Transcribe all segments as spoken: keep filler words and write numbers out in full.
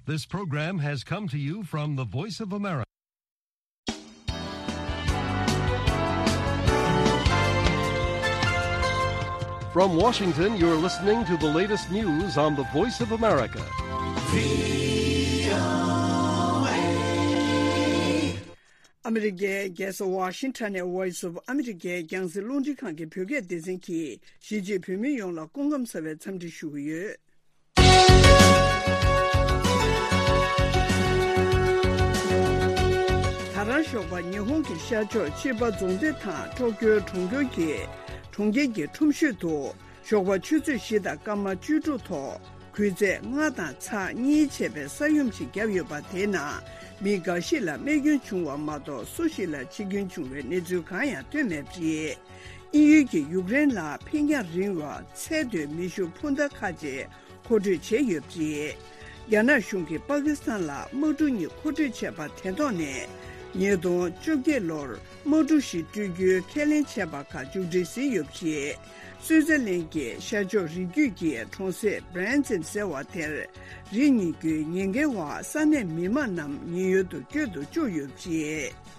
This program has come to you from the Voice of America. From Washington, you're listening to the latest news on the Voice of America. ཨ་མི་རི་ཀའི་རྒྱལ་ས་ཝ་ཤིང་ཊོན་ནས་Voice of America རྒྱང་སྲིང་རླུང་འཕྲིན་ཁང་གི་བོད་སྐད་སྡེ་ཚན་གྱིས་གཞིས་བྱེས་བོད་མི་ཡོངས་ལ་སྐུ་ཁམས་བཟང་བའི་འཚམས་འདྲི་ཞུ་གི་ཡོད། ད་རང་ཞོགས་པ་ཉི་ཧོང་གི་ཤར་ཕྱོགས་ཅི་པ་རྫོང་སྡེ་དང་ཊོ་ཀྱོ་གྲོང་ཁྱེར་གྱི་གྲོང་ཁྱེར་གྱི་ཁྲོམ་ཤོད་དུ་ཞོགས་པ་ཆུ་ཚོད་བཞི་དང་སྐར་མ་བཅུ་དྲུག་ཐོག་གུས་ཚད་ལྔ་དང་ཚེག་གཉིས་བྱས་པའི་ས་ཡོམ་ཞིག་བརྒྱབ་ཡོད་པ་དེའི་ནང་མི་འགའ་ཞིག་ལ་རྨས་སྐྱོན་བྱུང་བ་མ་གཏོགས་སུ་ཞིག་ལ་འཆི་སྐྱོན་བྱུང་བའི་གནས་ཚུལ་གང་ཡང་ཐོན་མེད་པ་རེད། དབྱིན་ཡུལ་གྱིས་ཡུཀ་རེན་ལ་འཕེན་རྒྱང་རིང་བ་ཚད་མཐོའི་མེ་ཤུགས་འཕུར་མདའ་ཁག་ཅིག་མཁོ་སྤྲོད་བྱས་ཡོད་པ་རེད། རྒྱ་ནག་གཞུང་གིས་པ་ཀི་སི་ཐན་ལ་དམག་གྲུ་གཉིས་མཁོ་སྤྲོད་བྱས་པ་དེ་ཐོག་ནས་ཉིས་སྟོང་བཅོ་བརྒྱད་ལོར་དམག་གྲུ་ཞིག་སྤྲོད་རྒྱུའི་ཁས་ལེན་བྱས་པ་ཁག་མཇུག་སྒྲིལ་ཟིན་ཡོད་པ་རེད། སུའུ་ཙེར་ལན་གྱི་ཤར་ཕྱོགས་རི་རྒྱུད་ཀྱི་གྲོང་གསེབ་བྷི་རན་ཛིན་ཟེར་བ་དེར་རི་རྙེད་རྒྱུའི་ཉེན་ཁའི་འོག་ས་གནས་མི་མང་རྣམས་ཉེན་གཡོལ་དུ་བསྐྱོད་དུ་བཅུག་ཡོད་པ་རེད།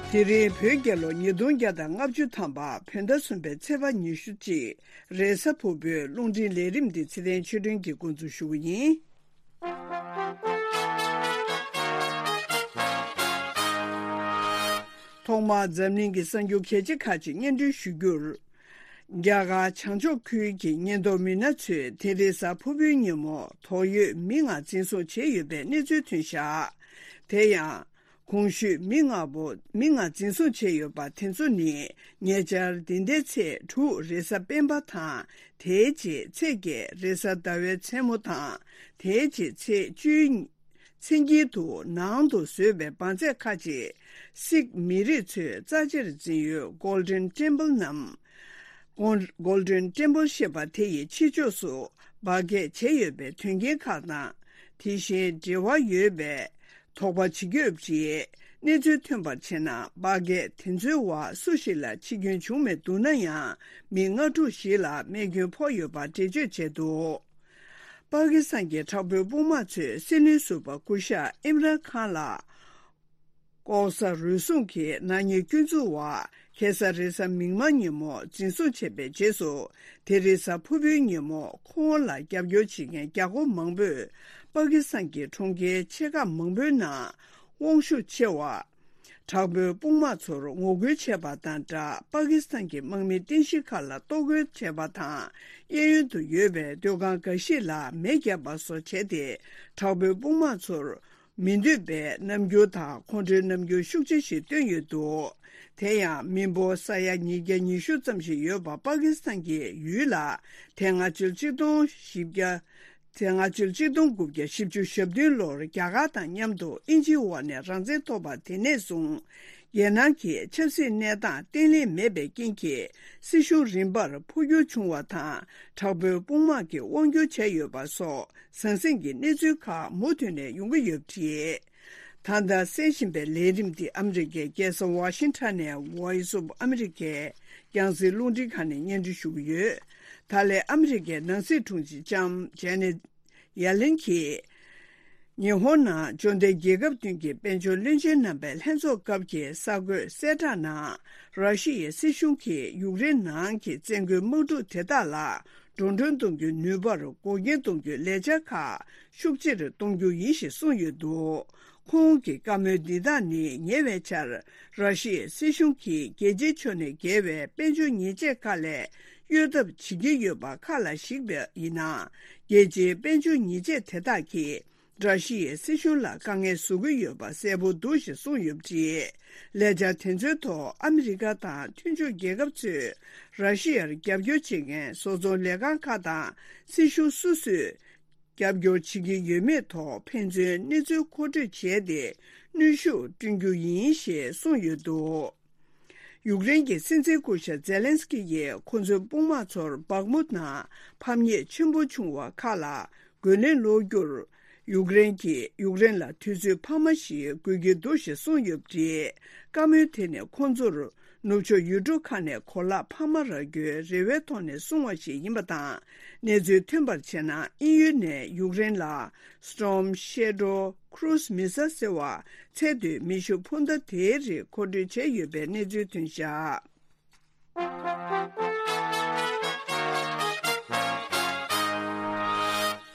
དེ་རིང་བོད་རྒྱལ་ལོ་ཉིས་སྟོང་བརྒྱ་དང་ལྔ་བཅུ་ཐམ་པ་བོད་ཟླ་གསུམ་པའི་ཚེས་པ་ཉི་ཤུ་གཅིག་རེས་གཟའ་ཕུར་བུའི་རླུང་འཕྲིན་ལས་རིམ་འདི་ཚེ་བརྟན་ཆོས་སྒྲོན་གྱིས་འགོ་འཛུགས་ཞུ་གི་ཡིན། ཐོག་མར་འཛམ་གླིང་གི་གསར་འགྱུར་གལ་ཆེ་ཁག་ཅིག་སྙན་སྒྲོན་ཞུ་རྒྱུར། རྒྱ་གར་བྱང་ཕྱོགས་ཁུལ་གྱི་ཉེན་རྟོག་མི་སྣ་ཚོས་དེ་རིང་གཟའ་ཕུར་བུའི་ཉིན་མོ་དོགས་ཡོད་མི་ལྔ་འཛིན་བཟུང་བྱས་ཡོད་པའི་གནས་ཚུལ་ཐོན་བཞག་དེ་ཡང་། གོང་ཞུས་མི་ལྔ་པོ་མི་ལྔ་འཛིན་བཟུང་བྱས་ཡོད་པ་དེ་ཚོ་ནི་ཉེ་ཆར་འདི་ཟླའི་ཚེས་དྲུག་རེས་གཟའ་སྤེན་པ་དང་དེའི་རྗེས་ཚེས་བརྒྱད་རེས་གཟའ་ཟླ་བའི་མཚན་མོ་དང་དེའི་རྗེས་ཚེས་བཅུའི་མཚན་དཀྱིལ་དུ་ནང་དུ་བཟོས་པའི་འབར་རྫས་ཁག་ཅིག་སིག་མི་རིགས་ཚོས་རྩ་ཆེར་འཛིན་ཡུལ་Golden Temple ནམ། Gol- Golden Temple ཞེས་པ་དེ་ཡི་ཕྱི་ཕྱོགས་སུ་འབར་གས་བྱས་ཡོད་པའི་དོན་རྐྱེན་ཁག་དང་དེ་བཞིན་འབྲེལ་བ་ཡོད་པའི་དོགས་པ་བྱེད་ཀྱི་ཡོད་པ་རེད། གནས་ཚུལ་ཐོན་པར་བྱས་ན་འབར་གས་དེ་ཚོའི་འོག་སུ་ཞིག་ལ་འཆི་སྐྱོན་བྱུང་མེད་འདུག་ན་ཡང་མི་ལྔ་དྲུག་ཞིག་ལ་རྨས་སྐྱོན་ཕོག་ཡོད་པ་འགྲེལ་བརྗོད་བྱས་འདུག་པ་ཀི་སི་ཐན་གྱི་དྲག་པོའི་དཔུང་དམག་ཚོས་སྲིད་བློན་ཟུར་པ་སྐུ་ཞབས་ཨིམ་རཱན་ཁཱན་ལ་ལྐོག་ཟ་རུལ་སུངས་ཀྱི་ནག་ཉེས་སྐྱོན་འཛུགས་འོག་ཁ་སང་རེས་གཟའ་མིག་དམར་ཉིན་མོ་འཛིན་བཟུང་བྱས་པའི་རྗེས་སུ་དེ་རིང་གཟའ་ཕུར་བུའི་ཉིན་མོ་ཁོང་ལ་རྒྱབ་སྐྱོར་བྱེད་མཁན་རྒྱ་སྒོར་མང་པོས་པ་ཀི་སི་ཐན་གྱི་གྲོང་ཁྱེར་ཆེ་ཁག་མང་པོའི་ནང་དབང་ཤུགས་ཆེ་བ། དྲག་པོའི་དཔུང་དམག་ཚོར་ངོ་རྒོལ་བྱས་པ་དང་སྦྲགས་པ་ཀི་སི་ཐན་གྱི་དམག་མི་རྟེན་གཞི་ཁག་ལ་གཏོར་རྒོལ་བྱས་པ་དང་གཡས་གཡོན་དུ་ཡོད་པའི་སྡོད་ཁང་འགའ་ཞིག་ལ་མེ་བརྒྱབ་པ་སོགས་བྱས་ཏེ་དྲག་པོའི་དཔུང་དམག་ཚོར་མི་འདོད་པའི་རྣམ་འགྱུར་དང་ཁོང་ཁྲོའི་རྣམ་འགྱུར་ཤུགས་ཆེ་ཞིག་བཏོན་ཡོད་འདུག་དེ་ཡང་མི་འབོར་ས་ཡ་ཉིས་བརྒྱ་ཉི་ཤུ་ཙམ་ཞིག་ཡོད་པ་པ་ཀི་སི་ཐན་གྱི་ཡུལ་ལ་དེ་སྔ་ཕྱི་ལོ་ཆིག་སྟོང་བཞི་བརྒྱ། དེ་སྔ་ཕྱི་ལོ་ཆིག་སྟོང་དགུ་བརྒྱ་བཞི་བཅུ་ཞེ་བདུན་ལོར་རྒྱ་གར་དང་མཉམ་དུ་དབྱིན་ཇིའི་འོག་ནས་རང་བཙན་ཐོབ་པ་དེ་ནས་བཟུང་རྒྱལ་ནང་གི་ཆབ་སྲིད་གནས་སྟངས་བརྟན་ལྷིང་མེད་པའི་རྐྱེན་གྱིས་སྲིད་གཞུང་རིམ་པར་འཕོ་འགྱུར་བྱུང་བ་དང་དྲག་པོའི་དཔུང་དམག་གིས་དབང་སྒྱུར་བྱས་ཡོད་པ་སོགས་ཟང་ཟིང་གི་གནས་ཚུལ་ཁག་མུ་མཐུད་ནས་ཡོང་གི་ཡོད་པ་རེད། ད་ལྟ་གསན་བཞིན་པའི་ལས་རིམ་འདི་ཨ་མི་རི་ཀའི་རྒྱལ་ས་ཝ་ཤིང་ཊོན་ནས་Voice of America རྒྱང་སྲིང་རླུང་འཕྲིན་ཁང་ནས་སྙན་སྒྲོན་ཞུ་གི་ཡོད། ད་ལན་ཨ་མི་རི་ཀའི་ནང་སྲིད་དྲུང་ཆེ་ལྕམ་ཇེ་ནེ་ཡ་ལེན་གྱིས། ཉི་ཧོང་ནང་འབྱོར་ལྡན་རྒྱལ་ཁབ་བདུན་གྱི་དཔལ་འབྱོར་བློན་ཆེན་རྣམ་པའི་ལྷན་ཚོགས་སྐབས་ཀྱི་གསར་འགོད་གསལ་བསྒྲགས་ནང་། ར་ཤི་ཡའི་སྲིད་གཞུང་གིས་ཡུཀ་རེན་ནང་གི་བཙན་རྒོལ་དམག་འཁྲུག་དེ་དག་ལ་འགྲོ་གྲོན་གཏོང་རྒྱུའི་ནུས་པར་འགོག་རྐྱེན་གཏོང་རྒྱུའི་ལས་འཆར་ཁག་ཤུགས་ཆེ་རུ་གཏོང་རྒྱུ་ཡིན་ཞེས་གསུངས་ཡོད་འདུག་ཁོང་གི་བཀའ་མོལ་འདི་དག་ནི་ཉེ་བའི་ཆར་ར་ཤི་ཡའི་སྲིད་གཞུང་གིས་རྒྱལ་སྤྱིའི་ཕྱོགས་ནས་འགེལ་བའི་དཔལ་འབྱོར་ཉེས་ཆད་ཁག་ལས་གཡོལ་ཐབས་བྱེད་ཀྱི་ཡོད་པ་ཁ་ལ་གཞིགས་པ་ཡིན་ན། རྒྱལ་སྤྱིའི་དཔལ་འབྱོར་ཉེས་ཆད་དེ་དག་གིས་ར་ཤི་ཡའི་སྲིད་གཞུང་ལ་དཀའ་ངལ་བཟོ་གི་ཡོད་པ་གསལ་པོ་འདུག་ཞེས་གསུངས་ཡོད་པ་རེད། ལས་འཆར་དེ་ཚོའི་ཐོག་ཨ་མི་རི་ཀ་དང་མཐུན་ཕྱོགས་རྒྱལ་ཁབ་ཚོས་ར་ཤི་ཡར་རྒྱབ་སྐྱོར་བྱེད་མཁན་བཟོ་ཚོང་ལས་ཁང་ཁག་དང་སྲིད་གཞུང་སོ་སོས། རྒྱབ་སྐྱོར་བྱེད་ཀྱི་ཡོད་མེད་ཐོག་ཕན་ཚུན་གནས་ཚུལ་མཁོ་སྤྲོད་བྱས་ཏེ་གནོན་ཤུགས་བསྐྲུན་རྒྱུ་ཡིན་ཞེས་གསུངས་ཡོད་འདུག་ཡུཀ་རེན་གྱི་སྲིད་འཛིན་སྐུ་ཞབས་ཛེ་ལན་སི་ཀི་ཡིས་ཁོ་ཚོའི་དཔུང་དམག་ཚོར་བག་མུ་དང་ཕམ་ཉེས་ཆེན་པོ་བྱུང་བ་ཁག་ལ་རྒོལ་ལན་སློག་རྒྱུར། ཡུཀ་རེན་གྱིས་ཡུཀ་རེན་ལ་དུས་ཚོད་འཕར་མ་ཞིག་དགོས་ཀྱི་འདུག་ཞེས་གསུངས་ཡོད་པ་རེད། བཀའ་མོལ་དེ་ནི་ཁོ་ཚོར་ ནུབ་ཕྱོགས་ཡུལ་གྲུ་ཁག་ནས་གོ་ལག་འཕར་མ་རག་རྒྱུའི་རེ་བའི་ཐོག་ནས་བཟུང་བ་ཞིག་ཡིན་པ་དང་། གནས་ཚུལ་ཐོན་པར་བྱས་ན། དབྱིན་ཡུལ་ནས་ཡུཀ་རེན་ལ་Storm Shadow cruise missile ཟེར་བ་ཚད་མཐོའི་མེ་ཤུགས་འཕུར་མདའ་དེའི་རིགས་མཁོ་སྤྲོད་བྱས་ཡོད་པའི་གནས་ཚུལ་ཐོན་བཞག་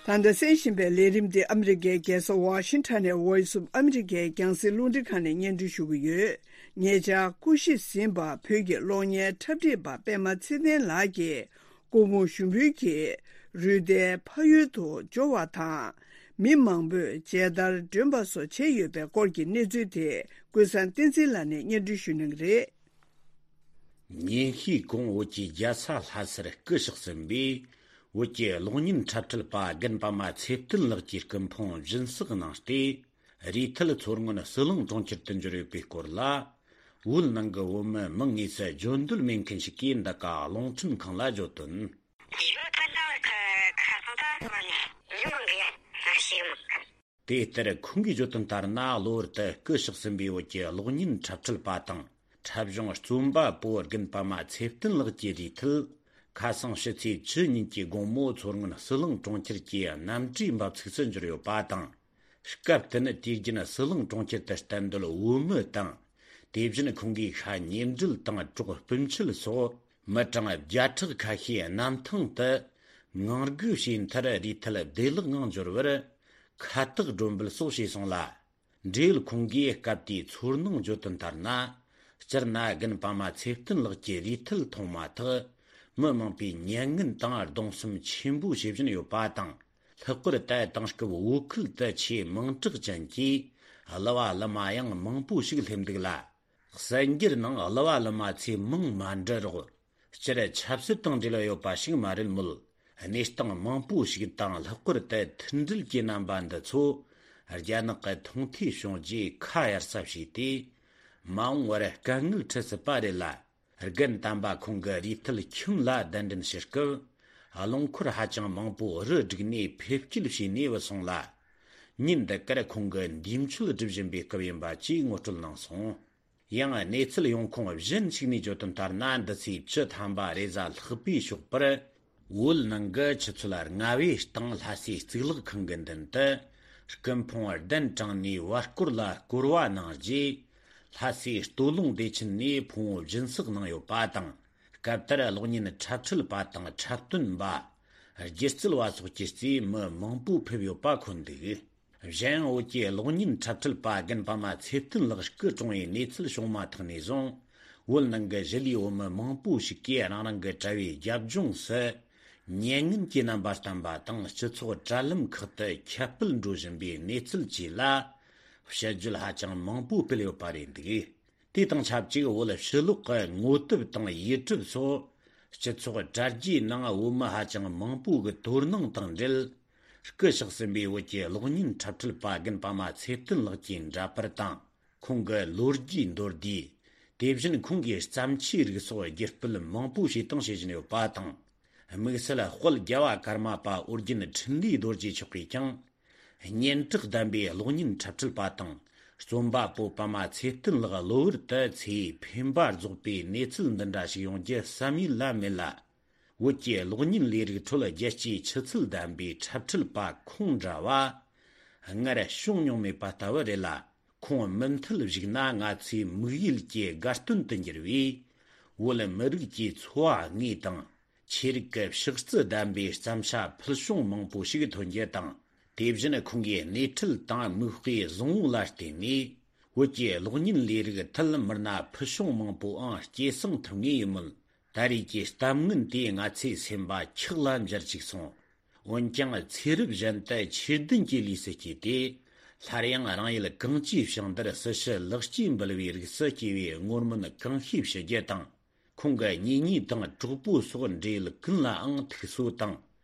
ད་ལྟ་གསན་བཞིན་པའི་ལས་རིམ་འདི་ཨ་མི་རི་ཀའི་རྒྱལ་ས་ཝ་ཤིང་ཊོན་ནས་Voice of America ཡི་རྒྱང་སྲིང་རླུང་འཕྲིན་ཁང་ནས་སྙན་སྒྲོན་ཞུ་གི་ཡོད། ཉེ་ཆར་སྐུ་གཤེགས་ཟིན་པ་བོད་ཀྱི་གློག་བརྙན་འཁྲབ་ཁྲིད་པ་པད་མ་ཚེ་བརྟན་ལགས་ཀྱིས། སྐུ་ཕུང་ཞུགས་འབུལ་གྱིས་རུས་ཏའི་ཕ་ཡུལ་དུ་འབྱོར་བ་དང་། མི་མང་པོས་མཇལ་དར་སྒྲོན་པ་སོགས་བྱས་ཡོད་པའི་སྐོར་གྱི་གནས་ཚུལ་དེ་ཀུན་བཟང་བསྟན་འཛིན་ལགས་ནས་སྙན་སྒྲོན་ཞུ་གནང་གི་རེད། ཉིན་ཤས་གོང་བོད་ཀྱི་རྒྱལ་ས་ལྷ་སར་སྐུ་གཤེགས་ཟིན་པའི་བོད་ཀྱི་གློག་བརྙན་འཁྲབ་ཁྲིད་པ་རྒན་པདྨ་ཚེ་བརྟན་ལགས་ཀྱི་སྐུ་ཕུང་སྦྱིན་སྲེག་གནང་སྟེ། རུས་ཐལ་མཚོ་སྔོན་ཟི་ལིང་གྲོང་ཁྱེར་དུ་འབྱོར་ཡོད་པའི་སྐོར་ལ། བོད་ནང་གི་བོད་མི་མིང་དངོས་སུ་བརྗོད་འདོད་མེད་མཁན་ཞིག་གིས་འདི་ག་རླུང་འཕྲིན་ཁང་ལ་བརྗོད་དོན། དེ་ལྟར་ཁོང་གིས་བརྗོད་དོན་ལྟར་ན། གློ་བུར་དུ་སྐུ་གཤེགས་ཟིན་པའི་བོད་ཀྱི་གློག་བརྙན་འཁྲབ་ཁྲིད་པ་དང་། འཁྲབ་གཞུང་རྩོམ་པ་པོ་རྒན་པདྨ་ཚེ་བརྟན་ལགས་ཀྱི་རུས་ཐལ། ཁ་སང་ཕྱི་ཚེས་བཅུ་ཉིན་གྱི་དགོང་མོ་མཚོ་སྔོན་ཟི་ལིང་གྲོང་ཁྱེར་གྱི་གནམ་གྲུའི་འབབ་ཚུགས་སུ་འབྱོར་ཡོད་པ་དང་། སྐབས་དེ་ནི་དུས་རྒྱུན་ཟི་ལིང་གྲོང་ཁྱེར་དུ་གཏན་སྡོད་བོད་མི་དང་། དེ་བཞིན་ཁོང་གི་ཤ་ཉེ་འབྲེལ་དང་གྲོགས་སྤུན་མཆེད་སོགས་མི་གྲངས་བརྒྱ་ཕྲག་ཁ་ཤས་གནམ་ཐང་དུ་ངང་སྒུག་བྱས་མཐར་རུས་ཐལ་བདེ་བླག་ངང་འབྱོར་བར་ཁ་བཏགས་སྒྲོན་འབུལ་སོགས་བྱས་སོང་ལ། འབྲེལ་ཡོད་ཁོང་གིས་སྐབས་དེའི་ཚོར་སྣང་བརྗོད་དོན་ལྟར་ན། སྤྱིར་ན་རྒན་པདྨ་ཚེ་བརྟན་ལགས་ཀྱི་རུས་ཐལ་མཐོང་མ་ཐག་མི་མང་པོས་མྱ་ངན་དང་གདུང་སེམས་ཆེན་པོ་བྱེད་བཞིན་ཡོད་པ་དང་། ལྷག་པར་དུ་དེང་སྐབས་བོད་ཁུལ་དུ་ཆེས་མིང་གྲགས་ཅན་གྱི་གླུ་བ་གླུ་མ་ཡང་མང་པོ་ཞིག་སླེབས་འདུག་ལ། གསར་འགྱུར་ནང་གླུ་བ་གླུ་མ་ཚོའི་མིང་མ་འདྲི་རོགས། སྤྱིར་ཆབ་སྲིད་དང་འབྲེལ་བ་ཡོད་པ་ཞིག་མ་རེད་མོད། གནས་སྟངས་མང་པོ་ཞིག་དང་། ལྷག་པར་དུ་མཐུན་སྒྲིལ་གྱི་རྣམ་པ་འདི་ཚོ་རྒྱ་ནག་གི་མཐོང་ཐོས་བྱུང་རྗེས་ཁ་གཡར་ས་བྱས་ཏེ། མ་འོངས་པར་དཀའ་ངལ་འཕྲད་སྲིད་པ་རེད་ལ། རྒན་དམ་པ་ཁོང་གི་རུས་ཐལ་ཁྱིམ་ལ་གདན་འདྲེན་ཞུ་སྐབས། རླངས་འཁོར་ཧ་ཅང་མང་པོ་རུ་བསྒྲིགས་ནས་ཕེབས་སྐྱེལ་བྱས་ནས་བུད་སོང་ལ། ཉིན་འདི་གར་ཁོང་གི་འདས་མཆོད་སྒྲུབ་བཞིན་པའི་སྐབས་ཡིན་པ་བཅས་ངོ་སྤྲོད་གནང་སོང་། ཡང་གནས་ཚུལ་ཡོང་ཁུངས་གཞན་ཞིག་ནས་བརྗོད་དོན་ལྟར་ན། འདི་ཚེས་བཅུ་ཐམ་པ་རེས་གཟའ་ལྷག་པའི་ཞོགས་པར། བོད་ནང་གི་ཆུ་ཚོད་ལྔ་པའི་སྟེང་ལྷ་སའི་གཙུག་ལག་ཁང་གི་མདུན་དུ། སྐུ་ཕུང་གདན་དྲངས་ནས་བར་སྐོར་ལ་བསྐོར་བ་གནང་རྗེས། ལྷ་སའི་སྟོད་ལུང་བདེ་ཆེན་ནས་ཕུང་བོ་སྦྱིན་སྲེག་གནང་ཡོད་པ་དང་། སྐབས་དེར་གློག་བརྙན་འཁྲབ་ཁྲིད་པ་དང་འཁྲབ་སྟོན་པ། སྒྱུ་རྩལ་བ་སོགས་ཀྱིས་རྩིས་མི་མང་པོ་ཕེབས་ཡོད་པ་འཁོད་འདུག་གཞན་ཡང་བོད་ཀྱི་གློག་བརྙན་འཁྲབ་ཁྲིད་པ་རྒན་པདྨ་ཚེ་བརྟན་ལགས་སྐུ་གྲོངས་པའི་གནས་ཚུལ་བྱུང་མ་ཐག་ནས་བཟུང་། བོད་ནང་གི་གཞིས་ལུས་བོད་མི་མང་པོ་ཞིག་གིས་རང་རང་གི་དྲ་བའི་རྒྱབ་ལྗོངས་སུ་མྱ་ངན་གྱི་རྣམ་པ་བསྟན་པ་དང་། སྤྱི་ཚོགས་དྲ་ལམ་ཁག་ཏུ་ཁྱབ་སྤེལ་འགྲོ་བཞིན་པའི་གནས་ཚུལ་བཅས་ལ་དཔྱད་བརྗོད་ཧ་ཅང་མང་པོ་སྤེལ་ཡོད་པ་རེད་འདུག་དེ་དང་ཆབས་ཅིག་བོད་ཕྱི་ལོགས་ཀྱི་ངོ་དེབ་དང་ཡུ་ཊུབ་སོགས་སྤྱི་ཚོགས་དྲ་རྒྱའི་ནང་བོད་མི་ཧ་ཅང་མང་པོ་གི་དོ་སྣང་དང་འབྲེལ། སྐུ་གཤེགས་ཟིན་པའི་བོད་ཀྱི་གློག་བརྙན་འཁྲབ་ཁྲིད་པ་རྒན་པདྨ་ཚེ་བརྟན་ལགས་ཀྱི་འདྲ་པར་དང་། ཁོང་གི་ལོ་རྒྱུས་མདོར་བསྡུས། དེ་བཞིན་ཁོང་གི་བརྩམས་ཆོས་རིགས་སོགས་བརྒྱུད་སྤེལ་མང་པོ་བྱས་དང་བྱེད་བཞིན་ཡོད་པ་དང་། དམིགས་བསལ་དཔལ་རྒྱལ་བ་ཀརྨ་པ་ཨོ་རྒྱན་འཕྲིན་ལས་རྡོ་རྗེ་མཆོག་གིས་ཀྱང་། སྙན་གྲགས་ལྡན་པའི་གློག་བརྙན་འཁྲབ་ཁྲིད་པ་དང་རྩོམ་པ་པོ་པདྨ་ཚེ་བརྟན་ལགས་གློ་བུར་དུ་ཚེ་འཕེན་པ་རྫོགས་པའི་གནས་ཚུལ་འདི་འདྲ་ཞིག་ཡོང་རྒྱུ་བསམ་ཡུལ་ལ་མེད་ལ། བོད་ཀྱི་གློག་བརྙན་ལས་རིགས་ཁྲོད་རྒྱལ་སྤྱིའི་ཆུ་ཚད་ལྡན་པའི་འཁྲབ་ཁྲིད་པ་ཁོང་འདྲ་བ་སྔར་བྱུང་མྱོང་མེད་པ་ལྟ་བུ་རེད་ལ། ཁོང་མུ་མཐུད་བཞུགས་ན་ང་ཚོའི་དམིགས་ཡུལ་གྱི་དགའ་སྟོན་དུ་འགྱུར་བས། བོད་མི་རིགས་ཀྱི་འཚོ་བ་དངོས་དང་། ཆོས་རིག་གི་ཕྱག་རྩལ་ལྡན་པའི་བརྩམས་བྱ་ཕུལ་བྱུང་མང་པོ་ཞིག་ཐོན་རྒྱུ་དང་། དེ་བཞིན་ཁོང་གི་སྣེ་ཁྲིད་དང་མིག་དཔེ་བཟང་བོ་ལ་བརྟེན་ནས། བོད་ཀྱི་གློག་བརྙན་ལས་རིགས་ཐད་མི་སྣ་ཕུལ་བྱུང་མང་པོའང་སྐྱེད་སྲིང་ཐུབ་ངེས་ཡིན་མོད། ད་རེས་ཀྱི་གཏམ་ངན་དེས་ང་ཚོའི་སེམས་པ་འཁྱག་ལ་འབྱར་བཅུག་སོང་། འོན་ཀྱང་ཚེ་རབས་གཞན་དུ་ཆོས་ལྡན་གྱི་ལུས་སུ་སྐྱེས་ཏེ། སླར་ཡང་རང་ཡུལ་གངས་ཅན་བྱང་འདིར་སྲི་ཞུ་ལེགས་སྐྱེས་འབུལ་བའི་རིགས་སུ་སྐྱེ་བའི་བསྔོ་སྨོན་གང་ཤེས་ཞུ་རྒྱུ་དང་། ཁོང་གི་གཉེན་ཉེ་དང་གྲོགས་པོ་སོགས་འབྲེལ་ཡོད་ཀུན་ལའང་ཐུགས་གསོ་དང་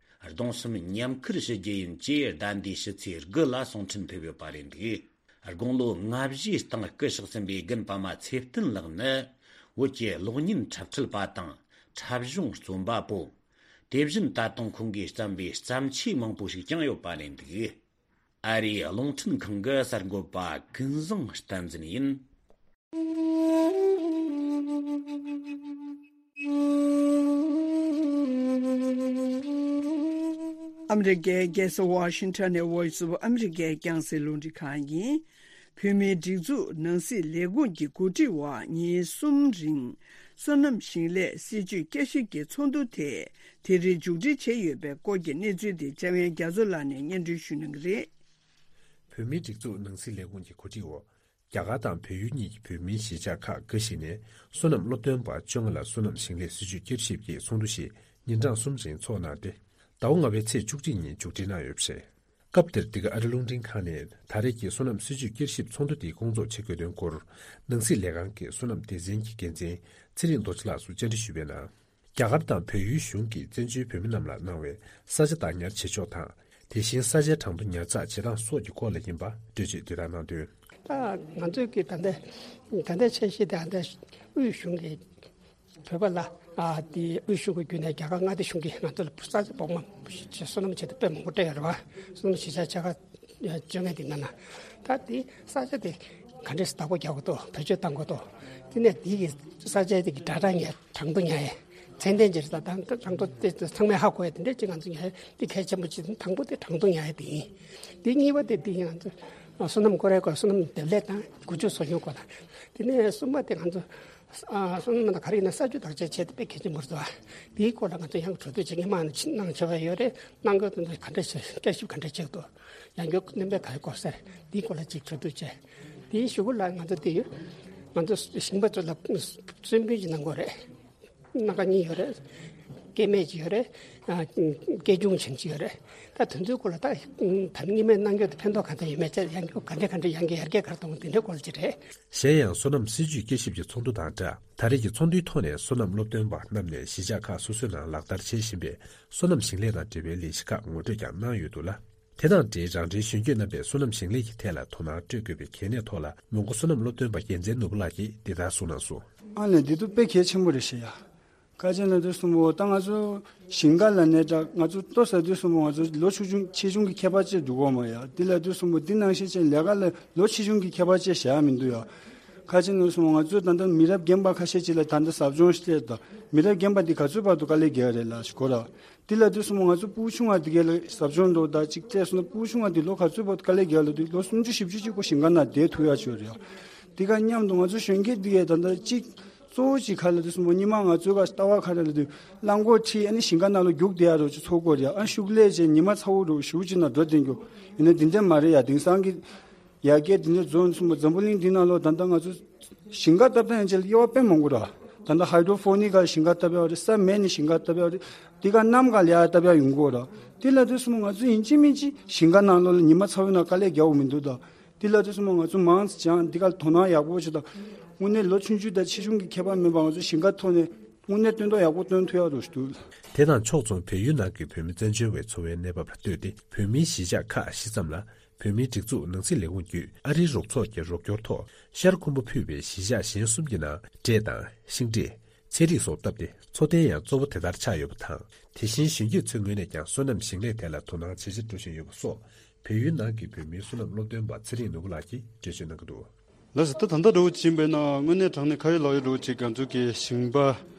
གདུང་སེམས་མཉམ་ཁུར་ཞུ་རྒྱུ་ཡིན་ཅེས་ཟླ་འདིའི་ཕྱི་ཚེས་དགུ་ལ་གསུང་འཕྲིན་ཕེབས་ཡོད་པ་རེད་འདུག་དགུང་ལོ་ལྔ་བཞིའི་སྟེང་སྐུ་གཤེགས་ཟིན་པའི་རྒན་པདྨ་ཚེ་བརྟན་ལགས་ནི། བོད་ཀྱི་གློག་བརྙན་འཁྲབ་ཁྲིད་པ་དང་འཁྲབ་གཞུང་རྩོམ་པ་པོ། དེ་བཞིན་ད་དུང་ཁོང་གིས་བརྩམས་པའི་བརྩམས་ཆོས་མང་པོ་ཞིག་ཀྱང་ཡོད་པ་རེད་འདུག་ཨ་རིའི་རླུང་འཕྲིན་ཁང་གི་གསར་འགོད་པ་ཀུན་བཟང་བསྟན་འཛིན་ཡིན། ཨ་མི་རི་ཀའི་རྒྱལ་ས་ཝ་ཤིང་ཊོན་ནས་Voice of America་རྒྱང་སྲིང་རླུང་འཕྲིན་ཁང་ཡིན། བོད་མིའི་སྒྲིག་འཛུགས་ནང་སྲིད་ལས་ཁུངས་ཀྱི་འགོ་ཁྲིད་འོག་ཉིན་གསུམ་རིང་སོ་ནམ་ཞིང་ལས་སྲིད་ཇུས་བསྐྱར་ཞིབ་ཀྱི་ཚོགས་འདུ་དེ་དེ་རིང་མཇུག་སྒྲིལ་བྱས་ཡོད་པའི་སྐོར་གྱི་གནས་ཚུལ་དེ་འཇམ་དབྱངས་རྒྱ་མཚོ་ལགས་ནས་སྙན་སྒྲོན་ཞུ་གནང་གི་རེད། བོད་མིའི་སྒྲིག་འཛུགས་ནང་སྲིད་ལས་ཁུངས་ཀྱི་འགོ་ཁྲིད་འོག་རྒྱ་གར་དང་བལ་ཡུལ་གཉིས་ཀྱི་བོད་མིའི་གཞིས་ཆགས་ཁག་འགའ་ཞིག་ནས་སོ་ནམ་སློབ་སྟོན་པ་བཅོ་ལྔ་ལ་སོ་ནམ་ཞིང་ལས་སྲིད་ཇུས་བསྐྱར་ཞིབ་ཀྱི་ཚོགས་འདུ་ཞིག་ཉིན་གྲངས་གསུམ་རིང་ཚོགས་གནང་སྟེ། ཟླ་བ་ལྔ་པའི་ཚེས་བཅུ་གཅིག་ཉིན་མཇུག་སྒྲིལ་གནང་ཡོད་པ་རེད། སྐབས་དེར་འདི་ག་ཨ་རི་རླུང་འཕྲིན་ཁང་ནས་ད་རེས་ཀྱི་སོ་ནམ་སྲིད་ཇུས་བསྐྱར་ཞིབ་ཚོགས་འདུ་དེའི་སྐོང་ཚོགས་བྱེད་དགོས་དོན་སྐོར། ནང་སྲིད་ལས་ཁང་གི་སོ་ནམ་སྡེ་ཚན་གྱི་འགན་འཛིན་ཚེ་རིང་རྡོ་རྗེ་ལགས་སུ་བཅར་འདྲི་ཞུས་པའི་ནང་། རྒྱ་གར་དང་བལ་ཡུལ་གཞུང་གིས་བཙན་བྱོལ་བོད་མི་རྣམས་ལ་གནང་བའི་ས་ཆ་བདག་ཉར་བྱེད་ཕྱོགས་དང་། དེ་བཞིན་ས་ཆའི་གྲངས་ཐོ་ཉར་ཚགས་བྱེད་སྟངས་སོགས་ཀྱི་སྐོར་ལ་ཡིན་པ་འགྲེལ་བརྗོད་དེ་ལྟར་གནང་དོན། ད་ང་ཚོས་ཀྱི་ད་ལྟ་ད་ལྟའི་འཆར་གཞི་དེ་ད་ལྟ་དབུས་གཞུང་གིས་བོད་པ་ལ་ཨ་དེ་དབུས་གཞུང་གི་བརྒྱུད་ནས་རྒྱ་གར་མངའ་སྡེ་གཞུང་གིས་ང་ཚོ་ལ་ས་ཆ་སྦོམ་མ་སོ་ནམ་བྱེད་དུ་དཔེ་མང་པོ་སྤྲད་ཡོད་རེད་བ། སོ་ནམ་གཞིས་ཆགས་ཆ་ག་བཅོ་ལྔ་དེ་ནང་ན་ད་དེ་ས་ཆ་དེ་ག་འདྲས་བདག་པོ་རྒྱག་དགོས་འདུག་བེད་སྤྱོད་གཏང་དགོས་འདུག་དེ་ནས་དེ་གི་ས་ཆ་དེ་གི་སྒྲ་གྲགས་ཉར་གྲངས་ཐོ་ཉར་ཡས། ཚད་ལྡན་ཅིག་རེད། ད་གྲངས་ཐོ་དེ་ཚང་མས་ཧ་གོ་ཡ་དེ་འདྲས་ཅིག་ང་ཚོ་ཉར་ཡ་དེ་གལ་ཆེན་པོ་ཅིག་དང་པོ་དེ་གྲངས་ཐོ་ཉར་ཡ་དེ་ཡིན། དེ་གཉིས་པ་དེ་དེ་ཡིན། ང་ཚོ་སོ་ནམ་སྐོར་རའི་སྐོར་སོ་ནམ་འདེབས་ལས་དང་བཀོལ་སྤྱོད་གསོ་སྐྱོང་སྐོར་དང་། དེ་ནས་གསུམ་པ་དེ་ང་ཚོ་སོ་ནམ་དང་ག་རེ་ཡིན་ན་ས་ཆ་བདག་གཅེས་བྱེད་དེ་དཔེ་གལ་ཆེན་པོ་རེད་དོ། དེའི་སྐོར་ལ་ང་ཚོ་ཡང་གྲོས་བསྡུར་བྱེད་མཁན་མང་ཆེ་གནང་བྱས་པ་ཡོད་རེད། གནང་དགོས་དོན་དུ་ག་འདྲ་བྱེད་བསྐྱར་ཞིབ་ག་འདྲ་བྱེད་དགོས། ཡང་བསྐྱར་བསྣན་པའི་ག་རེ་དགོས་ཟེར་དེའི་སྐོར་ལ་ཅིག་གྲོས་བསྡུར་བྱས། དེའི་གཞུག་གུ་ལ་ང་ཚོ་དེ་ཡོད། ང་ཚོ་ཞིང་པ་ཚོ་ལ་གསོལ་སྤོན་ཅིག་གནང་དགོས་རེད། སྣ་ཁ་གཉིས་ཡོད་རེད། སྐྱེད་སྨན་ཅིག་ཡོད་རེད། ཨ་སྐྱེད་ཆུང་ཆེན་ཅིག་ཡོད་རེད། ད་དེ་ཚོའི་སྐོར་ལ་ད་ད་ནི་སྔོན་མའི་གནང་རྒྱུ་དེ་ཕན་ཐོགས་ག་འདྲ་ཡོད་མེད་ཚད་ཡང་རྒྱུ་ག་འདྲ་ག་འདྲ་ཡང་རྒྱུ་ཡར་རྒྱས་ག་རེ་གཏོང་དེ་འདྲའི་སྐོར་ཅིག་རེད། གཞན་ཡང་སོ་ནམ་སྲིད་ཇུས་བསྐྱར་ཞིབ་ཀྱི་ཚོགས་འདུ་དང་སྦྲགས་ད་རེས་ཀྱི་ཚོགས་འདུའི་ཐོག་ནས་སོ་ནམ་སློབ་སྟོན་པ་རྣམས་ནས་གཞིས་ཆགས་ཁག་སོ་སོའི་ནང་ལག་བསྟར་བྱེད་བཞིན་པའི་སོ་ནམ་ཞིང་ལས་དང་འབྲེལ་བའི་ལས་གཞི་ཁག་ངོ་སྤྲོད་ཀྱང་གནང་ཡོད་འདུག་ལ། དེ་དང་འབྲེལ་རང་འདྲའི་གཞོན་སྐྱེས་རྣམ་པས་སོ་ནམ་ཞིང་ལས་ཀྱི་ཐད་ལ་དོ་སྣང་སྤྲོད་དགོས་པའི་གལ་གནད་ཐོག་ལ་མོན་གྷོ་སོ་ནམ་སློབ་སྟོན་པ་རྒྱལ་མཚན་ནོར་བུ་ལགས་ཀྱིས་འདི་ལྟར་གསུངས་གནང་སོང་། ཨ་ནི་འདི་ཚོ་དཔེ་གལ་ཆེན་པོ་རེད་ཤག་ཡ། ཁ་ཆེ་ན་དུས་གསུམ་པོ་ད་ང་ཚོ་ཞིང་ཁ་ལ་ནས་ད་ང་ཚོ་ལྟོ་ཟ་དུས་གསུམ་པོ་ང་ཚོ་ལོ་ཆུང་ཆུང་ཆེ་ཆུང་གི་ཁྱད་པར་ཅིག་འདུག་གོ་མ་ཡ། འདི་ལ་དུས་གསུམ་པོ་འདི་ནང་བཞིན་ཅན་ལས་ཀ་ལ་ལོ་ཆེ་ཆུང་གི་ཁྱད་པར་ཅིག་བཞག་མི་འདུག་ཡ། ཁ་ཆེ་ན་དུས་གསུམ་པོ་ང་ཚོ་ད་ལྟ་མི་རབས་རྒན་པ་ཁ་ཤས་ཅིག་ལ་ད་ལྟ་ཟབ་སྦྱོང་ཞིག་སླེབས། ད་མི་རབས་རྒན་པ་འདི་ག་ཚོད་བར་དུ་དཀའ་ལས་རྒྱག་རེད་ལ་ཞིག་གོ་ར། འདི་ལ་དུས་གསུམ་པོ་ང་ཚོ་ཕྲུ་གུ་ཆུང་བ་འདི་གའི་ལ་ཟབ་སྦྱོང་འགྲོ་ད་ཅིག་སླེབས་སོང་ན་ཕྲུ་གུ་ཆུང་བ་འདི་ལོ་ག་ཚོད་བར་དུ་དཀའ་ལས་རྒྱག་ལ་འདུག་ལོ་སུམ་ཅུ་བཞི་བཅུ་ཅིག་པོ་ཞིང་ཁ་ནང་བསྡད་ཐུབ་ཡ་ཅིག་ཡོད་རེད་ཡ། འདི་ག་མཉམ་དུ་ང་ཚོ་གཞོན་སྐྱེས་འདི་གའི་ད་ལྟ་ཅིག་གཙོ་བོ་ཅིག་ག་ལ་དུས་གསུམ་པོ་ཉི་མ་ང་ཚོའི་ག་ལྟ་བ་ག་རེ་ལ་དུས་རླངས་འཁོར་ཁྲིད་ཨ་ནི་ཞིང་ཁ་ནང་ལ་རྒྱུགས་བསྡད་ཡ་རོགས་ཅིག་ཚོགས་སྐོར་ཡ། ཨ་ཤུགས་ལས་བྱས་ཉི་མ་ཚ་བོ་རོགས་ཞུ་ཅིག་ན་འགྲོ་བསྡད་རྒྱུ་ཡིན་ན་འདི་འདྲ་མ་རེད་ཡ། དེང་སང་གི་ཡར་རྒྱས་འདི་འདྲ་རྫོང་གསུམ་པོ་འཛམ་བུ་གླིང་འདི་ནང་ལོ་ད་ལྟ་ང་ཚོ་ཞིང་ཁ་བཏབ་སྟངས་ཡན་ཆད་ལ་དབྱེ་བ་དཔེ་མང་པོ་ར། ད་ལྟ་ཧའི་ཌོ་ཕོ་ནིག་ག་ཞིང་ཁ་བཏབ་ཡ་རེད། ས་མེད་ནས་ཞིང་ཁ་བཏབ་ཡ་རེད། འདི་ག་གནམ་ག་ལ་ཡ་བཏབ་ཡ་ཡོང་གི་ར། འདི་ལ་དུས་གསུམ་ང་ཚོ་ཡིན་གཅིག་མིན་གཅིག་ཞིང་ཁ་ནང་ལོགས་ལ་ཉི་མ་ཚ་བོའི་ནང་དཀའ་ལས་རྒྱག་དགོས་མི་འདུག་ད་འདི་ལ་དུས་གསུམ་ང་ཚོ་མང་ཙམ་སྦྱང་འདི་ག་ལ་དོ་སྣང་ཡག་པོ་བྱེད་ད། དངོས་གནས་ལོ་ཆུང་ཆུང་དང་ཆེ་ཆུང་གི་ཁྱད་པར་མེད་པ་ང་ཚོ་ཞིང་ཁ་ཐོག་ནས་དངོས་གནས་སྟོན་ཐོག་ཡག་པོ་སྟོན་ཐུབ་ཡ་རོགས་ཞུ་འདུག་དེ་དང་ཕྱོགས་མཚུངས་བལ་ཡུལ་ནང་གི་བོད་མི་བཙན་བྱོལ་བའི་འཚོ་བའི་གནས་བབ་ལ་ལྟོས་ཏེ་བོད་མིའི་གཞིས་ཆགས་ཁག་བཞི་ཙམ་ལ། བོད་མིའི་སྒྲིག་འཛུགས་ནང་སྲིད་ལས་ཁུངས་བརྒྱུད་ཨ་རིའི་རོགས་ཚོགས་ཀྱི་རོགས་སྐྱོར་ཐོག་ཤར་ཁུམ་བུ་ཕུད་པའི་གཞིས་ཆགས་གཞན་གསུམ་གྱི་ནང་འབྲས་དང་ཤིང་འབྲས། ཚལ་རིགས་སོགས་བཏབ་སྟེ་འཚོ་རྟེན་ཡང་གཙོ་བོ་དེ་ལྟར་ཆགས་ཡོད་པ་དང་། དེ་བཞིན་གཞོན་སྐྱེས་ཚོའི་ངོས་ནས་ཀྱང་སོ་ནམ་ཞིང་ལས་ཐད་ལ་དོ་སྣང་ཇེ་ཆེར་འགྲོ་བཞིན་ཡོད་པ་སོགས་བལ་ཡུལ་ནང་གི་བོད་མིའི་སོ་ནམ་སློབ་སྟོན་པ་ཚེ་རིང་ནོར་བུ་ལགས་ཀྱིས་འགྲེལ་བརྗོད་གནང་གི་འདུག་ལགས་སོ། ད་ད་ལྟ་འདྲ་བོ་ཅིག་ཡིན་པས་ན་དངོས་གནས་དྲང་གནས་ཁ་ཡོད་ལག་ཡོད་འདྲ་བོ་ཅིག་ང་ཚོ་གི་ཞིང་པ་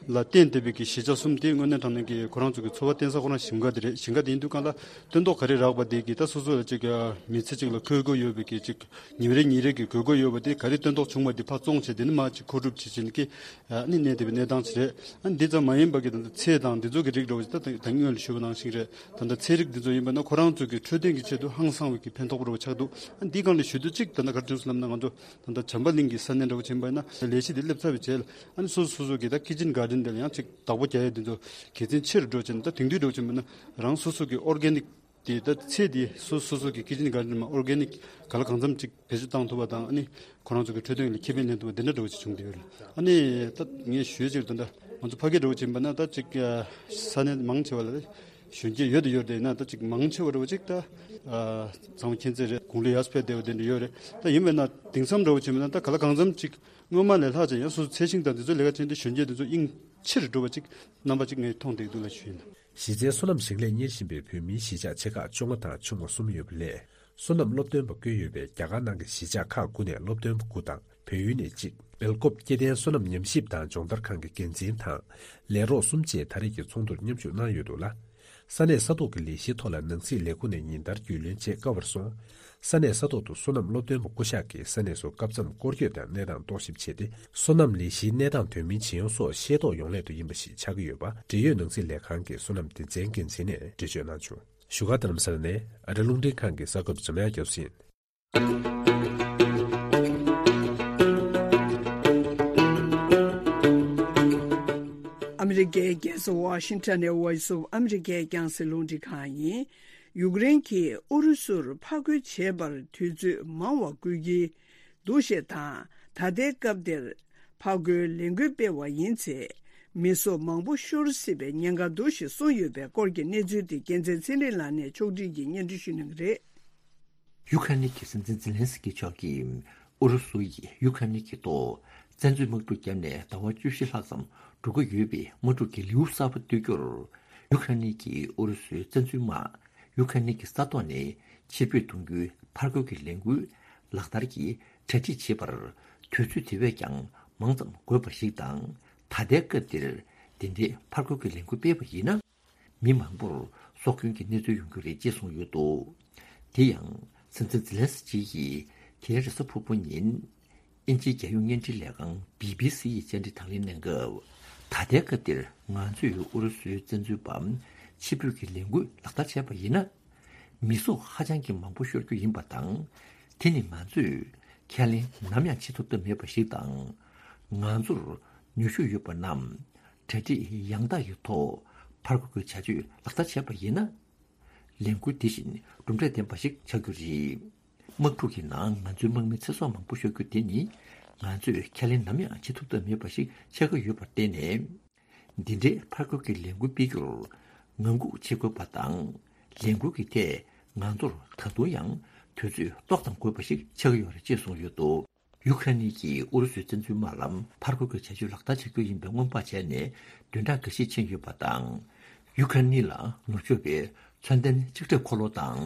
ལ་བརྟེན་བསྡད་པའི་གི་གཞིས་ཆགས་གསུམ་དེ་དངོས་གནས་དྲང་གནས་ཀྱི་ཁོ་རང་ཚོ་གི་འཚོ་བ་བརྟེན་ས་ཁོ་རང་ཞིང་ཁ་དེ་རེད། ཞིང་ཁ་དེ་ཡིན་དུས་གང་ལ་སྟོན་ཐོག་ག་རེ་རག་པ་དེ་གི་ད་སོ་སོ་ལ་ཅིག་མི་ཚེ་ཅིག་ལ་འཁོར་དགོས་ཡོད་པའི་གི་ཅིག་ཉིན་རེ་ཉིན་རེ་གི་དགོས་མཁོ་ཡོད་པ་དེ་ག་རེ་སྟོན་ཐོག་བྱུང་བ་དེ་ཕར་བཙོང་བྱས་དེ་ནི་མར་ཅིག་མཁོ་སྒྲུབ་བྱེད་བྱེད་ནི་གི་ཨ་ནི་གནས་བསྡད་པའི་གནས་སྟངས་ཅིག་རེད། ཨ་ནི་འདི་ཙམ་མ་ཡིན་པ་གི་ད་ལྟ་ཚལ་དང་འདི་ཚོ་གི་རིགས་འདྲ་བོ་ཅིག་ད་ད་སྔོན་ལ་ཞུས་པ་ནང་བཞིན་རེད། ད་ལྟ་ཚལ་རིགས་འདི་ཚོ་ཡིན་པ་ན་ཁོ་རང་ཚོ་གི་འཕྲོད་བསྟེན་གྱི་ཆེད་དུ་ཧང་སང་བའི་གི་ཕན་ཐོགས་པོ་འདྲ་བོ་ཆགས་འདུག་ཨ་ནི་འདི་སྒང་ལ་ཞུ་དུས་ཅིག་ད་ལྟ་ག་རེ་བྱུང་སོང་ལབ་ན་ང་ཚོ་ད་ལྟ་བྱམས་པ་གླིང་གི་ས་གནས་འདྲ་བོ་ཅིག་ཡིན་པ་ན་ལས་གཞི་འདི་སླེབས་ཚར་བའི་རྗེས་ལ་ཨ་ནི་སོ་སོ་སོ་སོ་གི་ད་ཀི་ཅིན་གྷར་ཌེན་འདི་ལ་ཡང་ཅིག་བདག་པོ་རྒྱག་ཡས་འདི་ཚོ་དགེ་མཚན་ཆེ་རུ་འགྲོ་བྱས་ནས་ད་དེང་དུས་འདྲ་བོ་ཅིག་ཡིན་པ་ན་རང་སོ་སོ་གི་ཨོར་གེ་ནིག་དེ་ད་ཚེ་དེ་སོ་སོ་སོ་གི་ཀི་ཅིན་གྷར་ཌེན་མ་ཨོར་གེ་ནིག་ག་ལ་གང་འཚམ་ཅིག་བེད་སྤྱོད་བཏང་ཐུབ་པ་དང་ཨ་ནི་ཁོ་རང་ཚོ་གི་འཕྲོད་བསྟེན་ལ་ཁེ་ཕན་ལེན་ཐུབ་པ་འདི་འདྲ་འདྲ་བོ་ཅིག་བྱུང་བསྡད་ཡོད་རེད། ཨ་ནི་ད་ངས་ཞུས་ཅིག་ད་ལྟ་ང་ཚོ་ཕ་གི་འདྲ་བོ་ཅིག་ཡིན་པ་ན་ད་ཅིག་ས་གནས་མང་ཆེ་བ་ལ་གཞོན་སྐྱེས་ཡོད་དུ་ཡོད་དེ་ཡིན་ན་ད་ཅིག་མང་ཆེ་བ་འདྲ་བོ་ཅིག་ད་ཚང་མ་མཁྱེན་གསལ་རེད། དགུང་ལོ་ཡར་ཕེབས་བསྡད་པ་དེ་འདྲ་ཡོད་རེད། ད་ཡིན་པས་ན་དེང་སང་འདྲ་བོ་ཅིག་ཡིན་པ་ན་ད་ག་ལ་གང་འཚམ་ཅིག་སྔོན་མ་ལས་ལྷག་ཅིག་ཡང་སོ་སོ་ཚལ་ཞིང་དང་འདི་ཚོ་ལས་ཀ་བྱས་ཏེ་གཞོན་སྐྱེས་འདི་ཚོ་དབྱིངས་ཆེ་རུ་འགྲོ་བ་ཅིག་རྣམ་པ་ཅིག་ངས་མཐོང་བསྡད་འདུག་ལ་ཞུས་ཡིན། གཞི་རྩའི་སོ་ནམ་ཞིང་ལས་གཉེར་བཞིན་པའི་བོད་མིའི་གཞིས་ཆགས་ཆེ་ཁག་བཅོ་ལྔ་དང་ཆུང་བ་གསུམ་ཡོད་པ་ལས། སོ་ནམ་སློབ་སྟོན་པ་བསྐོས་ཡོད་པའི་རྒྱ་གར་ནང་གི་གཞིས་ཆགས་ཁག་དགུ་ནས་སློབ་སྟོན་པ་དགུ་དང་བལ་ཡུལ་ནས་གཅིག་སྦེལ་ཀོབ་སྐྱེ་ལྡན་སོ་ནམ་ཉམས་ཞིབ་དང་སྦྱོང་བརྡར་ཁང་གི་འགན་འཛིན་དང་ལས་རོགས་གསུམ་བཅས་ད་རེས་ཀྱི་ཚོགས་འདུར་མཉམ་ཞུགས་གནང་ཡོད་འདུག་ལ། ས་གནས་ས་ཐོག་གི་ལས་གཞིའི་ཐོག་ལ་ནང་སྲིད་ལས་ཁུངས་ནས་ཉིན་ལྟར་རྒྱུས་ལོན་བྱེད་དཀའ་བར་སོང་། ས་གནས་ས་ཐོག་ཏུ་སོ་ནམ་སློབ་སྟོན་པ་སྐུ་ཞབས་ཀྱིས་ས་གནས་སུ་སྐབས་མཚམས་སྐོར་སྐྱོད་དང་གནས་སྟངས་རྟོག་ཞིབ་བྱས་ཏེ། སོ་ནམ་ལས་གཞིའི་གནས་སྟངས་དོན་སྨིན་ཇི་ཡོང་སོགས་ཤེས་རྟོགས་ཡོང་སླད་དུ་ཡིན་པ་ཞིག་ཆགས་ཀྱི་ཡོད་པ། འབྲེལ་ཡོད་ནང་སྲིད་ལས་ཁང་གི་སོ་ནམ་སྡེ་ཚན་འགན་འཛིན་ནས་འགྲེལ་བརྗོད་གནང་བྱུང་། བཞུགས་སྒར་རྡ་རམ་ས་ལ་ནས་ཨ་རི་རླུང་འཕྲིན་ཁང་གི་གསར་འགོད་པ་འཇམ་དབྱངས་རྒྱ་མཚོ་ཡིན། ཨ་མི་རི་ཀའི་རྒྱལ་ས་ཝ་ཤིང་ཊོན་ནས་Voice of America་རྒྱང་སྲིང་རླུང་འཕྲིན་ཁང་ཡིན། ཡུཀ་རེན་གྱིས་ཨུ་རུ་སུར་ཕར་རྒོལ་བྱེད་པར་དུས་ཚོད་མང་བ་བསྐོས་ཀྱི་འདུག་ཞེས་དང་། ད་ལྟའི་སྐབས་འདིར་ཕར་རྒོལ་ལས་འགུལ་སྤེལ་བ་ཡིན་ཚེ། མི་སྲོག་མང་པོ་ཤོར་སྲིད་པའི་ཉེན་ཁ་འདུག་ཞེས་གསུངས་ཡོད་པའི་སྐོར་གྱི་གནས་ཚུལ་དེ་རྒྱལ་མཚན་ཚེ་རིང་ལགས་ནས་ཕྱོགས་སྒྲིག་གིས་སྙན་སྒྲོན་ཞུ་གནང་གི་རེད། ཡུ་ཁ་ནི་གི་སྲིད་འཛིན་ཛེ་ལན་སི་ཀི་མཆོག་གིས་ཨུ་རུ་སུ་ཡིས་ཡུ་ཁ་ནི་གི་ཐོག་བཙན་འཛུལ་དམག་འཁྲུག་བརྒྱབ་ནས་ཟླ་བ་བཅུ་བཞི་ལྷག་ཙམ་འགྲོ་གི་ཡོད་པའི་དམག་འཁྲུག་གི་ལེའུ་གསར་པ་གཏོད་རྒྱུར། ཡུ་ཁ་ནི་གིས་ཨུ་རུ་སུའི་བཙན་འཛུལ་དམག་ཡུ་ཁ་ནི་གི་ས་ཐོག་ནས་ཕྱིར་འབུད་གཏོང་རྒྱུའི་ཕར་རྒོལ་གྱི་ལས་འགུལ་ལག་བསྟར་གྱིས་གྲ་སྒྲིག་བྱེད་པར་དུས་ཚོད་དེ་བས་ཀྱང་མང་ཙམ་དགོས་པ་ཞིག་དང་། ད་ལྟའི་སྐབས་འདིར་འདི་འདྲའི་ཕར་རྒོལ་གྱི་ལས་འགུལ་སྤེལ་བ་ཡིན་ན། མི་མང་པོར་སྲོག་སྐྱོན་གྱི་གནས་ཚུལ་ཡོང་རྒྱུ་རེད་ཅེས་གསུངས་ཡོད་འདུག། དེ་ཡང་སྲིད་འཛིན་ཛེ་ལན་སི་ཀི་ཡིས་དེ་རིང་རེས་གཟའ་ཕུར་བུ་ཉིན་དབྱིན་ཇིའི་རྒྱལ་ཡོངས་བརྙན་འཕྲིན་ལས་ཁང་བི་བི་སི་ཡི་བཅར་འདྲི་དང་ལེན་གནང་སྐབས། ད་ལྟའི་སྐབས་འདིར་ང་ཚོས་ཨུ་རུ་སུའི་བཙན་འཛུལ་པ་ཕྱིར་འབུད་ཀྱི་ལས་འགུལ་ལག་བསྟར་བྱས་པ་ཡིན་ན། མི་སྲོག་ཧ་ཅང་གི་མང་པོ་ཤོར་རྒྱུ་ཡིན་པ་དང་། དེ་ནི་ང་ཚོས་ཁས་ལེན་ནམ་ཡང་བྱེད་ཐུབ་ཐབས་མེད་པ་ཞིག་དང་། ང་ཚོར་ནུས་ཤུགས་ཡོད་པ་རྣམས་གྲ་སྒྲིག་ཡང་དག་གི་ཐོག་ཕར་རྒོལ་གྱི་བྱ་སྤྱོད་ལག་བསྟར་བྱས་པ་ཡིན་ན། ལས་འགུལ་འདི་བཞིན་གྲུབ་འབྲས་ལྡན་པ་ཞིག་ཆགས་རྒྱུ་རེད། དམག་འཁྲུག་གི་ནང་ང་ཚོའི་དམག་མི་ཚེ་སྲོག་མང་པོ་ཤོར་རྒྱུ་དེ་ནི། ང་ཚོས་ཁས་ལེན་ནམ་ཡང་བྱེད་ཐུབ་ཐབས་མེད་པ་ཞིག་ཆགས་ཀྱི་ཡོད་པར་བརྟེན་ནས། འདི་འདྲའི་ཕར་རྒོལ་གྱི་ལས་འགུལ་སྤེལ་རྒྱུར་ངང་སྒུག་བྱེད་དགོས་པ་དང་། ལས་འགུལ་གྱི་ཐད་ང་ཚོར་ད་དུང་ཡང་དུས་ཚོད་ཏོག་ཙམ་དགོས་པ་ཞིག་ཆགས་ཀྱི་ཡོད་རེད་ཅེས་གསུངས་ཡོད་འདུག། ཡུ་ཁ་ནི་གིས་ཨུ་རུ་སུའི་བཙན་འཛུལ་དམག་ལ་ཕར་རྒོལ་གྱི་བྱ་སྤྱོད་ལག་བསྟར་བྱ་རྒྱུ་ཡིན་པའི་སྔོན་དཔག་བྱས་ནས་བདུན་ཕྲག་འགའ་ཤས་ཕྱིན་ཡོད་པ་དང་། ཡུ་ཁ་ནི་ལ་ནུབ་ཕྱོགས་པའི་མཚོན་ལྡན་ལྕགས་ཁྲབ་འཁོར་ལོ་དང་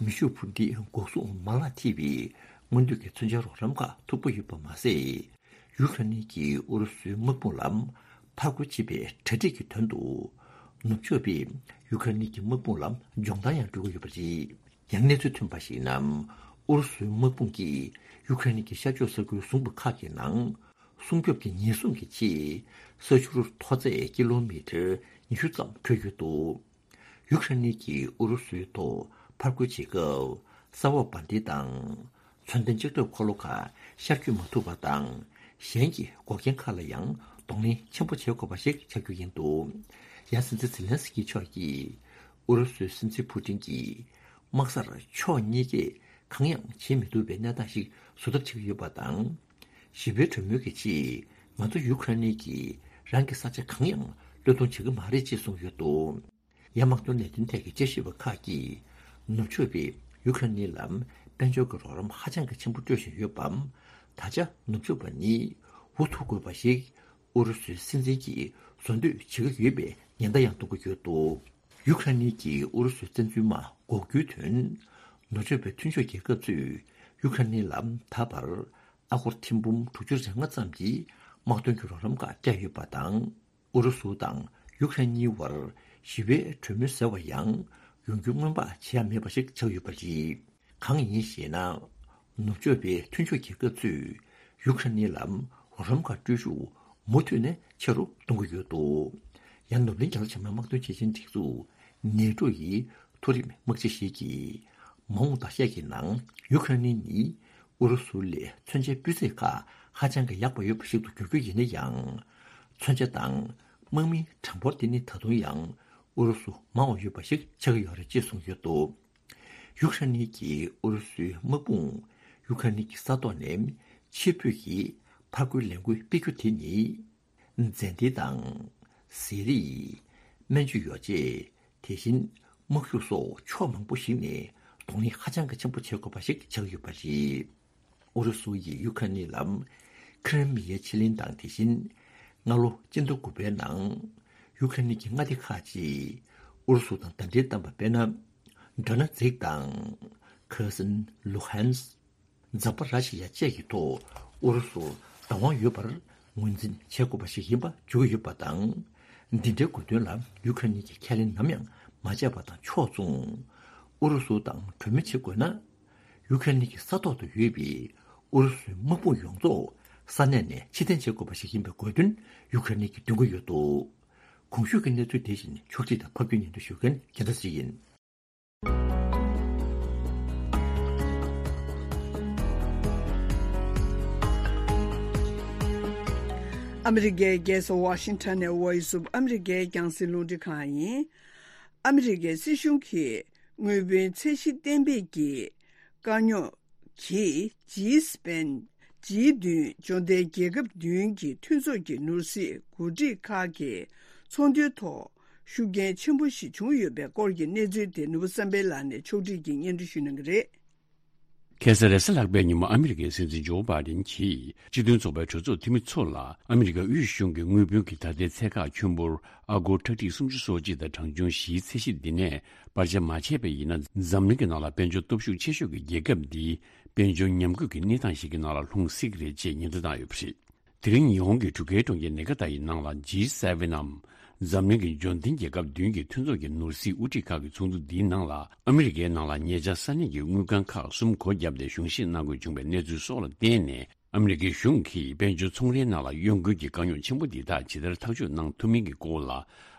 མེ་ཤུགས་འཕུར་མདེལ་འགོག་སྲུང་མ་ལག་ཐེ་བའི་སྔོན་ཐོན་གྱི་མཚོན་ཆའི་རོགས་རམ་ཁག་མཐུག་པོ་ཡོད་པ་མ་ཟད། ཡུ་ཁ་ནི་གིས་ཨུ་རུ་སུའི་དམག་དཔུང་ལ་ཕར་རྒོལ་བྱེད་པའི་གྲ་སྒྲིག་གི་དོན་དུ། ནུབ་ཕྱོགས་པས་ཡུ་ཁ་ནི་གི་དམག་དཔུང་ལ་སྦྱོང་བརྡར་ཡང་སྤྲོད་ཀྱི་ཡོད་པ་རེད། ཡང་གནས་ཚུལ་ཐོན་པར་གཞིགས་ན། ཨུ་རུ་སུའི་དམག་དཔུང་གིས་ཡུ་ཁ་ནི་གི་ཤར་ཕྱོགས་ས་ཁུལ་བཟུང་བ་ཁག་གི་ནང་སྲུང་སྐྱོབ་ཀྱི་ཉེན་སྲུང་གི་ཆེད་ས་ཆུ་རུ་མཐོ་ཚད་ཀི་ལོ་མི་ཊར་ཉི་ཤུ་ཙམ་འཕྲོད་ཡོད་འདུག། ཡུ་ཁ་ནི་གིས་ཨུ་རུ་སུའི་ཐོག་ཕར་རྒོལ་བྱེད་སྐབས་ས་འོག་འབར་མདེལ་དང་མཚོན་ལྡན་ལྕགས་ཁྲབ་འཁོར་ལོ་ཁག་ཤར་བསྐྱོད་མ་ཐུབ་པ་དང་། གཞན་གྱི་འགོག་རྐྱེན་ཁག་ལ་ཡང་གདོང་ལེན་ཆེན་པོ་བྱེད་དགོས་པ་ཞིག་ཆགས་རྒྱུ་ཡིན་འདུག། ཡང་སྲིད་འཛིན་ཛེ་ལན་སི་ཀི་མཆོག་གིས་ཨུ་རུ་སུའི་སྲིད་འཛིན་ཕུ་ཏིན་གྱིས་དམག་སར་ཕྱོགས་གཉིས་ཀས་གང་ཡང་བྱེད་མི་ཐུབ་པའི་གནས་སྟངས་ཤིག་བཟོ་ཐབས་བྱེད་ཀྱི་ཡོད་པ་དང་། ཞི་བའི་གྲོས་མོལ་གྱི་ཆེད་ང་ཚོ་ཡུ་ཁ་ནི་གིས་རང་གི་ས་ཆ་གང་ཡང་བློས་གཏོང་བྱེད་ཀྱི་མ་རེད་ཅེས་གསུངས་ཡོད་འདུག། ཡང་དམག་དོན་ལས་དོན་ཐད་ཀྱི་དཔྱད་ཞིབ་པ་ཁག་གིས་ནུབ་ཕྱོགས་པས་ཡུ་ཁ་ནི་ལ་དཔལ་འབྱོར་གྱི་རོགས་རམ་ཧ་ཅང་གི་ཆེན་པོ་སྤྲོད་བཞིན་ཡོད་པའམ། ད་ཆ་ནུབ་ཕྱོགས་པ་ནི་འུ་ཐུག་དགོས་པ་ཞིག་ཨུ་རུ་སུའི་སྲིད་འཛིན་གྱིས་བཟོ་འདོད་བྱེད་ཀྱི་ཡོད་པའི་ཉེན་བརྡ་ཡང་གཏོང་གི་ཡོད་འདུག། ཡུ་ཁ་ནི་གིས་ཨུ་རུ་སུའི་བཙན་འཛུལ་དམག་འགོག་རྒྱུའི་དོན། ནུབ་ཕྱོགས་པའི་མཐུན་ཕྱོགས་རྒྱལ་ཁབ་ཚོས་ཡུ་ཁ་ནི་ལ་ད་བར་ཨ་སྒོར་ཐེར་འབུམ་དྲུག་ཅུ་རེ་ལྔ་ཙམ་གྱི་དམག་དོན་གྱི་རོགས་རམ་ཁག་བསྐྱལ་ཡོད་པ་དང་། ཨུ་རུ་སུ་དང་ཡུ་ཁ་རེན་གཉིས་བར་ཞི་བའི་གྲོས་མོལ་ཟེར་བ་ཡང་ཡོང་རྒྱུ་སྔོན་དཔག་བྱེད་ཡ་མེད་པ་ཞིག་ཆགས་ཡོད་པ་རེད། གང་ཡིན་ཞེ་ན། ནུབ་ཕྱོགས་པའི་མཐུན་ཕྱོགས་རྒྱལ་ཁབ་ཚོས་ཡུ་ཁ་རེན་ལ་རོགས་རམ་ཁག་སྤྲོད་ཤུགས་མུ་མཐུད་ནས་ཆེ་རུ་གཏོང་གི་ཡོད་འདུག། ཡང་ནུབ་གླིང་རྒྱ་ལོ་ཆེན་མོའི་དམག་དོན་ཆེད་ཆེན་སྒྲིག་འཛུགས་ནེ་ཏྲོ་ཡི་མཐོ་རིམ་དམག་སྤྱི་ཞིག་གིས་མ་འོངས་བརྡ་ཆད་ཀྱི་ནང་ཡུ་ཁ་རེན་ནི་ཨུ་རུ་སུ་ལས་མཚོན་ཆའི་སྤུས་ཚད་ཁག་ཧ་ཅང་གི་ཡག་པ་ཡོད་པ་ཞིག་ཏུ་འགྱུར་རྒྱུ་ཡིན་ན་ཡང་། མཚོན་ཆ་དང་དམག་མིའི་གྲངས་འབོར་དེ་ནི་ད་དུང་ཡང་ཨུ་རུ་སུ་མང་བ་ཡོད་པ་ཞིག་ཆགས་ཀྱི་ཡོད་རེད་ཅེས་གསུངས་ཡོད་འདུག། ཡུ་ཁ་རེན་གྱིས་ཨུ་རུ་སུའི་དམག་དཔུང་ཡུ་ཁ་རེན་གྱི་ས་ཐོག་ནས་ཕྱིར་འབུད་ཀྱི་ཕར་རྒོལ་ལས་འགུལ་སྤེལ་རྒྱུ་དེ་ནི། མཛེས་སྡེར་དང་། ཟས་རིགས། སྨན་བཅོས་ཡོ་བྱད། དེ་བཞིན་དམག་ཤུགས་སོགས་ཕྱོགས་མང་པོ་ཞིག་ནས་གདོང་ལེན་ཧ་ཅང་གི་ཆེན་པོ་བྱེད་དགོས་པ་ཞིག་ཆགས་ཡོད་པ་རེད། ཨུ་རུ་སུ་ཡིས་ཡུ་ཁ་རེན་ལ་ཁི་རི་མི་ཡའི་ཕྱེད་གླིང་དང་དེ་བཞིན་སྔ་ལོ་སྤྱི་ཟླ་དགུ་པའི་ནང་ཡུ་ཁ་རེན་གྱི་མངའ་སྡེ་ཁག་ཅིག་ཨུ་རུ་སུ་དང་ཟླ་སྒྲིལ་བཏང་བ་དཔེར་ན། ཌོ་ནེ་ཚིག་དང་། ཁེར་སོན། ལུ་ཧན་སི། ཛ་པ་ར་ཤི་ཡ་བཅས་ཀྱི་ཐོག་ཨུ་རུ་སུར་བདག་དབང་ཡོད་པར་ངོས་འཛིན་བྱེད་དགོས་པ་ཞིག་ཡིན་པ་བརྗོད་ཀྱི་ཡོད་པ་དང་། འདི་འདྲའི་དགོས་དོན་ལ་ཡུ་ཁ་རེན་གྱིས་ཁས་ལེན་ནམ་ཡང་མ་བྱས་པ་དང་ཕྱོགས་མཚུངས། ཨུ་རུ་སུ་དང་གྲོས་མོལ་བྱེད་དགོས་ན། ཡུ་ཁ་རེན་གྱི་ས་ཐོག་ཏུ་ཡོད་པའི་ཨུ་རུ་སུའི་དམག་དཔུང་ཡོངས་རྫོགས་ས་གནས་ནས་ཕྱིར་འཐེན་བྱེད་དགོས་པ་ཞིག་ཡིན་པའི་དགོས་འདུན་ཡུ་ཁ་རེན་གྱིས་འདོན་གྱི་ཡོད་འདུག། གོང་ཞུས་ཀྱི་གནས་ཚུལ་དེ་བཞིན་ཕྱོགས་སྒྲིག་དང་ཕབ་སྒྱུར་སྙན་སྒྲོན་ཞུ་མཁན་རྒྱལ་མཚན་ཚེ་རིང་ཡིན། ཨ་མི་རི་ཀའི་རྒྱལ་ས་ཝ་ཤིང་ཊོན་ནས་Voice of America་རྒྱང་སྲིང་རླུང་འཕྲིན་ཁང་ཡིན། ཨ་མི་རི་ཀའི་སྲིད་གཞུང་གིས་དངུལ་བུན་ཚད་གཞི་གཏན་འབེབས་ཀྱི་དཀའ་རྙོག་གིས་ཇི་སི་པེན་ཇི་བདུན་འབྱོར་ལྡན་རྒྱལ་ཁབ་བདུན་གྱི་མཐུན་ཚོགས་ཀྱི་ནོར་སྲིད་འགོ་ཁྲིད་ཁག་གི་ཚོགས་འདུའི་ཐོག་ཤུགས་རྐྱེན་ཆེན་པོ་ཞིག་བྱུང་ཡོད་པའི་སྐོར་གྱི་གནས་ཚུལ་དེ་ནོར་བུ་བསམ་འཕེལ་ལགས་ནས་ཕྱོགས་སྒྲིག་གིས་སྙན་སྒྲོན་ཞུ་གནང་གི་རེད། ཁ་སང་རེས་གཟའ་ལྷག་པའི་ཉིན་མོ་ཨ་མི་རི་ཀའི་སྲིད་འཛིན་ཇོ་བྷའི་ཌེན་གྱིས་སྤྱི་མཐུན་ཚོགས་པའི་གྲོས་ཚོགས་འཐུས་མི་ཚོ་ལ་ཨ་མི་རི་ཀ་དབུས་གཞུང་གི་དངུལ་བུན་གྱི་ད་ལྟའི་ཚད་བཀག་ཁྱོན་འབོར་ཨ་སྒོར་ཁྲག་ཁྲིག་སུམ་ཅུ་སོ་གཅིག་དང་གྲངས་ཆུང་བཞིའི་ཚད་གཞི་འདི་ནས་སྤར་ཆ་མ་བྱས་པ་ཡིན་ན། འཛམ་གླིང་གི་ནང་ལ་དཔལ་འབྱོར་སྟོབས་ཤུགས་ཆེ་ཤོས་ཀྱི་རྒྱལ་ཁབ་འདི་དཔལ་འབྱོར་ཉམས་རྒུད་ཀྱི་གནས་སྟངས་ཤིག་གི་ནང་ལ་ལྷུང་སྲིད་ཀྱི་རེད་ཅེས་ཉེན་བརྡ་བཏང་ཡོད་པ་རེད། དེ་རིང་ཉི་ཧོང་གི་འབྲུག་རྒྱལ་གྲོང་ཁྱེར་ནེ་ག་ཏ་ཡི་ནང་ལ་ཇི་སེ་ཝེན་ནམ་འཛམ་གླིང་གི་འབྱོར་ལྡན་རྒྱལ་ཁབ་བདུན་གྱི་མཐུན་ཚོགས་ཀྱི་ནོར་སྲིད་དབུ་ཁྲིད་ཁག་གི་ཚོགས་འདུ་འདིའི་ནང་ལ་ཨ་མི་རི་ཀའི་ནང་ལ་ཉེ་ཆར་ས་གནས་ཀྱི་དངུལ་ཁང་ཁག་གསུམ་སྒོ་བརྒྱབ་སྟེ་གཞུང་བཞེས་གནང་དགོས་བྱུང་བའི་གནས་ཚུལ་སོགས་ལ་བརྟེན་ནས། ཨ་མི་རི་ཀའི་གཞུང་གིས་དཔལ་འབྱོར་ཚོང་རའི་ནང་ལ་གཡོ་འགུལ་གྱི་དཀའ་རྙོག་ཆེན་པོ་འདི་དག་ཇི་ལྟར་ཐག་གཅོད་གནང་ཐུབ་མིན་གྱི་སྐོར་ལ།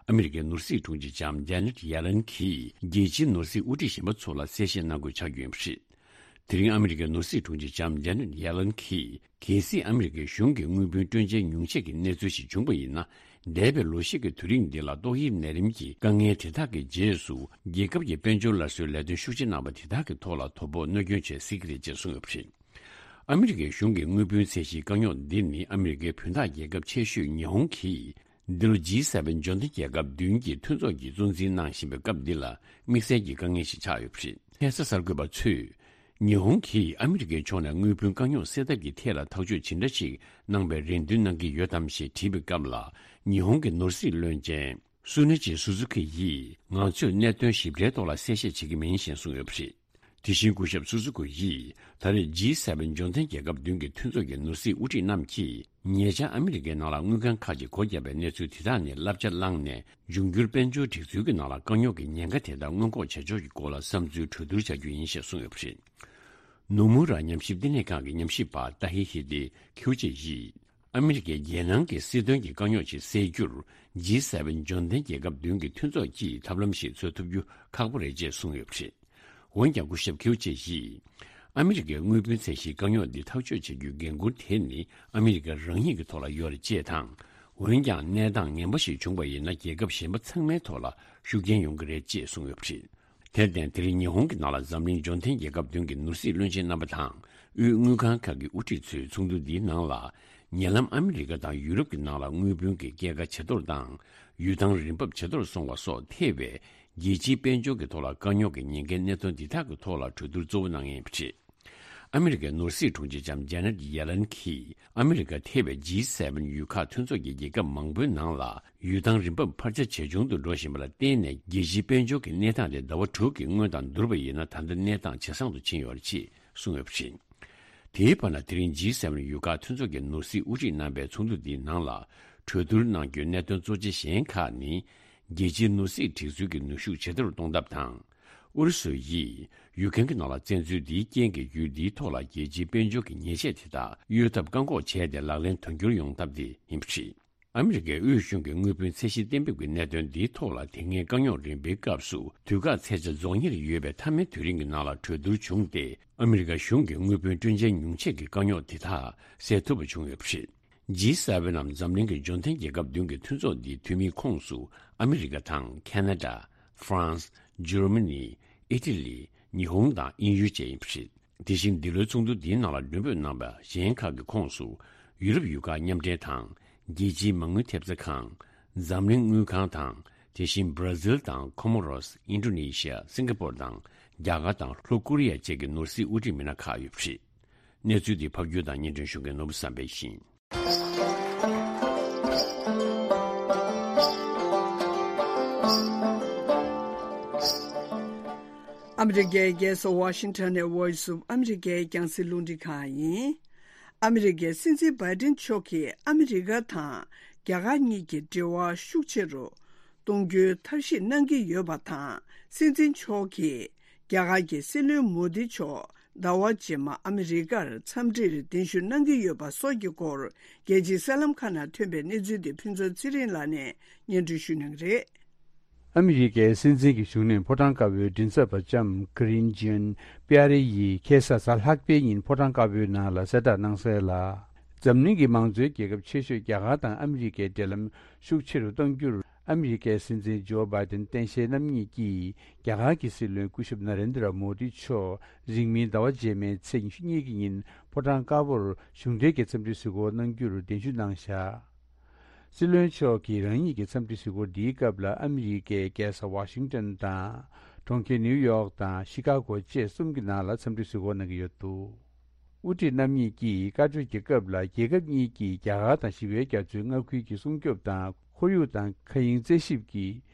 ཨ་མི་རི་ཀའི་ནོར་སྲིད་དྲུང་ཆེ་ལྕམ་ཇེ་ནེ་ཊི་ཡེ་ལེན་གྱིས་རྒྱལ་སྤྱིའི་ནོར་སྲིད་དབུ་ཁྲིད་གཞན་པ་ཚོ་ལ་གསལ་བཤད་གནང་དགོས་ཆགས་རྒྱུ་ཡིན་པ་རེད། དེ་རིང་ཨ་མི་རི་ཀའི་ནོར་སྲིད་དྲུང་ཆེ་ལྕམ་ཇེ་ནེ་ཊི་ཡེ་ལེན་གྱིས། གལ་སྲིད་ཨ་མི་རི་ཀའི་གཞུང་གི་དངུལ་བུན་སྤྲོད་འཇལ་ཉུང་ཤས་ཀྱི་གནས་ཚུལ་ཞིག་བྱུང་པ་ཡིན་ན། འདས་པའི་ལོ་ཤས་ཀྱི་དུས་རིང་འདི་ལ་ཏོག་དབྱིབས་ནད་རིམས་ཀྱི་དཀའ་ངལ་དེ་དག་གི་རྗེས་སུ། རྒྱལ་ཁབ་ཀྱི་དཔལ་འབྱོར་སླར་གསོའི་ལས་དོན་ཤུགས་ཆེ་གནང་པ་དེ་དག་གི་ཐོག་ལ་དོ་ཕོག་གནོད་སྐྱོན་བྱེད་སྲིད་ཀྱི་རེད་ཅེས་གསུངས་ཡོད་པ་རེད། ཨ་མི་རི་ཀའི་གཞུང་གི་དངུལ་བུན་ཚད་གཞིའི་དཀའ་རྙོག་འདི་ནི་ཨ་མི་རི་ཀའི་བུན་བདག་རྒྱལ་ཁབ་ཆེ་ཤོས་ཉི་ཧོང་གིས། འདི་ལོ་ཇི་སེ་ཝེན་འབྱོར་ལྡན་རྒྱལ་ཁབ་བདུན་གྱི་མཐུན་ཚོགས་ཀྱིས་གཙོ་འཛིན་གནང་བཞིན་པའི་སྐབས་འདི་ལ་དམིགས་བསལ་གྱི་དཀའ་ངལ་ཞིག་ཆགས་ཡོད་པ་རེད། ཁ་སང་གསར་འགོད་པ་ཚོས། ཉི་ཧོང་གིས་ཨ་མི་རི་ཀའི་ཕྱོགས་ནས་དངུལ་བུན་དཀའ་རྙོག་སེལ་ཐབས་ཀྱི་ཐད་ལ་ཐག་གཅོད་ཇི་འདྲ་ཞིག་གནང་བའི་རེ་འདུན་གནང་གི་ཡོད་དམ་ཞེས་དྲིས་པའི་སྐབས་ལ། ཉི་ཧོང་གི་ནོར་སྲིད་བློན་ཆེན་སུ་ནི་ཅི་སུ་ཛུ་ཀི་ཡིས། ང་ཚོས་གནད་དོན་ཞིབ་ཕྲའི་ཐོག་ལ་གསལ་བཤད་བྱེད་ཀྱི་མིན་ཞེས་གསུངས་ཡོད་པ་རེད། དེ་བཞིན་སྐུ་ཞབས་སུ་ཛུ་ཀི་ཡིས། ད་རེས་ཇི་སེ་ཝེན་འབྱོར་ལྡན་རྒྱལ་ཁབ་བདུན་གྱི་མཐུན་ཚོགས་ཀྱི་ནོར་སྲིད་དབུ་ཁྲིད་རྣམས་ཀྱིས། ཉེ་ཆར་ཨ་མི་རི་ཀའི་ནང་ལ་དངུལ་ཁང་ཁག་ཅིག་སྒོ་བརྒྱབ་པའི་གནས་ཚུལ་དེ་དག་ནས་བསླབ་བྱ་བླངས་ནས། འབྱུང་འགྱུར་དཔལ་འབྱོར་སྒྲིག་འཛུགས་ཀྱི་ནང་ལ་དཀའ་རྙོག་གི་ཉེན་ཁ་དེ་དག་སྔོན་འགོག་བྱ་ཕྱོགས་ཀྱི་སྐོར་ལ་བསམ་ཚུལ་གྲོས་བསྡུར་བྱ་རྒྱུ་ཡིན་ཞེས་གསུངས་ཡོད་པ་རེད། ནོ་མུ་ར་ཉམས་ཞིབ་བསྟི་གནས་ཁང་གི་ཉམས་ཞིབ་པ་ཏཱ་ཧི་ཧི་ཏི་ཁིའུ་ཅེ་ཡིས། ཨ་མི་རི་ཀས་རྒྱལ་ནང་གི་སྲིད་དོན་གྱི་དཀའ་རྙོག་ཅིག་སེལ་རྒྱུར། ཇི་སེ་ཝེན་འབྱོར་ལྡན་རྒྱལ་ཁབ་བདུན་གྱི་མཐུན་ཚོགས་ཀྱིས་ཐབས་ལམ་ཞིག་འཚོལ་ཐུབ་རྒྱུ་ཁག་པོ་རེད་ཅེས་གསུངས་ཡོད་པ་རེད། འོན་ཀྱང་སྐུ་ཞབས་ཁིའུ་ཅེ་ཡིས། ཨ་མི་རི་ཀའི་དངུལ་བུན་ཚད་གཞིའི་དཀའ་རྙོག་འདི་ཐག་གཅོད་བྱ་རྒྱུའི་འགན་འཁུར་དེ་ནི་ཨ་མི་རི་ཀ་རང་ཉིད་ཀྱི་ཐོག་ལ་ཡོད་རེད་ཅེས་དང་། འོན་ཀྱང་གནས་སྟངས་ངན་པ་ཞིག་བྱུང་བ་ཡིན་ན་རྒྱལ་ཁབ་གཞན་པ་ཚང་མའི་ཐོག་ལ་ཤུགས་རྐྱེན་ཡོང་གི་རེད་ཅེས་གསུངས་ཡོད་པ་རེད། དེར་བརྟེན་དེ་རིང་ཉི་ཧོང་གི་ནང་ལ་འཛམ་གླིང་འབྱོར་ལྡན་རྒྱལ་ཁབ་བདུན་གྱི་ནོར་སྲིད་བློན་ཆེན་རྣམ་པ་དང་། དབུས་དངུལ་ཁང་ཁག་གི་དབུ་ཁྲིད་ཚོས་ཚོགས་འདུ་འདིའི་ནང་ལ། ཉེ་ལམ་ཨ་མི་རི་ཀ་དང་ཡུ་རོབ་ཀྱི་ནང་ལ་དངུལ་བུན་གྱི་སྐྱེད་ཀ་ཇེ་མཐོར་དང་། ཡུལ་ཐང་རིན་འབབ་ཇེ་མཐོར་སོང་བ་སོགས་ཐེ་བའི་རྒྱལ་སྤྱིའི་དཔལ་འབྱོར་གྱི་ཐོག་ལ་དཀའ་རྙོག་གི་ཉེན་ཁའི་གནད་དོན་འདི་དག་གི་ཐོག་ལ་གྲོས་བསྡུར་གཙོ་བོ་གནང་ཡིན་པ་རེད། ཨ་མི་རི་ཀའི་ནོར་སྲིད་དྲུང་ཆེ་ལྕམ་ཇེ་ནེ་ཊི་ཡེ་ལན་གྱིས་ཨ་མི་རི་ཀ་ཐེ་བའི་ཇི་སེ་ཝེན་ཡུལ་ཁག་མཐུན་ཚོགས་ཀྱི་རྒྱལ་ཁབ་མང་པོའི་ནང་ལ་ཡུལ་ཐང་རིན་འབབ་འཕར་ཆ་ཇེ་ཆུང་དུ་འགྲོ་བཞིན་པ་ལ་བརྟེན་ནས་རྒྱལ་སྤྱིའི་དཔལ་འབྱོར་གྱི་གནས་སྟངས་དེ་ཟླ་བ་དྲུག་གི་སྔོན་དང་བསྡུར་བ་ཡིན་ན་ད་ལྟ་གནས་སྟངས་ཇེ་བཟང་དུ་ཕྱིན་ཡོད་རེད་ཅེས་གསུངས་ཡོད་པ་རེད། དེའི་བར་ན་དེ་རིང་ཇི་སེ་ཝེན་ཡུལ་ཁག་མཐུན་ཚོགས་ཀྱི་ནོར་སྲིད་དབུ་ཁྲིད་རྣམ་པའི་ཚོགས་འདུ་འདིའི་ནང་ལ་གྲོས་བསྡུར་གནང་རྒྱུའི་གནད་དོན་གཙོ་ཆེ་གཞན་ཁག་ནི། རྒྱལ་སྤྱིའི་ནོར་སྲིད་སྒྲིག་འཛུགས་ཀྱི་ནུས་ཤུགས་ཇེ་མཐོར་གཏོང་ཐབས་དང་། ཨུ་རུ་སུ་ཡིས་ཡུ་ཀེན་གྱི་ནང་ལ་བཙན་འཛུལ་འདིའི་རྐྱེན་གྱིས་ཡུལ་འདིའི་ཐོག་ལ་རྒྱལ་སྤྱིའི་དཔལ་འབྱོར་གྱི་ཉེས་ཆད་དེ་དག་གཡོལ་ཐབས་བཀག་འགོག་བྱས་ཏེ་ལག་ལེན་དོན་འཁྱོལ་ཡོང་ཐབས་དེ་ཡིན་པ་རེད། ཨ་མི་རི་ཀའི་དབུས་གཞུང་གི་དངུལ་བུན་ཚད་གཞི་གཏན་འབེབས་ཀྱི་གནད་དོན་འདིའི་ཐོག་ལ་དེ་སྔའི་དཀའ་རྙོག་རིམ་པའི་སྐབས་སུ་དུས་བཀག་ཚད་ཆ་རྫོགས་ཉེར་ཡོད་པའི་མཐའ་མའི་དུས་རིང་གི་ནང་ལ་གྲོས་བསྡུར་བྱུང་སྟེ། ཨ་མི་རི་ཀ་གཞུང་གིས་དངུལ་བུན་སྤྲོད་འཇལ་ཉུང་ཆད་ཀྱི་དཀའ་རྙོག་དེ་དག་སེལ་ཐུབ་པ་བྱུང་ཡོད་པ་རེད། ཇི་སེ་ཝེན་ནམ་འཛམ་གླིང་གི་འབྱོར་ལྡན་རྒྱལ་ཁབ་བདུན་གྱི་མཐུན་ཚོགས་འདིའི་འཐུས་མིའི་ཁོངས་སུ་ཨ་མི་རི་ཀ་དང་ཁེ་ན་ཌ། ཧྥ་རན་སི། འཇར་མ་ནི། ཨི་ཊ་ལི། ཉི་ཧོང་དང་དབྱིན་ཡུལ་བཅས་ཡིན་པ་རེད། དེ་བཞིན་འདི་ལོའི་ཚོགས་འདུ་འདིའི་ནང་ལ་མགྲོན་འབོད་གནང་བ་གཞན་ཁག་གི་ཁོངས་སུ་ཡུ་རོབ་ཡུལ་ཁག་མཉམ་འབྲེལ་དང་། རྒྱལ་སྤྱིའི་མ་དངུལ་ཐེབས་རྩ་ཁང་། འཛམ་གླིང་དངུལ་ཁང་དང་། དེ་བཞིན་བྷ་ར་ཟིལ་དང་ཁོ་མོ་རོས། ཨིན་ཌོ་ནེ་ཤི་ཡ། སིང་ག་པོར་དང་རྒྱ་གར་དང་ལྷོ་ཀོ་རི་ཡ་བཅས་ཀྱི་ནོར་སྲིད་དབུ་ཁྲིད་མི་སྣ་ཁག་ཡོད་པ་རེད། གནས་ཚུལ་འདི་ཕབ་སྒྱུར་དང་སྙན་སྒྲོན་ཞུ་མཁན་ནོར་བུ་བསམ་འཕེལ་ཡིན། ཨ་མི་རི་ཀའི་རྒྱལ་ས་ཝ་ཤིང་ཊོན་ནས་Voice of America་རྒྱང་སྲིང་རླུང་འཕྲིན་ཁང་ཡིན། ཨ་མི་རི་ཀའི་སྲིད་འཛིན་བྷའི་ཌེན་མཆོག་གིས་ཨ་མི་རི་ཀ་དང་ རྒྱ་གར་གཉིས་ཀྱི་འབྲེལ་བ་ཤུགས་ཆེ་རུ་གཏོང་རྒྱུའི་ཐབས་ཤེས་གནང་གི་ཡོད་པ་དང་། སྲིད་འཛིན་མཆོག་གིས་རྒྱ་གར་གྱི་སྲིད་བློན་མོ་དི་མཆོག་ཟླ་བ་རྗེས་མ་ཨ་མི་རི་ཀར་འཚམས་འདྲིར་གདན་ཞུ་གནང་གི་ཡོད་པ་སོགས་ཀྱི་སྐོར། རྒྱལ་སྤྱིའི་གསར་ལམ་ཁག་ནང་ཐོན་པའི་གནས་ཚུལ་དེ་ཕུན་ཚོགས་ཚེ་རིང་ལགས་ནས་སྙན་སྒྲོན་ཞུ་གནང་གི་རེད། ཨ་མི་རི་ཀའི་སྲིད་འཛིན་གྱི་བཞུགས་གནས་ཕོ་བྲང་དཀར་པོའི་མགྲིན་ཚབ་པ་ལྕམ་ཀརིན་ཇིན་པི་ཨ་རེ་ཡིས་ཁ་སང་གཟའ་ལྷག་པའི་ཉིན་ཕོ་བྲང་དཀར་པོའི་ནང་ལ་གསལ་བསྒྲགས་གནང་གསལ་ལ། འཛམ་གླིང་གི་མང་གཙོའི་རྒྱལ་ཁབ་ཆེ་ཤོས་རྒྱ་གར་དང་ཨ་མི་རི་ཀའི་འབྲེལ་ལམ་ཤུགས་ཆེ་རུ་གཏང་རྒྱུར། ཨ་མི་རི་ཀའི་སྲིད་འཛིན་ཇོ་བྷའི་ཏན་སྟངས་དཔྱལ་རྣམ་གཉིས་ཀྱིས་རྒྱ་གར་གྱི་སྲིད་བློན་སྐུ་ཞབས་ན་རེན་དྲ་མོ་དི་མཆོག་རིང་མིན་ཟླ་བ་རྗེས་མའི་ཚེས་ཉི་ཤུ་གཉིས་ཀྱི་ཉིན་ཕོ་བྲང་དཀར་པོར་གཞུང་འབྲེལ་གྱི་འཚམས་འདྲི་གཟིགས་སྐོར་གནང་རྒྱུར་གདན་ཞུ་གནང་བཞག་སྲིད་བློན་མཆོག་གིས་རང་ཉིད་ཀྱི་འཚམས་འདྲི་གཟིགས་སྐོར་འདིའི་སྐབས་ལ་ཨ་མི་རི་ཀའི་རྒྱལ་ས་ཝ་ཤིང་ཏན་དང་། གྲོང་ཁྱེར་ནིའུ་ཡོག་དང་ཤི་ཀ་གོ་བཅས་གསུམ་གྱི་ནང་ལ་འཚམས་འདྲི་གཟིགས་སྐོར་གནང་གི་ཡོད་འདུག་དབུ་ཁྲིད་རྣམ་གཉིས་ཀྱིས་བཀའ་གྲོས་ཀྱི་སྐབས་ལ། རྒྱལ་ཁབ་གཉིས་ཀྱིས་རྒྱ་གར་དང་ཞི་བའི་རྒྱ་མཚོའི་མངའ་ཁུལ་གྱི་སྲུང་སྐྱོབ་དང་། ཁོར་ཡུག་དང་མཁའ་དབྱིངས་རྩད་ཞིབ་ཀྱི་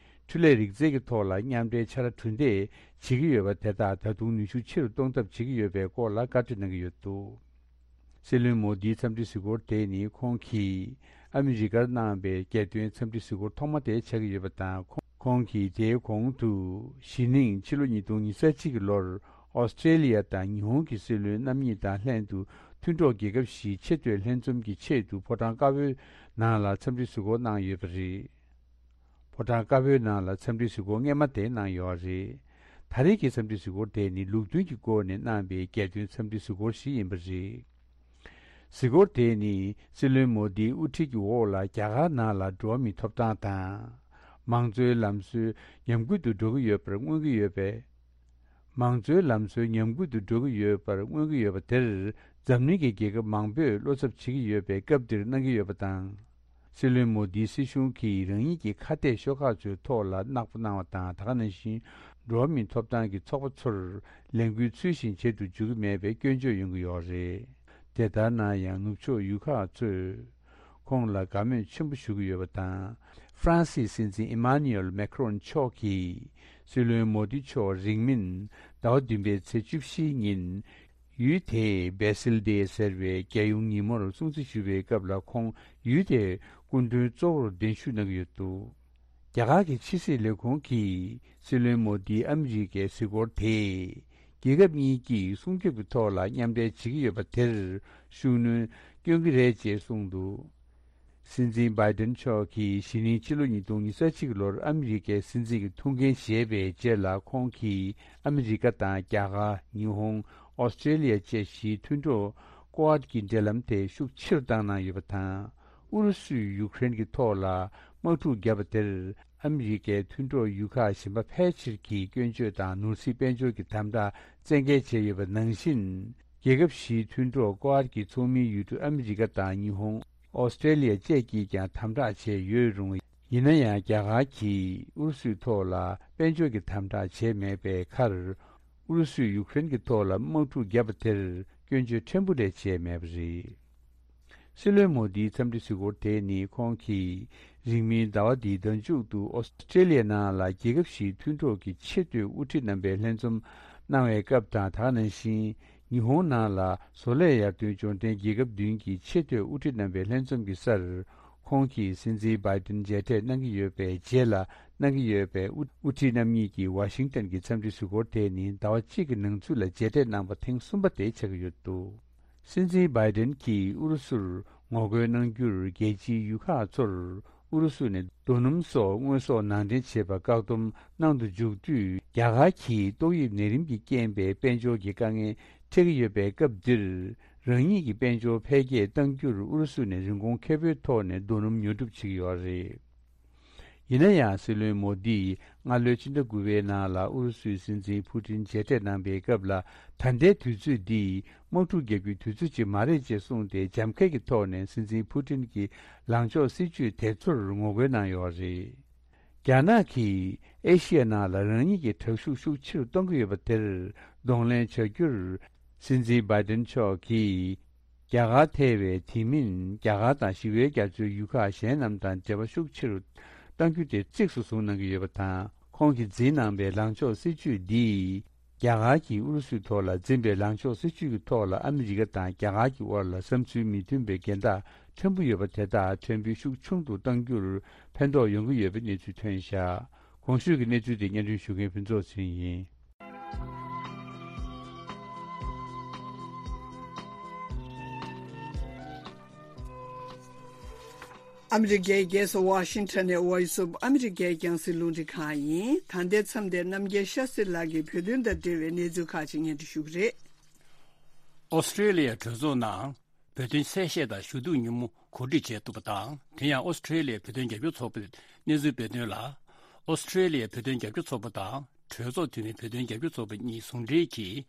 འཕྲུལ་ལས་རིག་རྩལ་གྱི་ཐོག་ལ་མཉམ་འབྲེལ་ཕྱག་ལས་གྲུ་འདེགས་བྱེད་ཀྱི་ཡོད་པ་དེ་དག་ད་དུང་ནུས་ཤུགས་ཆེ་རུ་གཏོང་ཐབས་བྱེད་ཀྱི་ཡོད་པའི་སྐོར་ལ་བཀའ་འཁྲོལ་གནང་གི་ཡོད་འདུག་སྲིད་བློན་མོ་དིའི་འཚམས་འདྲི་གཟིགས་སྐོར་དེ་ནི་ཁོང་གིས་ཨ་མི་རི་ཀར་གནང་བའི་རྒྱལ་དོན་འཚམས་འདྲི་གཟིགས་སྐོར་ཐོག་མ་དེ་ཆགས་ཀྱི་ཡོད་པ་དང་། ཁོང་གིས་དེའི་གོང་དུ་གཞེས་ནིང་ཕྱི་ལོ་ཉིས་སྟོང་ཉི་ཤུ་གཅིག་གི་ལོར་ཨོ་སི་ཀྲེ་ལི་ཡ་དང་ཉི་ཧོང་གི་སྲིད་བློན་རྣམ་གཉིས་དང་ལྷན་དུ་མཐུན་གྲོགས་རྒྱལ་ཁབ་བཞིའི་ཆེས་མཐོའི་ལྷན་འཛོམས་ཀྱི་ཆེད་དུ་ཕོ་བྲང་དཀར་པོའི་ནང་ལ་འཚམས་འདྲི་གཟིགས་སྐོར་གནང་ཡོད་པ་རེད། ཕོ་བྲང་དཀར་པོའི་ནང་ལ་འཚམས་འདྲི་གཟིགས་སྐོར་སྔས་མ་དེ་གནང་ཡོད་རེད། ད་རེས་ཀྱི་འཚམས་འདྲི་གཟིགས་སྐོར་དེ་ནི་ལུགས་མཐུན་གྱི་སྒོ་ནས་གནང་བའི་རྒྱལ་དོན་འཚམས་འདྲི་གཟིགས་སྐོར་ཞིག་ཡིན་པ་རེད། གཟིགས་སྐོར་དེ་ནི་སྲིད་བློན་མོ་དིའི་དབུ་ཁྲིད་ཀྱི་འོག་ལ་རྒྱ་གར་ནང་ལ་འགྲོ་བ་མིའི་ཐོབ་ཐང་དང་། མང་གཙོའི་ལམ་སྲོལ་ཉམས་རྒུད་དུ་འགྲོ་གི་ཡོད་པར་མངོན་གྱི་ཡོད་པས། མང་གཙོའི་ལམ་སྲོལ་ཉམས་རྒུད་དུ་འགྲོ་གི་ཡོད་པར་མངོན་གྱི་ཡོད་པ་དེར། འཛམ་གླིང་གི་རྒྱལ་ཁབ་མང་པོས་བློ་འཚབ་བྱེད་ཀྱི་ཡོད་པའི་སྐབས་འདིར་གནང་གི་ཡོད་པ་དང་། སྲིད་བློན་མོ་དིའི་སྲིད་གཞུང་གིས་རང་ཉིད་ཀྱི་ཁ་གཏད་ཤོག་ཁག་ཚོའི་ཐོག་ལ་བརྣག་པ་གནང་བ་དང་། ད་ག་ནང་བཞིན་འགྲོ་བ་མིའི་ཐོབ་ཐང་གི་ཚོགས་པ་ཚོར་ལས་འགུལ་ཚུལ་བཞིན་བྱེད་དུ་འཇུག་གི་མེད་པའི་སྐྱོན་བརྗོད་ཡོང་གི་ཡོད་རེད། དེ་ལྟར་ན་ཡང་ནུབ་ཕྱོགས་ཡུལ་ཁག་ཚོས་ཁོང་ལ་དགའ་མོས་ཆེན་པོ་ཞུ་གི་ཡོད་པ་དང་། ཧྥ་རན་སིའི་སྲིད་འཛིན་ཨི་མཱ་ནུ་ཨེལ་མེ་ཁ་རོན་མཆོག་གིས་སྲིད་བློན་མོ་དི་མཆོག་རིང་མིན་ཟླ་བ་བདུན་པའི་ཚེས་བཅུ་བཞིའི་ཉིན། ཡུལ་དེའི་སྦེ་སིལ་ཌེ་ཟེར་བའི་རྒྱལ་ཡོངས་ཉིན་མོར་སྲུང་བརྩི་ཞུ་བའི་སྐབས་ལ། ཁོང་ཡུལ་དེའི་སྐུ་མགྲོན་གཙོ་བོར་གདན་ཞུ་གནང་གི་ཡོད་འདུག་རྒྱ་གར་གྱི་ཕྱི་སྲིད་ལས་ཁུངས་ཀྱིས་སྲིད་བློན་མོ་དིའི་ཨ་མི་རི་ཀའི་གཟིགས་སྐོར་དེས། རྒྱལ་ཁབ་གཉིས་ཀྱིས་སྲུང་སྐྱོབ་ཀྱི་ཐོག་ལ་མཉམ་འབྲེལ་བྱེད་ཀྱི་ཡོད་པ་དེར་ཤུགས་སྣོན་སྐྱོན་གྱི་རེད་ཅེས་གསུངས་འདུག་སྲིད་འཛིན་བྷའི་ཏན་མཆོག་གིས་གཞེས་ནིང་ཕྱི་ལོ་ཉིས་སྟོང་ཉི་ཤུ་གཅིག་ལོར་ཨ་མི་རི་ཀའི་སྲིད་འཛིན་གྱི་ཐུགས་འགན་བཞེས་པའི་རྗེས་ལ། ཁོང་གིས་ཨ་མི་རི་ཀ་དང་རྒྱ་གར། ཉི་ཧོང་། ཨོ་སི་ཀྲེ་ལི་ཡ་བཅས་བཞིའི་མཐུན་གྲོགས་ཀོ་ཨར་ཌ་གྱི་འབྲེལ་ལམ་དེ་ཤུགས་ཆེ་རུ་བཏང་གནང་ཡོད་པ་དང་། ཨུ་རུ་སུས་ཡུཀ་རེན་གྱི་ཐོག་ལ་དམག་འཁྲུག་བརྒྱབ་པ་དེར། ཨ་མི་རི་ཀའི་མཐུན་གྲོགས་ཡུལ་ཁག་གཞན་པ་ཕལ་ཆེར་གྱིས་སྐྱོན་བརྗོད་དང་ནོར་སྲིད་དཔལ་འབྱོར་གྱི་དམ་དྲག་བཙན་འགེལ་བྱས་ཡོད་པ་ནང་བཞིན། རྒྱལ་ཁབ་བཞིའི་མཐུན་གྲོགས་ཀོ་ཨར་གྱི་ཚོགས་མིའི་ཡུལ་གྲུ་ཨ་མི་རི་ཀ་དང་ཉི་ཧོང་། ཨོ་སི་ཀྲེ་ལི་ཡ་བཅས་ཀྱིས་ཀྱང་དམ་དྲག་བྱས་ཡོད་རུང་། ཡིན་ན་ཡང་རྒྱ་གར་གྱིས་ཨུ་རུ་སུའི་ཐོག་ལ་དཔལ་འབྱོར་གྱི་དམ་དྲག་བྱས་མེད་པའི་ཁར། ཨུ་རུ་སུས་ཡུཀ་རེན་གྱི་ཐོག་ལ་དམག་འཁྲུག་བརྒྱབ་པ་དེར་སྐྱོན་བརྗོད་ཕྲན་བུ་རེ་བྱས་མེད་པ་རེད། སྲིད་བློན་མོ་དིའི་འཚམས་འདྲི་གཟིགས་སྐོར་དེ་ནི་ཁོང་གིས་རིང་མིན་ཟླ་བ་འདིའི་ཟླ་མཇུག་ཏུ་ཨོ་སི་ཀྲེ་ལི་ཡའི་ནང་ལ་རྒྱལ་ཁབ་བཞིའི་མཐུན་གྲོགས་ཀྱི་ཆེས་མཐོའི་དབུ་ཁྲིད་རྣམ་པའི་ལྷན་འཛོམས་གནང་བའི་སྐབས་དང་། ད་ག་ནང་བཞིན་ཉི་ཧོང་ནང་ལ་བཟོ་ལས་ཡར་ཐོན་འབྱོར་ལྡན་རྒྱལ་ཁབ་བདུན་གྱི་ཆེས་མཐོའི་དབུ་ཁྲིད་རྣམ་པའི་ལྷན་འཛོམས་ཀྱི་སར། ཁོང་གིས་སྲིད་འཛིན་བྷའི་ཏིན་མཇལ་འཕྲད་གནང་གི་ཡོད་པའི་རྗེས་ལ་གནང་གི་ཡོད་པའི་དབུ་དབུ་ཁྲིད་རྣམ་གཉིས་ཀྱི་ཝ་ཤིང་ཏན་གྱི་འཚམས་འདྲི་གཟིགས་སྐོར་དེ་ནི་ཟླ་བ་གཅིག་གི་ནང་ཚུད་ལ་མཇལ་འཕྲད་གནང་པ་ཐེངས་གསུམ་པ་དེ་ཆགས་ཀྱི་ཡོད་འདུག་སྲིད་འཛིན་བྷའི་ཏིན་གྱིས་ཨུ་རུ་སུར་ངོ་རྒོལ་གནང་རྒྱུར་རྒྱལ་སྤྱིའི་ཡུལ་ཁག་ཚོར་ཨུ་རུ་སུ་ནས་རྡོ་སྣུམ་སོགས་དངོས་ཟོག་ནང་འདྲེན་བྱེད་པར་བཀག་སྡོམ་གནང་དུ་འཇུག་དུས། རྒྱ་གར་གྱིས་ཏོག་དབྱིབས་ནད་རིམས་ཀྱི་རྐྱེན་པས་དཔལ་འབྱོར་གྱི་དཀའ་ངལ་འཕྲད་ཀྱི་ཡོད་པའི་སྐབས་འདིར། རང་ཉིད་ཀྱི་དཔལ་འབྱོར་འཕེལ་རྒྱས་གཏང་རྒྱུར་ཨུ་རུ་སུ་ནས་རིན་གོང་ཁེ་པོའི་ཐོག་ནས་རྡོ་སྣུམ་ཉོ་སྒྲུབ་བྱེད་ཀྱི་ཡོད་རེད། ཡིན་ན་ཡང་། སྲིད་བློན་མོ་དིས་སྔ་ལོའི་ཕྱི་ཟླ་དགུ་པའི་ནང་ལ་ཨུ་རུ་སུའི་སྲིད་འཛིན་ཕུ་ཏིན་མཇལ་འཕྲད་གནང་པའི་སྐབས་ལ། ད་ལྟའི་དུས་ཚོད་འདི་དམག་འཁྲུག་རྒྱག་རྒྱུའི་དུས་ཚོད་ཅིག་མ་རེད་ཅེས་གསུངས་ཏེ། རྒྱབ་འགལ་གྱི་ཐོག་ནས་སྲིད་འཛིན་ཕུ་ཏིན་གྱི་ལངས་ཕྱོགས་སྲིད་ཇུས་དེ་ཚོར་ངོ་རྒོལ་གནང་ཡོད་རེད། རྒྱ་ནག་གིས་ཨེ་ཤི་ཡ་ནང་ལ་རང་ཉིད་ཀྱི་དྲག་ཤུགས་ཤུགས་ཆེ་རུ་གཏོང་གི་ཡོད་པ་དེར་གདོང་ལེན་བྱ་རྒྱུར། སྲིད་འཛིན་བྷའི་ཏིན་མཆོག་གིས། རྒྱ་གར་ཐེ་བའི་དེ་མིན། རྒྱ་གར་དང་ཞི་བའི་རྒྱ་མཚོའི་ཡུལ་ཁག་གཞན་རྣམས་དང་འབྲེལ་བ་ཤུགས་ཆེ་རུ་གཏང་རྒྱུ་དེ་གཙིགས་སུ་བཟུང་གནང་གི་ཡོད་པ་དང་། ཁོང་གིས་འཛིན་གནང་པའི་ལངས་ཕྱོགས་སྲིད་ཇུས་འདིས། རྒྱ་གར་གྱིས་ཨུ་རུ་སུའི་ཐོག་ལ་འཛིན་པའི་ལངས་ཕྱོགས་སྲིད་ཇུས་ཀྱི་ཐོག་ལ་ཨ་མི་རི་ཀ་དང་རྒྱ་གར་གྱི་དབར་ལ་བསམ་ཚུལ་མི་མཐུན་པའི་འགལ་ཟླ་ ཕྲན་བུ་ཡོད་པ་དེ་དག་ཕྲན་བུ་ཤུགས་ཆུང་དུ་གཏང་རྒྱུར་ཕན་ཐོགས་ཡོང་གི་ཡོད་པའི་གནས་ཚུལ་ཐོན་བཞག་གོང་ཞུས་ཀྱི་གནས་ཚུལ་དེ་སྙན་སྒྲོན་ཞུ་མཁན་ཕུན་ཚོགས་ཚེ་རིང་ཡིན། ཨ་མི་རི་ཀའི་རྒྱལ་ས་ཝ་ཤིང་ཊོན་ནས་Voice of America རྒྱང་སྲིང་རླུང་འཕྲིན་ཁང་ཡིན། ད་ལྟའི་མཚམས་དེར་རྣམ་རྒྱལ་ཤཱ་སྟྲི་ལགས་ཀྱིས་བོད་དོན་དང་འབྲེལ་བའི་གནས་ཚུལ་ཁག་ཅིག་སྙན་སྒྲོན་ཞུ་གི་རེད། ཨོ་སི་ཀྲེ་ལི་ཡའི་གྲོས་ཚོགས་ནང་བོད་དོན་གསལ་བཤད་དང་ཞུ་གཏུག་ཉིན་མོ་གོ་སྒྲིག་བྱས་འདུག་པ་དང་། དེ་ཡང་ཨོ་སི་ཀྲེ་ལི་ཡའི་བོད་དོན་རྒྱབ་སྐྱོར་ཚོགས་པའི་གནས་ཚུལ་སྤེལ་དོན་ལ། ཨོ་སི་ཀྲེ་ལི་ཡའི་བོད་དོན་རྒྱབ་སྐྱོར་ཚོགས་པ་དང་གྲོས་ཚོགས་འཐུས་མི་བོད་དོན་རྒྱབ་སྐྱོར་ཚོགས་པ་གཉིས་ཟུང་འབྲེལ་གྱིས་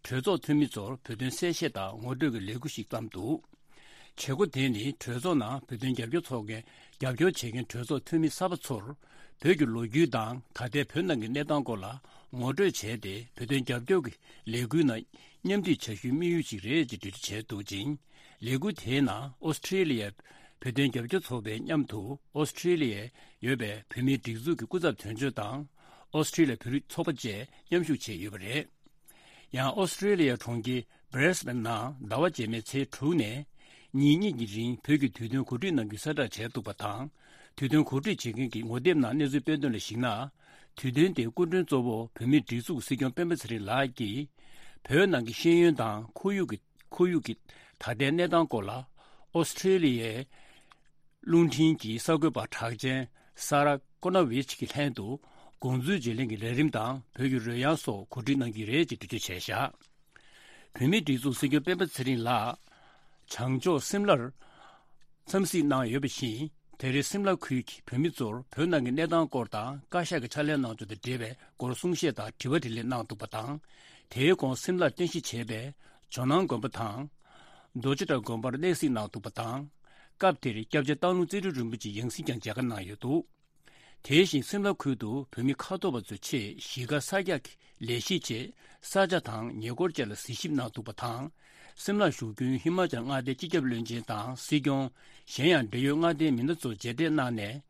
གྲོས་ཚོགས་འཐུས་མི་ཚོར་བོད་དོན་གསལ་བཤད་དང་ངོ་སྤྲོད་ཀྱི་ལས་འགུལ་ཞིག་བརྩམས་འདུག་བྱེད་སྒོ་དེ་ནི་གྲོས་ཚོགས་ནང་བོད་དོན་རྒྱབ་སྐྱོར་ཚོགས་མཁན་རྒྱབ་སྐྱོར་བྱེད་མཁན་གྲོས་ཚོགས་འཐུས་མི་གསར་པ་ཚོར་བོད་ཀྱི་ལོ་རྒྱུས་དང་ད་ལྟའི་བོད་ནང་གི་གནས་སྟངས་སྐོར་ལ་ངོ་སྤྲོད་བྱས་ཏེ། བོད་དོན་རྒྱབ་སྐྱོར་གྱི་ལས་འགུལ་ནང་མཉམ་འདུས་བྱ་རྒྱུའི་དམིགས་ཡུལ་ཞིག་རེད་ཅེས་འགྲེལ་བརྗོད་བྱས་འདུག་ཅིང་། ལས་འགུལ་དེའི་ནང་ཨོ་སི་ཀྲེ་ལི་ཡའི་བོད་དོན་རྒྱབ་སྐྱོར་ཚོགས་པའི་མཉམ་དུ་ཨོ་སི་ཀྲེ་ལི་ཡའི་ཡོད་པའི་བོད་མིའི་སྒྲིག་འཛུགས་ཀྱི་སྐུ་ཚབ་དོན་གཅོད་དང་། ཨོ་སི་ཀྲེ་ལི་ཡའི་བོད་རིགས་ཚོགས་པ་བཅས་མཉམ་ཞུགས་བྱས་ཡོད་པ་རེད། ཡང་ཨོ་སི་ཀྲེ་ལི་ཡའི་གྲོང་ཁྱེར་སྦྲེ་སི་བན་ནང་ཟླ་བ་རྗེས་མའི་ཚེས་དྲུག་ནས་ཉིན་གཉིས་ཀྱི་རིང་བོད་ཀྱི་དུས་སྟོན་གོ་སྒྲིག་གནང་རྒྱུའི་གསལ་བསྒྲགས་བྱས་འདུག་པ་དང་། དུས་སྟོན་གོ་སྒྲིག་བྱེད་མཁན་གྱི་ངོ་དེབ་ནང་གནས་ཚུལ་སྤེལ་དོན་ལ་གཞིགས་ན། དུས་སྟོན་དེའི་སྐུ་མགྲོན་གཙོ་བོ་བོད་མིའི་སྒྲིག་འཛུགས་སྲིད་སྐྱོང་སྤེན་པ་ཚེ་རིང་ལགས་ཀྱིས། བོད་ནང་གི་ཤེས་ཡོན་དང་ཁོར་ཡུག་གི་ཁོར་ཡུག་གི་ད་ལྟའི་གནས་སྟངས་སྐོར་ལ། ཨོ་སི་ཀྲེ་ལི་ཡའི་རླུང་འཕྲིན་གྱི་གསར་འགོད་པ་གྲགས་ཅན་ས་ར་ཀོ་ན་ཝིཆ་གི་ལྷན་དུ། དགོངས་ཚུལ་བརྗེ་ལེན་གྱི་ལས་རིམ་དང་བོད་ཀྱི་རོལ་དབྱངས་སོགས་གོ་སྒྲིག་གནང་གི་རེད་ཅེས་འགྲེལ་བརྗོད་བྱས་བཞག་བོད་མིའི་སྒྲིག་འཛུགས་སྲིད་སྐྱོང་སྤེན་པ་ཚེ་རིང་ལགས་བྱང་ཕྱོགས་སིམ་ལར་འཚམས་གཟིགས་གནང་ཡོད་པ་བཞིན། དེ་རིང་སིམ་ལ་ཁུལ་གྱི་བོད་མི་ཚོར་བོད་ནང་གི་གནས་སྟངས་སྐོར་དང་བཀའ་ཤག་གི་ཕྱག་ལས་གནང་ཕྱོགས་དང་འབྲེལ་བའི་སྐོར་གསུང་བཤད་དང་དྲི་བ་དྲིས་ལན་གནང་འདུག་པ་དང་། དེའི་གོང་སིམ་ལར་རྟེན་གཞི་བྱས་པའི་ཇོ་ནང་དགོན་པ་དང་། རྡོ་རྗེ་བྲག་དགོན་པར་གནས་གཟིགས་གནང་འདུག་པ་དང་། སྐབས་དེར་སྐྱབས་རྗེ་སྟག་ལུང་རྩེ་སྤྲུལ་རིན་པོ་ཆེ་ཡང་སྲིད་ཀྱང་མཇལ་ཁ་གནང་ཡོད་འདུག་དེ་བཞིན་སིམ་ལ་ཁུལ་དུ་བོད་མི་ཁ་ཐོར་བ་ཚོའི་ཆེད་གཞིས་ཀ་གསར་རྒྱག་གི་ལས་གཞིའི་ཆེད་ས་ཆ་དང་ཉེ་འཁོར་བཅས་ལ་གཟིགས་ཞིབ་གནང་འདུག་པ་དང་། སིམ་ལར་བཞུགས་མཁན་ཧི་མ་ཅལ་མངའ་སྡེའི་སྤྱི་ཁྱབ་བློན་ཆེན་དང་སྲིད་སྐྱོང་། གཞན་ཡང་འབྲེལ་ཡོད་མངའ་སྡེའི་མི་སྣ་ཚོ་མཇལ་འཕྲད་གནང་ནས།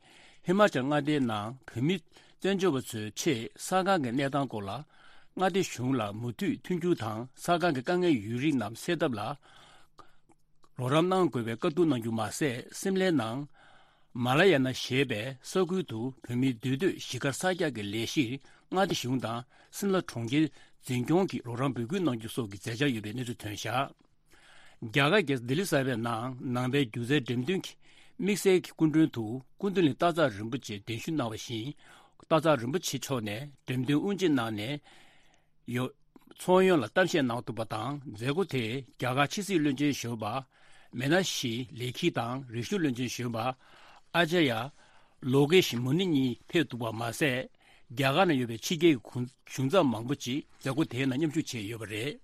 ཧི་མ་ཅལ་མངའ་སྡེའི་ནང་བོད་མི་བཙན་བྱོལ་བ་ཚོའི་ཆེད་ས་ཁང་གི་གནས་སྟངས་སྐོར་ལ། མངའ་སྡེ་གཞུང་ལ་མུ་མཐུད་མཐུན་འགྱུར་དང་ས་ཁང་གི་དཀའ་ངལ་ཡོད་རིགས་རྣམས་སེལ་ཐབས་ལ། རོགས་རམ་གནང་དགོས་པའི་བཀའ་བསྡུར་གནང་རྒྱུ་མ་ཟད། སིམ་ལའི་ནང་མ་ལ་ཡ་ན་ཞེས་པའི་ས་ཁུལ་དུ་བོད་མིའི་འདུས་སྡོད་གཞིས་སྒར་གསར་རྒྱག་གི་ལས་གཞིར་མངའ་སྡེ་གཞུང་དང་སིམ་ལ་གྲོང་ཁྱེར་འཛིན་སྐྱོང་གིས་རོགས་རམ་འབོད་སྐུལ་གནང་རྒྱུ་སོགས་ཀྱི་མཛད་འཆར་ཡོད་པའི་གནས་ཚུལ་ཐོན་བཞག་རྒྱ་གར་རྒྱལ་ས་ལྡི་ལི་གསར་པའི་ནང་ནང་པའི་སྒྱུ་རྩལ་འགྲེམས་སྟོན་གྱི་དམིགས་བསལ་གྱི་སྐུ་མགྲོན་དུ་སྐུ་མདུན་ལ་སྟག་ཚང་རིན་པོ་ཆེ་གདན་ཞུ་གནང་བ་བཞིན། སྟག་ཚང་རིན་པོ་ཆེ་མཆོག་ནས་འགྲེམས་སྟོན་དབུ་འབྱེད་གནང་ནས། ཡོད། ཚོགས་ཡོངས་ལ་གཏམ་བཤད་གནང་འདུག་པ་དང་། མཛད་སྒོ་དེ་རྒྱ་གར་ཕྱི་སྲིད་བློན་ཆེན་གཞོན་པ་མེ་ན་ཤི་ལེ་ཁི་དང་རིག་གཞུང་བློན་ཆེན་གཞོན་པ་ཨ་ཅཱརྱ་ལོ་ཀེ་ཤི་མུ་ནི་གཉིས་ཕེབས་འདུག་པ་མ་ཟད། རྒྱ་གར་ནང་ཡོད་པའི་ཕྱི་རྒྱལ་གྱི་གཞུང་ཚབ་མང་པོ་ཅིག་མཛད་སྒོ་དེའི་ནང་མཉམ་ཞུགས་བྱས་ཡོད་པ་རེད།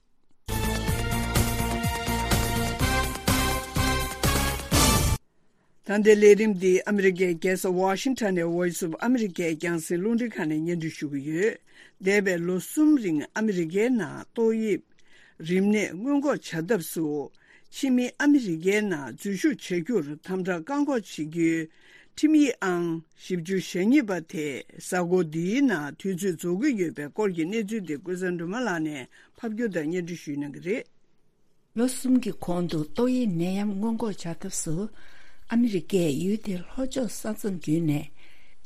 ད་ལྟའི་ལས་རིམ་འདི་ཨ་མི་རི་ཀའི་རྒྱལ་ས་ཝ་ཤིང་ཊོན་ནས་Voice of America རྒྱང་སྲིང་རླུང་འཕྲིན་ཁང་ནས་སྙན་སྒྲོན་ཞུ་གི་ཡོད། འདས་པའི་ལོ་གསུམ་རིང་ཨ་མི་རི་ཀའི་ནང་ཏོག་དབྱིབས་རིམས་ནད་སྔོན་འགོག་བྱ་ཐབས་སུ། ཕྱི་མི་ཨ་མི་རི་ཀའི་ནང་འཛུལ་ཞུགས་བྱ་རྒྱུར་དམ་དྲག་བཀག་འགོག་བྱེད་རྒྱུའི་ཁྲིམས་ཡིག་ཨང་བཞི་བཅུ་ཞེ་གཉིས་པ་དེ་གཟའ་འཁོར་འདིའི་ནང་དུས་ཚོད་རྫོགས་ཀྱི་ཡོད་པའི་སྐོར་གྱི་གནས་ཚུལ་དེ་ཀུན་བཟང་སྒྲོལ་མ་ལགས་ནས་ཕབ་སྒྱུར་དང་སྙན་སྒྲོན་ཞུ་གནང་གི་རེད། ལོ་གསུམ་གྱི་གོང་དུ་ཏོག་དབྱིབས་ནད་ཡམས་སྔོན་འགོག་བྱ་ཐབས་སུ། ཨ་མི་རི་ཀས་ཡུལ་དེའི་ལྷོ་ཕྱོགས་ས་མཚམས་བརྒྱུད་ནས།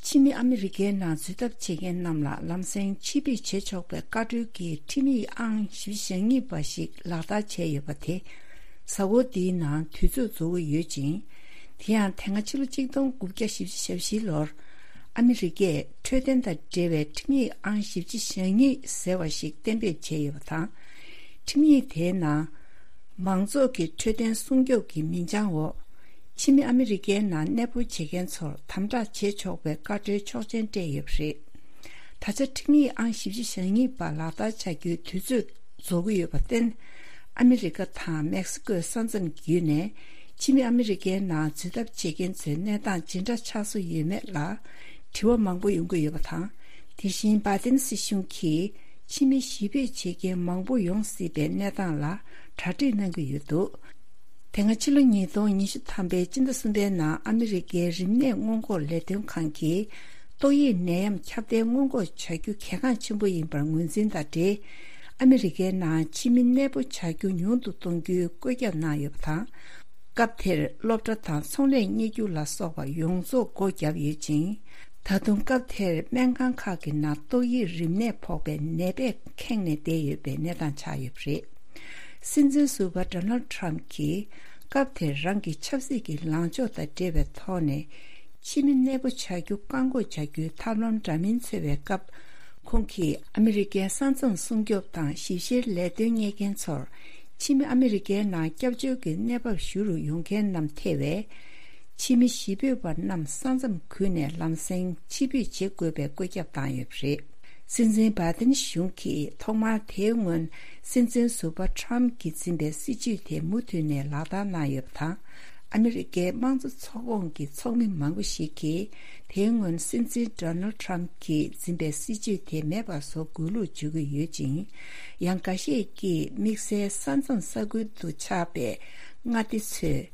ཕྱི་མི་ཨ་མི་རི་ཀའི་ནང་འཛུལ་ཐབས་བྱེད་མཁན་རྣམས་ལ་ལམ་སེང་ཕྱིར་འབུད་བྱེད་ཆོག་པའི་བཀའ་འཁྲོལ་གྱི་ཁྲིམས་ཡིག་ཨང་བཞི་བཅུ་ཞེ་གཉིས་པ་ཞིག་ལག་བསྟར་བྱས་ཡོད་པ་དེ། གཟའ་འཁོར་འདིའི་ནང་དུས་ཚོད་རྫོགས་ཀྱི་ཡོད་ཅིང་། དེ་ཡང་དེ་སྔ་ཕྱི་ལོ་གཅིག་སྟོང་དགུ་བརྒྱ་བཞི་བཅུ་ཞེ་བཞི་ལོར། ཨ་མི་རི་ཀས་འཕྲོད་བསྟེན་དང་འབྲེལ་བའི་ཁྲིམས་ཡིག་ཨང་བཞི་བཅུ་ཞེ་གཉིས་ཟེར་བ་ཞིག་གཏན་འབེབས་བྱས་ཡོད་པ་དང་། ཁྲིམས་ཡིག་དེའི་ནང་། མང་ཚོགས་ཀྱི་འཕྲོད་བསྟེན་སྲུང་སྐྱོབ་ཀྱི་མིང་བྱང་འོག་ཕྱི་མི་ཨ་མི་རི་ཀའི་ནང་གནས་སྤོ་བྱེད་མཁན་ཚོར་དམ་དྲག་བྱེད་ཆོག་པའི་བཀའ་འཁྲོལ་ཆོག་མཆན་སྤྲད་ཡོད་པ་རེད། ད་ཆ་ཁྲིམས་ཡིག་ཨང་བཞི་བཅུ་ཞེ་གཉིས་པ་ལག་བསྟར་བྱ་རྒྱུའི་དུས་ཚོད་རྫོགས་ཀྱི་ཡོད་པར་བརྟེན། ཨ་མི་རི་ཀ་དང་མེག་སི་ཀོའི་ས་མཚམས་བརྒྱུད་ནས་ཕྱི་མི་ཨ་མི་རི་ཀའི་ནང་འཛུལ་ཐབས་བྱེད་མཁན་ཚོའི་གནས་སྟངས་ཇི་འདྲ་ཆགས་སྲོལ་ཡོད་མེད་ལ་དྲི་བ་མང་པོ་ཡོང་གི་ཡོད་པ་དང་། དེ་བཞིན་བྷའི་ཏིན་སྲིད་གཞུང་གིས་ཕྱི་མི་ཞི་འབོད་བྱེད་མཁན་མང་པོ་ཡོང་སྲིད་པའི་གནས་སྟངས་ལ་གྲ་སྒྲིག་གནང་གི་ཡོད་འདུག་དེ་སྔ་ཕྱི་ལོ་ཉིས་སྟོང་ཉི་ཤུ་ཐམ་པའི་སྤྱི་ཟླ་གསུམ་པའི་ནང་ཨ་མི་རི་ཀའི་རིམས་ནད་སྔོན་འགོག་ལས་དོན་ཁང་གིས་ཏོག་དབྱིབས་ནད་ཡམས་ཁྱབ་གདལ་སྔོན་འགོག་བྱ་རྒྱུ་གལ་འགངས་ཆེན་པོ་ཡིན་པར་ངོས་འཛིན་དང་འབྲེལ། ཨ་མི་རི་ཀའི་ནང་ཕྱི་མི་གནས་སྤོ་བྱ་རྒྱུ་ཉུང་དུ་གཏོང་རྒྱུའི་བཀོད་ཁྱབ་གནང་ཡོད་པ་དང་། སྐབས་དེར་སློབ་གྲྭ་དང་ཚོང་ལས་གཉེར་རྒྱུ་ལ་སོགས་པ་ཡོངས་རྫོགས་སྒོ་བརྒྱབ་ཡོད་ཅིང་། ད་དུང་སྐབས་དེར་སྨན་ཁང་ཁག་གི་ནང་ཏོག་དབྱིབས་རིམས་ནད་ཕོག་པའི་ནད་པས་ཁེངས་ནས་བསྡད་ཡོད་པའི་གནས་སྟངས་ཆགས་ཡོད་པ་རེད། སྲིད་འཛིན་ཟུར་པ་ཌོ་ནལ་ཌི་ཊརམ་གྱིས་སྐབས་དེར་རང་གི་ཆབ་སྲིད་ཀྱི་ལངས་ཕྱོགས་དང་འབྲེལ་བའི་ཐོག་ནས། ཕྱི་མི་གནས་སྤོ་བྱ་རྒྱུ་བཀག་འགོག་བྱ་རྒྱུའི་ཐབས་ལམ་འདྲ་མིན་འཚོལ་བའི་སྐབས། ཁོང་གིས་ཨ་མི་རི་ཀའི་ས་མཚམས་སྲུང་སྐྱོབ་དང་ཞིབ་བཤེར་ལས་དོན་གཉེར་མཁན་ཚོར། ཕྱི་མི་ཨ་མི་རི་ཀའི་ནང་སྐྱབས་བཅོལ་གྱི་གནས་བབ་ཞུ་རུ་ཡོང་མཁན་རྣམས་ཐེ་བའི་ཕྱི་མི་གཞིས་སྤོས་པ་རྣམས་ས་མཚམས་ཁུལ་ནས་ལམ་སེང་ཕྱིར་འབུད་བྱེད་དགོས་པའི་བཀོད་ཁྱབ་བཏང་ཡོད་པ་རེད། སྲིད་འཛིན་བྷའི་ཏིན་གཞུང་གིས་ཐོག་མར་དེའི་སྔོན་སྲིད་འཛིན་ཟུར་པ་ཊརམ་གྱིས་འཛིན་པའི་སྲིད་བྱུས་དེ་མུ་མཐུད་ནས་ལག་བསྟར་གནང་ཡོད་པ་དང་། ཨ་མི་རི་ཀའི་དམངས་གཙོ་ཚོགས་ཁོངས་ཀྱི་ཚོགས་མི་མང་པོ་ཞིག་གིས་དེའི་སྔོན་སྲིད་འཛིན་ཌོ་ནལ་ཌི་ཊརམ་གྱིས་འཛིན་པའི་སྲིད་བྱུས་དེ་མེད་པ་བཟོ་དགོས་ལུགས་བརྗོད་ཀྱི་ཡོད་ཅིང་། ཡང་འགའ་ཤས་ཀྱིས་དམིགས་བསལ་ས་མཚམས་ས་ཁུལ་དུ་ཆགས་པའི་མངའ་སྡེ་ཚོས།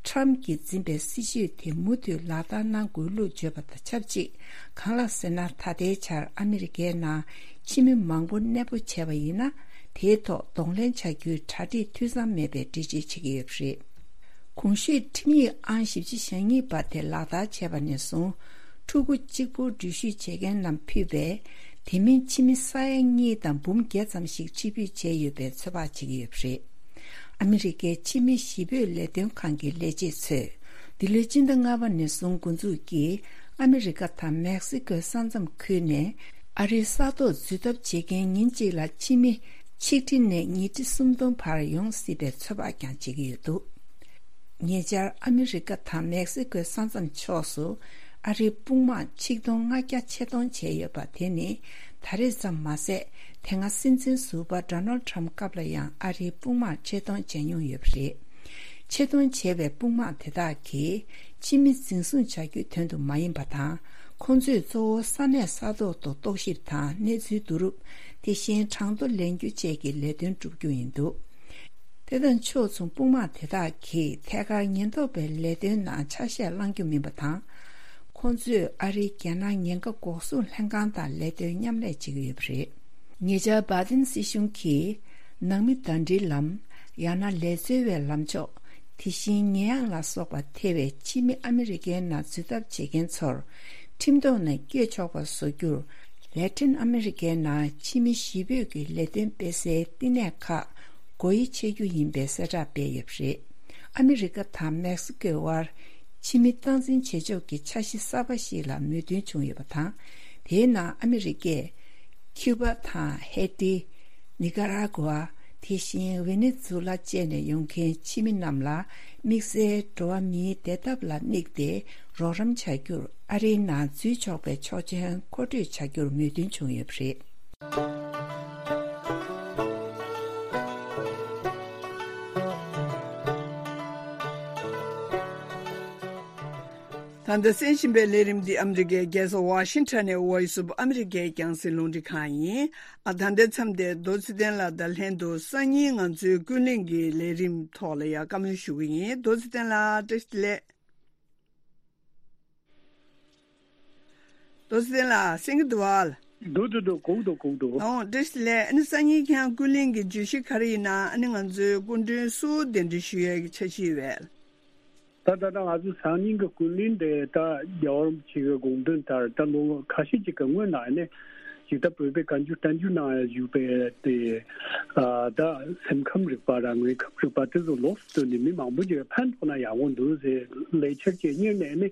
ཊརམ་གྱིས་འཛིན་པའི་སྲིད་བྱུས་དེ་མུ་མཐུད་ལག་བསྟར་གནང་དགོས་ལུགས་བརྗོད་པ་དང་ཆབས་ཅིག། གང་ལགས་ཟེར་ན། ད་ལྟའི་ཆར་ཨ་མི་རི་ཀའི་ནང་ཕྱི་མི་མང་པོ་གནས་སྤོ་བྱས་པ་ཡིན་ན། དེའི་ཐོག་གདོང་ལེན་བྱ་རྒྱུའི་གྲ་སྒྲིག་འཐུས་ཚང་མེད་པའི་འགྲེལ་བརྗོད་བྱེད་ཀྱི་ཡོད་པ་རེད། གོང་ཞུས་ཁྲིམས་ཡིག་ཨང་བཞི་བཅུ་ཞེ་གཉིས་པ་དེ་ལག་བསྟར་བྱས་པ་ནས་བཟུང་། ཕྲུ་གུ་གཅིག་པུ་འགྲུལ་བཞུད་བྱེད་མཁན་རྣམས་ཕུད་པའི། དེ་མིན་ཕྱི་མི་ས་ཡ་གཉིས་དང་འབུམ་བརྒྱད་ཙམ་ཞིག་ཕྱིར་འབུད་བྱས་ཡོད་པའི་ཚོད་དཔག་བྱེད་ཀྱི་ཡོད་པ་རེད། ཨ་མི་རི་ཀའི་ཕྱི་མི་གཞིས་སྤོས་ལས་དོན་ཁང་གི་ལས་བྱེད་ཚོས། འདི་ལོའི་སྤྱི་ཟླ་ལྔ་པ་ནས་བཟུང་འགོ་འཛུགས་ཀྱིས་ཨ་མི་རི་ཀ་དང་མེག་སི་ཀོའི་ས་མཚམས་ཁུལ་ནས་ཨ་རིའི་ས་ཐོག་འཛུལ་ཐབས་བྱེད་མཁན་ཉིན་གཅིག་ལ་ཕྱི་མི་ཆིག་ཁྲི་ནས་ཉིས་ཁྲི་སུམ་སྟོང་བར་ཡོང་སྲིད་པའི་ཚོད་དཔག་ཀྱང་བྱེད་ཀྱི་ཡོད་འདུག་ཉེ་ཆར་ཨ་མི་རི་ཀ་དང་མེག་སི་ཀོའི་ས་མཚམས་ཕྱོགས་སུ་ཨ་རིའི་དཔུང་དམག་ཆིག་སྟོང་ལྔ་བརྒྱ་ཆེད་གཏོང་བྱས་ཡོད་པ་དེ་ནི་ད་རེས་ཙམ་མ་ཟད། དེ་སྔ་སྲིད་འཛིན་ཟུར་པ་ཌོ་ནལ་ཌི་ཊརམ་སྐབས་ལ་ཡང་ཨ་རིའི་དཔུང་དམག་ཆེད་གཏོང་བྱས་མྱོང་ཡོད་པ་རེད། ཆེད་གཏོང་བྱས་པའི་དཔུང་དམག་དེ་དག་གིས་ཕྱི་མི་འཛིན་བཟུང་བྱ་རྒྱུའི་དོན་དུ་མ་ཡིན་པ་དང་། ཁོང་ཚོས་གཙོ་བོ་ས་གནས་ས་ཐོག་ཏུ་རྟོག་ཞིབ་དང་གནས་ཚུལ་བསྡུ་རུབ། དེ་བཞིན་གྲངས་ཐོ་ལེན་རྒྱུ་བཅས་ཀྱི་ལས་དོན་བསྒྲུབ་རྒྱུ་ཡིན་འདུག་དེ་དང་ཕྱོགས་མཚུངས་དཔུང་དམག་དེ་དག་གིས་ཐད་ཀར་ཉེན་རྟོག་པའི་ལས་དོན་ནང་ཆ་ཤས་བླང་རྒྱུ་མིན་པ་དང་། ཁོང་ཚོས་ཨ་རིའི་རྒྱལ་ནང་ཉེན་ཁ་འགོག་སྲུང་ལྷན་ཁང་དང་ལས་དོན་མཉམ་ལས་བྱེད་ཀྱི་ཡོད་པ་རེད། ཉེ་ཆར་བྷའི་ཏིན་སྲིད་གཞུང་གིས་ནང་མི་ཟླ་སྒྲིལ་ལམ། ཡང་ན་ལས་འཚོལ་བའི་ལམ་ཕྱོགས། དེ་བཞིན་ཉེས་ཡངས་ལ་སོགས་པ་ཐེ་བའི་ཕྱི་མི་ཨ་མི་རི་ཀའི་ནང་འཛུལ་ཐབས་བྱེད་མཁན་ཚོར་ཁྲིམས་ཐོག་ནས་བསྐྱོད་ཆོག་པ་བཟོ་རྒྱུར། ལེ་ཏིན་ཨ་མི་རི་ཀའི་ནང་ཕྱི་མི་གཞིས་སྤོས་ཀྱི་ལས་དོན་སྤེལ་སའི་བསྟི་གནས་ཁག་སྒོ་དབྱེ་ཕྱེ་རྒྱུ་ཡིན་པའི་གསལ་བསྒྲགས་སྤེལ་ཡོད་པ་རེད། ཨ་མི་རི་ཀ་དང་མེག་སི་ཀོའི་དབར་ཕྱི་མི་སྟངས་འཛིན་བྱེད་ཕྱོགས་ཀྱི་འཆར་གཞི་གསར་པ་ཞིག་ལ་མོས་མཐུན་བྱུང་ཡོད་པ་དང་། དེའི་ནང་ཨ་མི་རི་ཀས་ཁིའུ་པ་དང་ཧེ་ཏི། ནི་ཀ་ར་གུ་ཨ། དེ་བཞིན་ཝེ་ནེ་ཛུ་ལ་བཅས་ནས་ཡོང་མཁན་ཕྱི་མི་རྣམས་ལ་དམིགས་བསལ་འགྲོ་བ་མིའི་བདེ་ཐབས་ལ་དམིགས་ཏེ་རོགས་རམ་བྱ་རྒྱུར་ཨ་རིའི་ནང་འཛུལ་ཆོག་པའི་ཆོག་མཆན་མཁོ་སྤྲོད་བྱ་རྒྱུར་མོས་མཐུན་བྱུང་ཡོད་པ་རེད། ད་ལྟ་གསན་བཞིན་པའི་ལས་རིམ་འདི་ཨ་མི་རི་ཀའི་རྒྱལ་ས་ཝ་ཤིང་ཊོན་ནས་Voice of America་རྒྱང་སྲིང་རླུང་འཕྲིན་ཁང་ཡིན། ཨ། ད་ལྟའི་མཚམས་འདིར་རྡོ་རྗེ་བསྟན་ལགས་དང་ལྷན་དུ་སང་ཉིན་ང་ཚོའི་ཀུན་གླེང་གི་ལས་རིམ་ཐོག་ལ་ཡང་བཀའ་མོལ་ཞུ་གི་ཡིན། རྡོ་རྗེ་བསྟན་ལགས་བཀྲ་ཤིས་བདེ་ལེགས། རྡོ་རྗེ་བསྟན་ལགས་གསན་གྱི་འདུག་བ། འདུག་འདུག་འདུག་གོ་གི་འདུག་གོ་གི་འདུག་ཨོ། བཀྲ་ཤིས་བདེ་ལེགས། ཨ་ནི་སང་ཉིན་ཁྱེད་རང་ཀུན་གླེང་གི་བརྗོད་གཞི་ག་རེ་ཡིན་ན། ཨ་ནི་ང་ཚོའི་སྐུ་མགྲོན་སུ་གདན་འདྲེན་ཞུ་ཡས་ཀྱི་འཆར་གཞི་ཡོད་པས། ད་ད་ད་ང་ཚོ་སང་ཉིན་གྱི་ཀུན་གླེང་དེ་ད་རྒྱལ་བ་རིན་པོ་ཆེ་གི་དགོངས་དོན་ལྟར་ད་ལོ་ཁ་ཤས་ཅིག་གི་སྔོན་ན་ནས་ཅིག་ད་བོད་པའི་བཀའ་འགྱུར་བསྟན་འགྱུར་ནང་བཞུགས་པའི་དེ་ཨ་ད་སེམས་ཁམས་རིག་པ་ར་དངོས་ཁམས་རིག་པ་དེ་ཚོ་ལོགས་སུ་བཏོན་ནས་མི་མང་པོ་ཅིག་ཕན་ཐོགས་ན་ཡག་པོ་འདུག་ཟེར་ལས་འཆར་ཅིག་གཉེར་ནས་ནི་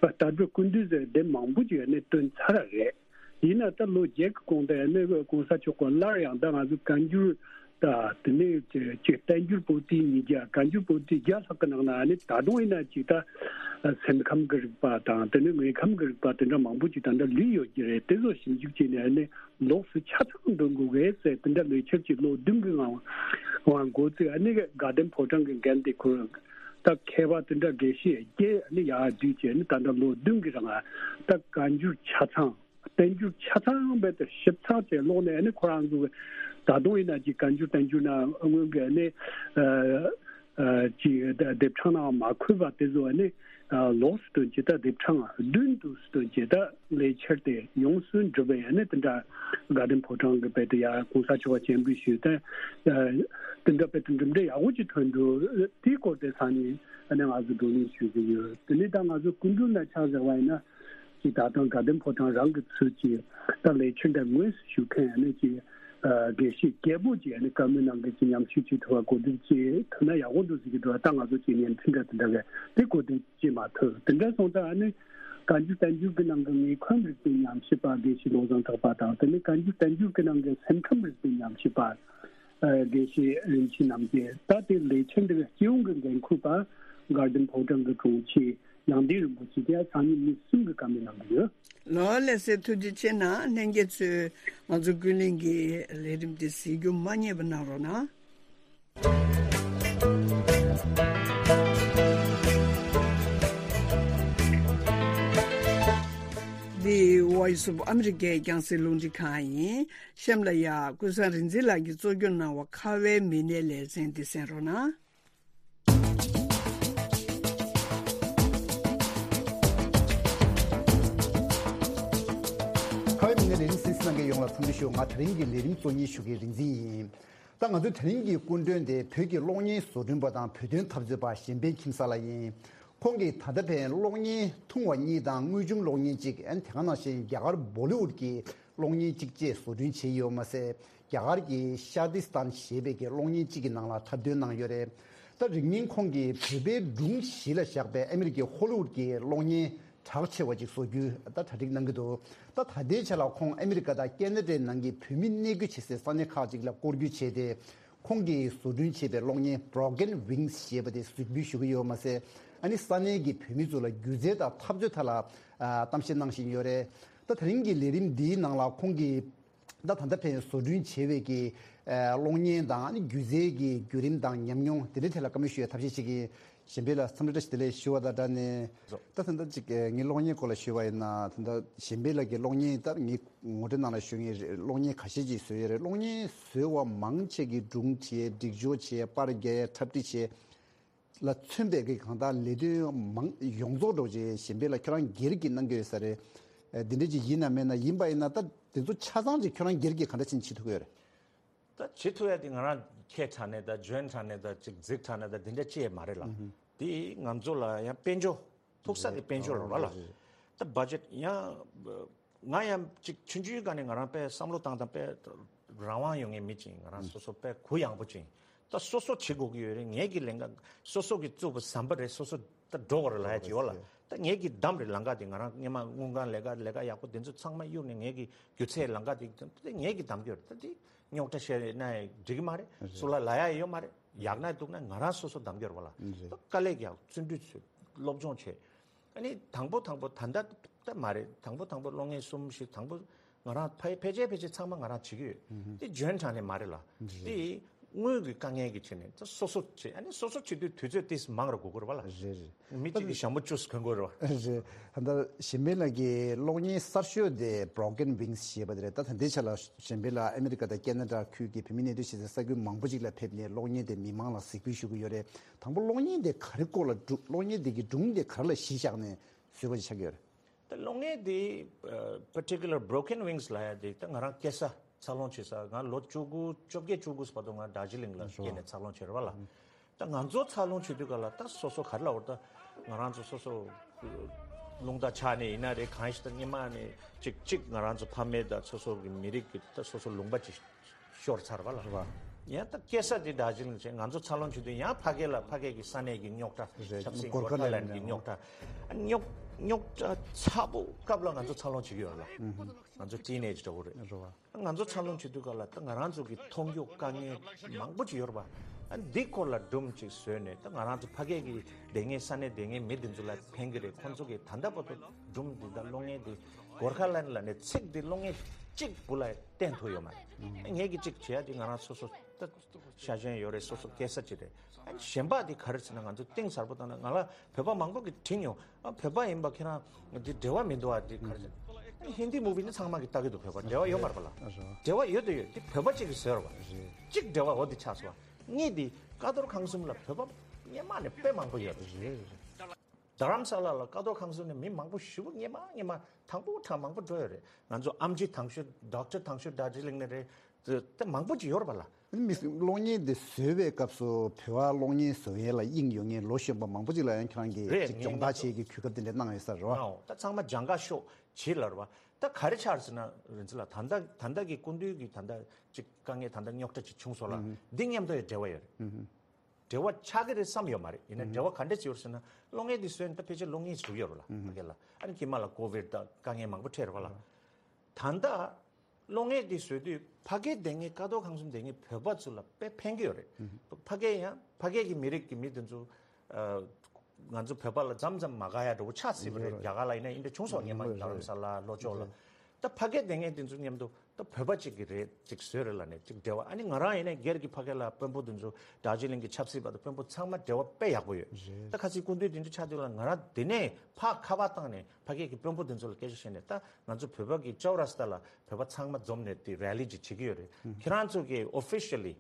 ལྟ་གྲུབ་ཀུན་བཏུས་ཟེར་དེ་མང་པོ་ཅིག་ནི་བཏོན་ཚར་བ་རེད། ཡིན་ན་ད་ལོ་བརྒྱད་ཀྱི་གོང་དུ་ནི་གོང་ས་མཆོག་གིས་སླར་ཡང་ད་ང་ཚོ་བཀའ་འགྱུར་ད་དེ་ནས་ཅིག་བསྟན་འགྱུར་པོ་ཏི་ཉིས་བརྒྱ། བཀའ་འགྱུར་པོ་ཏི་བརྒྱ་ལྷག་གི་ནང་ན་ནི་ད་དུང་ཡིན་ན་ཅིག་ད་སེམས་ཁམས་ཀྱི་རིག་པ་དང་དེ་ནས་དངོས་ཁམས་ཀྱི་རིག་པ་དེ་འདྲ་མང་པོ་ཅིག་ད་འདྲ་ལུས་ཡོད་ཀྱི་རེད། དེ་ཚོ་ཞིབ་འཇུག་བྱས་ནས་ནི་ལོགས་སུ་ཆ་ཚང་འདོན་དགོས་གས་ཟེར་དེ་འདྲ་ལས་འཆར་ཅིག་ལོ་བདུན་གྱི་ནང་ང་འགོ་བཙུགས། ཨ་ནི་དགའ་ལྡན་ཕོ་བྲང་གི་འགན་དེ་ཁུར། ད་མཁས་པ་དེ་འདྲ་དགེ་བཤེས་བརྒྱད་ནི་ཡར་བསྡུས་བྱས་ནི་ད་ལྟ་ལོ་བདུན་གྱི་རིང་ད་བཀའ་འགྱུར་ཆ་ཚང་བསྟན་འགྱུར་ཆ་ཚང་རྦད་དེ་ཞིབ་ཚགས་བྱས་ཀློག་ནས་ནི་ཁོ་རང་ཚོ་ད་དུང་ཡིན་ན་ཅིག་བཀའ་འགྱུར་བསྟན་འགྱུར་ན་སྔོན་གྱི་ནི་ཨ་ཨ་ཅིག་དེབ་ཕྲེང་ནང་མ་འཁོད་པ་དེ་ཚོ་ནི་ ལོགས་སུ་སྟོན་གྱི་ད་དེབ་ཕྲེང་བདུན་དུ་སྟོན་གྱི་ད་ལས་འཆར་དེ་ཡོངས་སུ་འགྲུབ་པའི་ཨ་ནི་དེ་འདྲ་དགའ་ལྡན་ཕོ་བྲང་གི་དཔེ་དེ་ཡ་གོང་ས་མཆོག་ག་སྤྱན་འབུལ་ཞུས་ཏེ། དེ་འདྲ་དཔེ་དེ་གྲུབ་འབྲས་ཡག་པོ་ཅིག་ཐོན་འདུག་དེའི་སྐོར་དེ་ས་ནས་ཨ་ནི་ང་ཚོ་བགྲོ་གླེང་ཞུ་གི་ཡོད། དེ་ནས་ད་ང་ཚོ་སྐུ་མགྲོན་ལ་ཆ་བཞག་པ་ཡིན་ན། ཅིག་ད་ལྟ་དགའ་ལྡན་ཕོ་བྲང་རང་གི་ཚུལ་གྱིས་ད་ལས་འཆར་འདི་དངོས་སུ་ཞུ་མཁན་ཨ་ནི་ཅིག་དགེ་བཤེས་རྒྱལ་པོ་ཅིག་ཨ་ནི་བཀའ་མོལ་གནང་མཁན་ཅིག་མཉམ་ཞུགས་བྱེད་ཐུབ་པ་གོ་སྒྲིག་བྱེད་ཐུབ་ན་ཡག་པོ་འདུག་ཟེར་གྱི་འདུག་ད་ང་ཚོ་ཅིག་བརྙན་འཕྲིན་འདྲ་དེ་འདྲ་གས་དེ་གོ་སྒྲིག་བྱེད་མ་ཐུབ། དེ་འདྲ་སོང་ཙང་ཨ་ནི་བཀའ་འགྱུར་བསྟན་འགྱུར་གྱི་ནང་གི་དངོས་ཁམས་རིག་པའི་ཉམས་ཞིབ་པ་དགེ་བཤེས་བློ་བཟང་གྲགས་པ་དང་། དེ་ནས་བཀའ་འགྱུར་བསྟན་འགྱུར་གྱི་ནང་གི་སེམས་ཁམས་རིག་པའི་ཉམས་ཞིབ་པ་དགེ་བཤེས་རིན་ཆེན་རྣམ་རྒྱལ། ད་དེ་ལས་འཆར་འདི་གའི་སྤྱི་ཡོངས་ཀྱི་འགན་འཁུར་པ་དགའ་ལྡན་ཕོ་བྲང་གི་དྲུང་ཆེ་ཡང་སྟེང་རིན་པོ་ཆེ་དེ་སང་ཉིན་མི་གསུམ་གྱི་བཀའ་མོལ་གནང་གི་ཡོད། ལོ་ལེ་སེ་ཐུགས་རྗེ་ཆེ་གནང་། ལྷན་རྒྱས་ཚོས་ང་ཚོ་ཀུན་གླེང་གི་ལས་རིམ་དེ་གཟིགས་རྒྱུ་མ་བསྙེལ་བ་གནང་རོགས་གནང་། འདི་Voice of America རྒྱང་སྲིང་རླུང་འཕྲིན་ཁང་ཡིན། གཤམ་ལ་ཡ་ཀུན་བཟང་རིག་འཛིན་ལགས་ཀྱིས་གཙོ་སྐྱོང་གནང་བ་ཁ་བའི་མི་སྣའི་ལེ་ཚན་འདི་གསན་རོགས་གནང་། ཁ་བའི་མི་སྣའི་ལས་རིམ་གསན་གཟིགས་གནང་མཁན་ཡོངས་ལ་འཚམས་འདྲི་ཞུ། ང་དེ་རིང་གི་ལས་རིམ་གཙོ་གཉེར་ཞུ་མཁན་རིག་འཛིན་ཡིན། ད་ང་ཚོའི་དེ་རིང་གི་སྐུ་མགྲོན་དེ་བོད་ཀྱི་གློག་བརྙན་བཟོ་སྐྲུན་པ་དང་བོད་དོན་འཐབ་རྩོད་པ་གཞན་ཕན་ཁྱིམ་གསར་ལགས་ཡིན། ཁོང་གིས་ད་ལྟ་ཕན་གློག་བརྙན་ཐུང་བ་གཉིས་དང་དངོས་བྱུང་གློག་བརྙན་གཅིག་ཨན་དེ་ག་ནང་བཞིན་རྒྱ་གར་བོ་ལི་ཝུད་ཀྱི་གློག་བརྙན་གཅིག་བཅས་བཟོ་སྐྲུན་བྱས་ཡོད་མ་ཟད། རྒྱ་གར་གྱི་ཤ་དི་སྟན་ཞེས་པའི་གི་གློག་བརྙན་གཅིག་གི་ནང་ལ་འཁྲབ་སྟོན་གནང་ཡོད་རེད། ད་རིང་ཉིན་ཁོང་གིས་བོད་པའི་སྒྲུང་གཞི་ལ་བཞག་པའི་ཨ་མི་རི་ཀའི་ཧོ་ལི་ཝུད་ཀྱི་གློག་བརྙན་གྲགས་ཆེ་བ་ཅིག་བཟོ་རྒྱུའི་ད་གྲ་སྒྲིག་གནང་གི་འདུག་ད་ད་ལྟའི་ཆ་ལ་ཁོང་ཨ་མི་རི་ཀ་དང་ཁེ་ན་ཌའི་ནང་གི་བོད་མི་གནས་སྡོད་བྱེད་སའི་ས་གནས་ཁག་ཅིག་ལ་སྐོར་སྐྱོད་བྱས་ཏེ། ཁོང་གིས་བཟོ་སྐྲུན་བྱས་པའི་གློག་བརྙན་Broken Wings ཞེས་པ་དེ་གཟིགས་འབུལ་ཞུ་གི་ཡོད་མ་ཟད། ཨ་ནི་ས་གནས་ཀྱི་བོད་མི་ཚོ་ལ་སྒྱུ་རྩལ་དང་འཐབ་རྩོད་ཐད་ལ་ཨ་གཏམ་བཤད་གནང་བཞིན་ཡོད་རེད། ད་དེ་རིང་གི་ལས་རིམ་འདིའི་ནང་ལ་ཁོང་གིས་ད་ད་ལྟ་ཕན་བཟོ་སྐྲུན་བྱས་པའི་གི་ཨ་གློག་བརྙན་དང་ཨ་ནི་སྒྱུ་རྩལ་གྱི་བརྒྱུད་རིམ་དང་ཉམས་མྱོང་དེ་འདྲའི་ཐད་ལ་བཀའ་མོལ་ཞུ་བའི་ཐབས་ཤེས་བྱེད་ཀྱི་ཡིན། གཞན་ཕན་ལ་འཚམས་འདྲི་བཀྲ་ཤིས་བདེ་ལེགས་ཞུ་བ་དང་སྦྲགས་ནས། ད་ད་ལྟ་ཅིག་ངའི་གློག་བརྙན་སྐོར་ལ་ཞུས་པ་ཡིན་ན། ད་ལྟ་གཞན་ཕན་ལགས་ཀྱི་གློག་བརྙན་ད་ངའི་ངོ་སྤྲོད་ནང་ལ་ཞུ་མཁན་རེད། གློག་བརྙན་ཁ་ཤས་ཅིག་བཟོས་ཡོད་རེད། གློག་བརྙན་བཟོས་པ་མང་ཆེ་གིས་སྒྲུང་བྲིས། སྒྲིག་སྦྱོར་བྱས། པར་རྒྱག། འཁྲབ་ཁྲིད་བྱས་ལ་མཚོན་པའི་གི་གང་ལྟར་ལས་དོན་མང་ཡོངས་རྫོགས་འགྲོ་རྗེས་གཞན་ཕན་ལགས་ཁྱོད་རང་སྒེར་གྱིས་གནང་གི་ཡོད་ས་རེད། འདི་འདྲ་ཅིག་ཡིན་ན་མེད་ན། ཡིན་པ་ཡིན་ན་ད་དེ་ཚོ་ཆ་ཚང་ཅིག་ཁྱོད་རང་སྒེར་གྱིས་ག་འདྲ་ཕྱིན་བྱེད་ཐུབ་ཀྱི་ཡོད་རེད། ད་བྱེད་ཐུབ་ཡ་དེ་ང་རང་ཁྱེད་དྲག་ནས་ད་འཇོན་དྲག་ནས་ད་ཅིག་རྫིག་དྲག་ནས་ད་དེ་འདྲ་ཅི་ཡང་མ་རེད་ལ། དེ་ང་ཚོ་ལ་ཡང་དཔལ་འབྱོར་ཐུག་ས་དེ་དཔལ་འབྱོར་རེད་བ་ལ། ད་བ་ཇེཊ་ཡང་ང་ཡང་ཅིག་ཆུང་ཆུང་སྒང་ནས་ང་རང་དཔེ་བསམ་བློ་བཏང་དང་དཔེ་རང་དབང་ཡོད་མཁན་མི་ཅིག་ཡིན། ང་རང་སོ་སོ་དཔེ་གུ་ཡངས་པོ་ཅིག་ཡིན། ད་སོ་སོ་བྱེད་དགོས་ཀྱི་ཡོད་རེད། ངེད་ཀྱི་ལས་ཀ་སོ་སོ་གིས་བཙུགས་པ་ཟམ་པ་རེད། སོ་སོ་ད་འགྲོ་དགོས་རེད་ལབ་ཡ་ཅིག་ཡོད་ལ། ད་ངེད་ཀྱིས་བདམས་རེད་ལམ་ཁ་དེ། ང་རང་སྔོན་མ་དངུལ་ཁང་ལས་ཀ་ལས་ཀ་ཡག་པོ་དེ་ཚོ་ཚང་མ་གཡུགས་ནས་ངེད་ཀྱི་སྒྱུ་རྩལ་ལམ་ཁ་དེ་ངེད་ཀྱིས་བདམས་ཀྱི་ཡོད་རེད། ད་དེ་རྙོག་དྲ་བཤད་ན་འགྲིག་གི་མ་རེད། སུ་ལ་ལབ་ཡ་ཡོད་མ་རེད། ཡག་ན་སྡུག་ན་ང་རང་སོ་སོ་བདམས་ཀྱི་ཡོད་རེད་བ་ལ། ད་དཀའ་ལས་རྒྱག་བརྩོན་འགྲུས་བྱེད། སློབ་སྦྱོང་བྱེད། ཨ་ནི་དང་པོ་དང་པོ་ད་ལྟ་ད་མ་རེད། དང་པོ་དང་པོ་གློག་བརྙན་གསུམ་བཞི་དང་པོ་ང་རང་ཕ་ཕལ་ཆེར་ཕལ་ཆེར་ཚང་མ་ང་རང་བྱེད་ཀྱི་ཡོད། དེ་འཇོན་དྲགས་ནས་མ་རེད་ལ། དེ་དངུལ་གྱི་དཀའ་ངལ་གྱི་ཆེད་ནས་ད་སོ་སོ་བྱེད། ཨ་ནི་སོ་སོ་བྱེད་དུས་དུས་ཚོད་ཏིས་མང་རུ་དགོས་ཀྱི་རེད་བ་ལ། རེད་རེད། མི་གཅིག་གིས་ཞྭ་མོ་བཅུ་གོན་དགོས་རེད་བ། རེད། ད་ལྟ་གཞན་ཕན་ལགས་ཀྱི་གློག་བརྙན་གསར་ཤོས་དེ་Broken Wings ཞེས་པ་དེ་རེད། ད་ད་ལྟའི་ཆ་ལ་གཞན་ཕན་ལགས་ཨ་མི་རི་ཀ་དང་ཁེ་ན་ཌ་ཁུལ་གྱི་བོད་མི་གནས་སྡོད་བྱེད་སའི་ས་ཁུལ་མང་པོ་ཅིག་ལ་ཕེབས་ནས་གློག་བརྙན་དེ་མི་མང་ལ་གཟིགས་འབུལ་ཞུ་གི་ཡོད་རེད། དང་པོ་གློག་བརྙན་དེ་ག་རེ་སྐོར་ལ་སྒྲུང་། གློག་བརྙན་དེ་གི་སྒྲུང་དེ་ག་རེ་ལ་གཞི་བཞག་ནས་བཟོས་པ་ཞིག་ཆགས་ཀྱི་ཡོད་རེད། ད་གློག་བརྙན་དེ་particular Broken Wings ལབ་ཡ་དེ་ད་ང་རང་སྐྱེས་ས་འཚར་ལོངས་བྱེད་ས། ང་ལོ་བཅུ་དགུ་བཅོ་བརྒྱད་བཅུ་དགུ་བར་དུ་ང་དར་ཇི་ལིང་ལ་སྐྱེས་ནས་འཚར་ལོངས་བྱས་རེད་བ་ལ། ད་ང་ཚོ་འཚར་ལོངས་བྱེད་དུས་ག་ལ་ད་སོ་སོ་ག་རེ་ལབ་དགོས་རེད། ད་ང་རང་ཚོ་སོ་སོ་རླུང་རྟ་ཆག་ནས་ཡིན་ན་རེད། གང་ཞིག་ད་སྔོན་མ་ནས་གཅིག་གཅིག་ང་རང་ཚོ་ཕ་མེས་དང་སོ་སོ་གི་མི་རིགས་ཀྱི་ད་སོ་སོ་ལུང་པ་ཅིག་ཤོར་ཚར་བ་ལ། རེད་བ། ཡང་ད་སྐྱེས་ས་དེ་དར་ཇི་ལིང་བྱས། ང་ཚོ་འཚར་ལོངས་བྱེད་དུས་ཡང་ཕ་གི་ལ་ཕ་གི་གི་ས་གནས་ཀྱི་རྙོག་དྲ། རེད། ཆབ་སྲིད། གོར་ཁ་ལན་གྱི་རྙོག་དྲ། རྙོག་རྙོག་དྲ་ཚ་པོ་སྐབས་ལ་ང་ཚོ་འཚར་ལོངས་བྱེད་ཀྱི་ཡོད་ལ། ང་ཚོ་ཊི་ནེཇ་འདྲ་བོ་རེད། རེད་བ། ང་ཚོ་འཚར་ལོངས་བྱེད་དུས་ག་ལ་ད་ང་རང་ཚོ་གི་མཐོང་རྒྱུ་དཀའ་ངལ་མང་པོ་ཅིག་ཡོད་རེད་བ། ཨ་འདི་སྐོར་ལ་སྒྲུང་ཅིག་བཟོས་ནས་ད་ང་རང་ཚོ་ཕ་གི་གི་སྡོད་མཁན་ས་གནས་སྡོད་མཁན་མི་དེ་ཚོ་ལ་ཕན་གི་རེད། ཁོང་ཚོ་གི་ད་ལྟ་བར་དུ་སྒྲུང་འདི་དང་གློག་བརྙན་འདི་གོར་ཁ་ལན་ལབ་ནས་ཚིག་འདི་གློག་བརྙན་གཅིག་བུ་ལ་བསྟན་ཐུབ་ཡོད་མ་རེད། ངས་ཀྱི་གཅིག་བྱས་ཏེ་ང་རང་སོ་སོ་ད་ཤ་ཞེན་ཡོད་རེད། སོ་སོ་སྐྱེས་ས་ཅིག་རེད། ཨ་གཞན་པ་འདི་ག་རེ་ཟེར་ན་ང་ཚོ་གཏིང་ཟབ་པོ་བཏང་ན་ང་ལ་བོད་པ་མང་པོ་གིས་དྲིས་མྱོང་། ཨ་བོད་པ་ཡིན་པ་ཁྱེད་རང་འདི་འབྲེལ་བ་མི་འདུག་ཨ་འདི་ག་རེ་ཟེར། ཨ་ཧིན་དི་མུ་བི་ནི་ཚང་མ་གིས་ལྟ་གི་འདུག་བོད་པ་འབྲེལ་བ་ཡོད་མ་རེད་པ་ལ། འབྲེལ་བ་ཡོད་དུ་ཡོད། འདི་བོད་པ་གཅིག་གིས་བཟོས་རེད་པ། གཅིག་འབྲེལ་བ་འོ་འདི་ཆགས་སོང་བ། གཉིས་འདི་ཀ་རྡོར་ཁང་གསུམ་ལ་བོད་པ་སྔོན་མ་ནས་དཔེ་མང་པོ་ཡོད་རེད། རྡ་རམ་ས་ལ་ལ་ཀ་རྡོར་ཁང་གསུམ་ནས་མི་མང་པོ་ཞེ་པོ་སྔོན་མ་སྔོན་མ་དང་པོ་དང་མང་པོ་འགྲོ་ཡོད་རེད། ང་ཚོ་ཨམ་ཆི་དང་ཤོས་ཌོག་ཊར་དང་ཤོས་རྡོ་རྗེ་གླིང་ནས་རེད། དེ་དེ་མང་པོ་ཅིག་ཡོད་རེད་པ་ལ། མི་གློག་བརྙན་དེ་བཟོས་པའི་སྐབས་སུ་བོད་པ་གློག་བརྙན་བཟོ་མཁན་ལ་དབྱིངས་ཡོད་མཁན་ལོ་གཞོན་པ་མང་པོ་ཅིག་ལ་ཡང་ཁྱེད་རང་གིས་རེད་ཅིག་ངས་སྦྱོང་བརྡར་ངས་བྱེད་ཀྱི་གོ་སྐབས་དེ་འདྲ་གནང་ཡོད་ས་རེད་བ། ཨོ་ད་ཚང་མ་སྦྱང་ག་ཤོག་བྱེད་ལ་རེད་བ། ད་ག་རེ་ཆགས་ཟེར་ན་རིན་ཆེན་ལགས། ད་ལྟ་ད་ལྟ་གི་སྐུ་མདུན་གྱི་ད་ལྟ་ཅིག་དཀའ་ངལ་ད་ལྟ་རྙོག་དྲ་ཅིག་བྱུང་སོང་ལ། འདི་མཉམ་དུ་ཡང་འབྲེལ་བ་ཡོད་རེད། འབྲེལ་བ་ཆགས་ཀྱི་རེད་བསམ་ཡོད་མ་རེད། ཡིན་ན་འབྲེལ་བ་ག་འདྲ་ཅིག་ཡོད་ཟེར་ན། གློག་བརྙན་འདི་བཟོས་ནས་ད་ཕལ་ཆེར་ལོ་ལྔ་ཞིག་ཡོད་རེད་ལ་ཕ་གི་ལ། ཨ་ནི་དཀྱིལ་མ་ལ་ཀོ་བིཌ་དང་དཀའ་ངལ་མང་པོ་འཕྲད་རེད་བ་ལ། ད་ལྟ་གློག་བརྙན་འདི་བཟོས་དུས་ཕ་གིར་བསྡད་མཁན་ཀ་རྡོར་ཁང་གསུམ་བསྡད་མཁན་བོད་པ་ཚོ་ལ་དཔེ་ཕན་གྱི་ཡོད་རེད། ཕ་གིར་ཡང་ཕ་གིར་གྱི་མི་རིགས་ཀྱི་མི་དེ་ཚོ་ཨ། ང་ཚོ་བོད་པ་ལ་མཚམས་མཚམས་མ་དགའ་ཡ་འདྲ་བོ་ཆགས་སྲིད་པ་རེད། རྒྱ་གར་ལ་ཡིན་ན་ཡིན་འདྲ་བྱུང་སོང་། སྔོན་མ་རྡ་རམ་ས་ལ་ལྷོ་ཕྱོགས་ལ། ད་ཕ་གིར་བསྡད་མཁན་དེ་ཚོ་མཉམ་དུ་ད་བོད་པ་གཅིག་གི་རེད་ཅིག་བཟོས་རེད་ལ་ནས་ཅིག་འབྲེལ་བ། ཨ་ནི་ང་རང་ཡིན་ན་སྒེར་གྱི་ཕ་གི་ལ་དཔོན་པོ་དེ་ཚོ་རྡོ་རྗེ་གླིང་གི་ཆབ་སྲིད་པ་དང་དཔོན་པོ་ཚང་མ་འབྲེལ་བ་དཔེ་ཡག་པོ་ཡོད། ད་ཁ་སང་སྐུ་མདུན་དེ་འདྲ་ཆགས་དུས་ལ་ང་རང་དེ་ནས་ཕར་ཁ་པར་བཏང་ནས་ཕ་གི་གི་དཔོན་པོ་དེ་ཚོ་ལ་སྐད་ཆ་བཤད་ནས། ད་ང་ཚོ་བོད་པ་གི་ཅོ་ར་སྟ་ལ་བོད་པ་ཚང་མ་འཛོམས་ནས་དེ་རེ་ལི་ཅིག་བྱེད་ཀྱི་ཡོད་རེད། ཁྱེད་རང་ཚོ་གི་ཨོ་ཕི་ཤལ་ལི་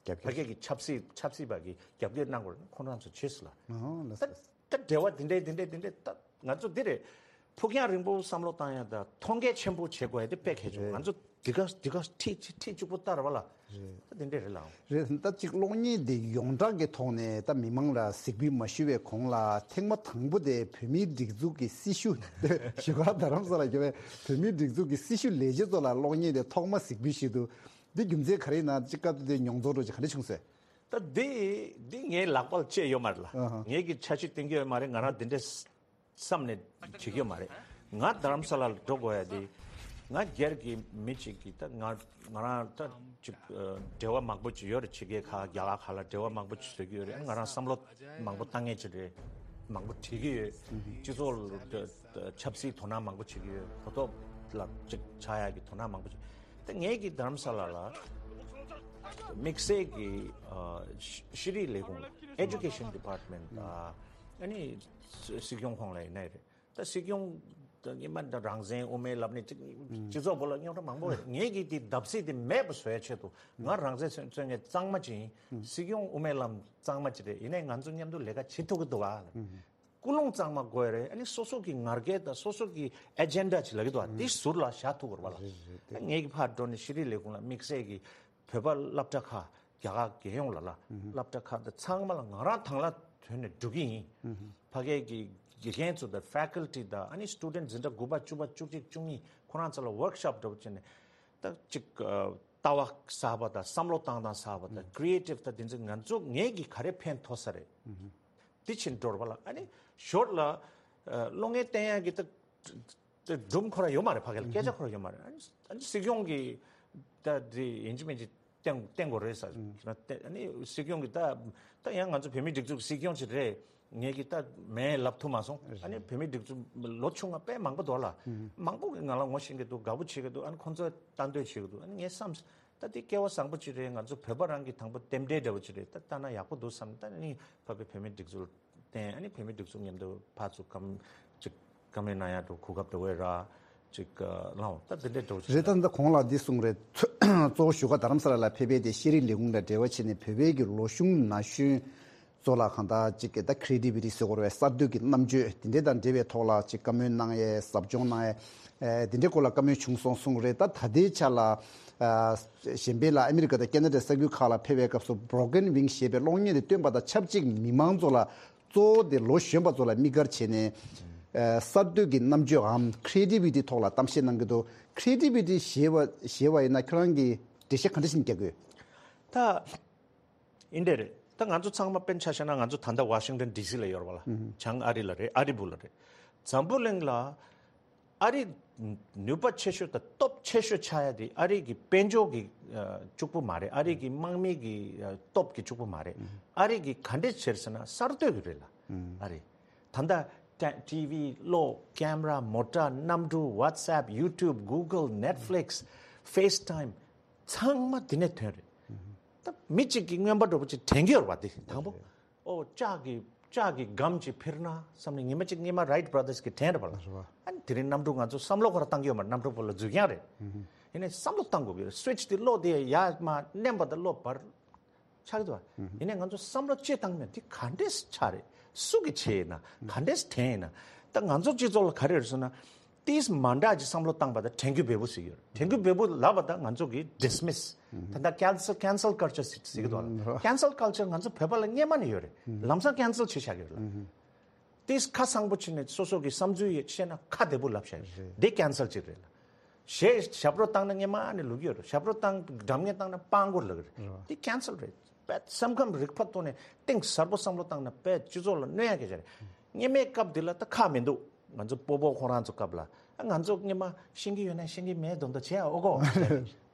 རྒྱབ་ཕ་གི་གི་ཆབ་སྲིད་ཆབ་སྲིད་པ་གི་རྒྱབ་སྐྱོར་གནང་དགོས་རེད། ཁོང་རང་ཚོ་བྱས་སོང་ལ། ཨོ་ལགས་ད་སོ། ད་འབྲེལ་བ་དེ་འདྲས་དེ་འདྲས་དེ་འདྲས་ད་ང་ཚོ་འདི་རེད། ཕུགས་རྒྱང་རིང་པོ་བསམ་བློ་བཏང་ཡ་ད་མཐོང་རྒྱ་ཆེན་པོ་བྱེད་དགོས་ཡ་དེ་དཔེ་གལ་ཆེན་པོ། རེད། ང་ཚོ་འདི་ག་འདི་ག་ཁྲིད་ཁྲིད་གཅིག་པོ་ལྟར་བ་ལ། རེད། ད་དེ་འདྲས་རེད་ལགས། རེད། ད་ཅིག་གློག་བརྙན་འདི་ཡོངས་གྲགས་ཀྱི་ཐོག་ནས་ད་མི་མང་ལ་གཟིགས་འབུལ་མ་ཞུ་བའི་གོང་ལ་ཐེངས་མ་དང་པོ་དེ་བོད་མིའི་སྒྲིག་འཛུགས་ཀྱི་སྲི་ཞུ་བཞུགས་སྒར་རྡ་རམ་ས་ལ་ཡོད་པའི་བོད་མིའི་སྒྲིག་འཛུགས་ཀྱི་སྲི་ཞུ་ལས་བྱེད་ཚོ་ལ་གློག་བརྙན་དེ་ཐོག་མ་གཟིགས་འབུལ་ཞུས་འདུག་འདི་རྒྱུ་མཚན་ག་རེ་ཡིན་ན། ཅིག་སྐབས་དེ་དུས་མྱོང་ཚོར་འདྲ་ཅིག་ག་འདྲ་བྱུང་ཟེར། ད་འདི་འདི་ངའི་ལག་པ་ལ་བཅད་ཡོད་མ་རེད་ལ། ཨ་ཧ། ངས་ཀྱི་འཆར་གཞི་བཏིང་གི་ཡོད་མ་རེད། ང་རང་འདི་འདྲས་བསམ་ནས་བྱེད་ཀྱི་ཡོད་མ་རེད། ང་རྡ་རམ་ས་ལ་ལ་འགྲོ་དགོས་ཡ་དེ། ང་སྒེར་གྱི་མི་གཅིག་གིས་ད་ང་ང་རང་ད་ཅིག་ཨ་འབྲེལ་བ་མང་པོ་ཅིག་ཡོད་རེད། ཕྱི་རྒྱལ་ཁག་རྒྱ་གར་ཁག་ལ་འབྲེལ་བ་མང་པོ་ཅིག་བཟོ་གི་ཡོད་རེད། ང་རང་བསམ་བློ་མང་པོ་བཏང་མཁན་ཅིག་རེད། མང་པོ་བྲིས་ཀྱི་ཡོད། སྤྱི་ཚོགས་ལ་ཆབ་སྲིད་དོ་སྣང་མང་པོ་བྱེད་ཀྱི་ཡོད། གོ་རྟོགས་ལ་ཅིག་ཆགས་ཡག་གི་དོ་སྣང་མང་པོ་བྱེད། ད་ངས་ཀྱི་རྡ་རམ་ས་ལ་ལ་དམིགས་བསལ་གྱི་ཨ་ཤེས་རིག་ལས་ཁུངས་ལ་Education Department ཨ་ནི་སྲིད་སྐྱོང་ཁོང་ལ་ཡིན་ནའི་རེད། ད་སྲིད་སྐྱོང་ད་ཉི་མ་ད་རང་བཙན་དབུ་མའི་ལམ་ནས་ཅིག་སྤྱི་ཚོགས་པོ་ལ་རྙོག་དྲ་མང་པོ་ཡོད། ངས་ཀྱི་དེ་བརྡབ་གསིག་དེ་མེད་པ་བཟོ་ཡ་ཆེད་དུ་ང་རང་བཙན་རྩོད་མཁན་གཙང་མ་ཅིག་ཡིན། སྲིད་སྐྱོང་དབུ་མའི་ལམ་གཙང་མ་ཅིག་རེད། ཡིན་ནའི་ང་ཚོ་མཉམ་དུ་ལས་ཀ་བྱེད་ཐུབ་ཀྱི་འདུག་ག། ཀུན་སློང་གཙང་མ་དགོས་རེད། ཨ་ནི་སོ་སོ་གི་ང་རྒྱལ་དང་སོ་སོ་གི་ཨེ་ཇེན་ཌ་ཅིག་ལབ་ཀྱི་འདུག་ག། དེ་ཟུར་ལ་བཞག་ཐུབ་དགོས་རེད་བ་ལ། རེད་རེད། ངས་ཀྱི་ཕར་འགྲོ་ནས་ཤེས་རིག་ལས་ཁུངས་ལ་དམིགས་བསལ་གྱི་བོད་པ་སློབ་གྲྭ་ཁག་རྒྱ་གར་རྒྱལ་ཡོངས་ལ་ལ་སློབ་གྲྭ་ཁག་དང་ཚང་མ་ལ་ང་རང་དང་བླངས་ཐོག་ནས་འགྲོ་གི་ཡིན། ཕ་གིའི་གི་དགེ་རྒན་ཚོ་དང་ཕེ་ཁལ་ཊི་དང་ཨ་ནི་སི་ཊུ་ཌེན་ཊི་འཛིན་གྲྭ་དགུ་པ་བཅུ་པ་བཅུ་གཅིག་བཅུ་གཉིས་ཁོ་རང་ཚོ་ལ་ཝོརྐ་ཤོབ་འདྲ་པོ་བྱས་ནས་ད་ཅིག་ལྟ་བ་གསར་པ་དང་བསམ་བློ་བཏང་སྟངས་གསར་པ་དང་ཀྲི་ཨེ་ཊིབ་དང་དེ་ཚོ་ང་ཚོ་ངས་ཀྱི་ག་རེ་ཕན་ཐོགས་ས་རེད། དེ་ཕྱིན་འགྲོ་བ་ལ་ཨ་ནི་ཞོར་ལ་ཨ་གློག་བརྙན་བསྟན་ཡག་གི་ད་ད་སྒྲུང་ཁོ་རང་ཡོད་མ་རེད། ཕ་གི་ལ་སྐད་ཆ་ཁོ་རང་ཡོད་མ་རེད། ཨ་ནི་ཨ་ནི་སྲིད་སྐྱོང་གིས་ད་དེ་ཡིན་གཅིག་མིན་གཅིག་བསྟན་བསྟན་དགོས་རེད་ཟེར་ན། ཨ་ནི་སྲིད་སྐྱོང་གིས་ད་ད་ཡང་ང་ཚོ་བོད་མིའི་སྒྲིག་འཛུགས་སྲིད་སྐྱོང་ཅིག་རེད། ངས་ཀྱི་ད་མེད་ལབ་ཐུབ་མ་སོང་། ཨ་ནི་བོད་མིའི་སྒྲིག་འཛུགས་ལོ་ཆུང་བ་དཔེ་མང་པོ་འདུག་ལ། མང་པོ་གིས་ང་ལ་ངོ་ཤེས་ཀྱི་འདུག་དགའ་པོ་བྱེད་ཀྱི་འདུག་ཨ་ནི་ཁོང་ཚོས་ལྟ་འདོད་བྱེད་ཀྱི་འདུག་ཨ་ནི་ངས་བསམ། ད་འདི་སྐལ་བ་བཟང་པོ་ཅིག་རེད། ང་ཚོ་བོད་པ་རང་གི་དང་པོ་རྟེན་འབྲེལ་འདྲ་བོ་ཅིག་རེད། ད་ལྟ་ན་ཡག་པོ་འདུག་བསམ། ད་ནི་ཕ་གི་བོད་མིའི་སྒྲིག་འཛུགས་བསྟན། ཨ་ནི་བོད་མིའི་སྒྲིག་འཛུགས་མཉམ་དུ་ཕར་ཚུར་བཀའ་ཅིག་བཀའ་མོལ་གནང་ཡག་འདྲ་བོ་གོ་སྐབས་འདྲ་བོ་རག་ཅིག་ལའོ། ད་འདི་འདྲའི་འདྲ་བོ་ཅིག་རེད། ད་ལྟ་གོང་ལ་འདི་གསུངས་རེད། གཙོ་བོ་བཞུགས་སྒར་རྡ་རམ་ས་ལ་ལ་ཕེབས་པའི་དེ་ཤེས་རིག་ལས་ཁུངས་དང་འབྲེལ་བ་བྱས་ནས་བོད་པའི་གི་ལོ་གཞོན་ན་གཞོན་གཙོ་ལ་གང་ལྟར་ཅིག་ད་ཁི་རེ་ཊི་བི་ཊི་ཟེར་དགོས་རེད་པས། གསར་གཏོད་ཀྱི་རྣམ་དཔྱོད་དེ་འདྲས་དང་འབྲེལ་བའི་ཐོག་ལ་ཅིག་བཀའ་མོལ་གནང་ཡས་ཟབ་སྦྱོང་གནང་ཡས་ཨེ་དེ་འདྲའི་སྐོར་ལ་བཀའ་མོལ་བྱུང་སོང་གསུངས་རེད། ད་ད་ལྟའི་ཆ་ལ་ཨ་གཞན་ཕན་ལ་ཨ་མི་རི་ཀ་དང་ཁེ་ན་ཌ་ས་ཁུལ་ཁག་ལ་ཕེབས་པའི་སྐབས་སུ་Broken Wing་ཞེས་པའི་གློག་བརྙན་དེ་སྟོན་པ་དང་ཆབས་ཅིག་མི་མང་ཚོ་ལ་གཙོ་བོ་དེ་ལོ་གཞོན་པ་ཚོ་ལ་དམིགས་བཀར་བྱས་ནས་ཨ་གསར་གཏོད་ཀྱི་རྣམ་དཔྱོད་འམ་ཁི་རེ་ཊི་བི་ཊི་ཐོག་ལ་གཏམ་བཤད་གནང་གི་འདུག་ཁི་རེ་ཊི་བི་ཊི་ཞེས་པ་ཞེས་པ་ཡིན་ན་ཁྱོད་རང་གིས་འགྲེལ་བཤད་ག་འདྲ་ཞིག་རྒྱག་གི་ཡོད། ད། ཨིན་འདྲ་རེད། ད་ང་ཚོ་ཚང་མ་དཔེར་ན་ཆ་བཞག་ན་ང་ཚོ་ད་ལྟ་ཝ་ཤིང་ཊོན་ཌི་སི་ལ་ཡོད་རེད་པ་ལ། བྱང་ཨ་རི་ལ་རེད། ཨ་རི་སྦུག་ལ་རེད། འཛམ་བུ་གླིང་ལ་ཨ་རི་ནུས་པ་ཆེ་ཤོས་དང་སྟོབས་ཆེ་ཤོས་ཆགས་ཡ་དེ་ཨ་རི་གི་དཔལ་འབྱོར་གྱི་ཨ་གཅིག་པུ་མ་རེད། ཨ་རི་གི་དམག་མི་གི་ཨ་སྟོབས་ཀྱི་གཅིག་པུ་མ་རེད། ཨ་རི་གི་ག་འདྲས་བྱས་ཟེར་ན་གསར་གཏོད་ཀྱི་རེད་ལ། ཨ་རི་ད་ལྟ་ཊི་ཝི་གློག་ཀེམ་ར་མོ་ཊ་གནམ་གྲུ་WhatsApp YouTube Google Netflix FaceTime ཚང་མ་དེ་ནས་ཐོན་རེད། ད་མི་གཅིག་གིས་རྔོན་པ་འདྲ་པོ་ཅིག་དྲན་གྱི་ཡོད་རེད་པ། དེ་དང་པོ་ཨོ་ལྕགས་ཀྱི་ལྕགས་ཀྱི་སྒམ་ཅིག་འཕུར་ན་བསམ་ནས་ཉི་མ་གཅིག་སྔོན་མ་Wright Brothers་གིས་དྲན་རེད་པ་ལ། ཨ་ནི་དེ་རིང་གནམ་གྲུ་ང་ཚོ་བསམ་བློ་ཁོ་རང་བཏང་གི་ཡོད་མ་རེད། གནམ་གྲུ་བོ་ལ་འཛུལ་མཁན་རེད། ཡིན་ནའི་བསམ་བློ་བཏང་དགོས་ཀྱི་རེད། སུའིཆ་དེ་གློག་དེ་ཡར་མར་མནན་པ་དང་གློག་འབར་ཆགས་ཀྱི་འདུག་པ། ཡིན་ནའི་ང་ཚོ་བསམ་བློ་ཅིག་བཏང་མེད། དེ་ག་འདྲས་ཆགས་རེད། སུ་གི་ཆེད་ཡིན་ན་ག་འདྲས་དྲན་ཡིན་ན། ད་ང་ཚོ་སྤྱི་ཚོགས་ལ་ག་རེ་རེད་ཟེར་ན། ཏིས་མ་འདྲ་ཅིག་བསམ་བློ་བཏང་པ་ད་དྲན་རྒྱུ་བེ་བོ་ཟིག་ཡོད་རེད། དྲན་རྒྱུ་བེ་བོ་ལབ་པ་ད་ང་ཚོ་གི་ཌི་སི་མི་སི། ད་ལྟ་ཀེན་སལ་ཀེན་སལ་ཀལ་ཅར་ཟེར་གི་འདུག་ལ། ཀེན་སལ་ཀལ་ཅར་ང་ཚོ་བོད་པ་ལ་སྔོན་མ་ནས་ཡོད་རེད། ལམ་སང་ཀེན་སལ་བྱེད་བཞག་གི་རེད་ལ། ཏིས་ཁ་སང་པོ་བྱས་ནས་སོ་སོ་གི་བསམ་ཚུལ་ཡོད་བཤད་ན་ཁ་བདེ་པོ་ལབ་བཞག་གི་འདི་ཀེན་སལ་ཅིག་རེད་ལ། གཞས་ཞབས་བྲོ་བཏང་ན་སྔོན་མ་ནས་ལབ་ཀྱི་ཡོད་རེད། ཞབས་བྲོ་བཏང་སྒྲ་སྙན་བཏང་ན་སྤྲང་པོ་ལབ་ཀྱི་རེད། འདི་ཀེན་སལ་རེད། དཔེ་སེམས་ཁམས་རིག་པ་ཐོག་ནས་གཏིང་ཟབ་པོ་བསམ་བློ་བཏང་ན་དཔེ་སྤྱི་ཚོགས་ལ་གནོད་ཡག་གི་ཅིག་རེད། སྔོན་མའི་སྐབས་འདི་ལ་ད་ཁག་མི་འདུག་ང་ཚོ་སྤོ་བོ་ཁོ་རང་ཚོ་སྐབས་ལ་ང་ཚོ་སྔོན་མ་ཤེས་ཀྱི་ཡོད་ན་ཤེས་ཀྱི་མེད་མདོག་མདོག་བྱེད་ཨོ་གོ།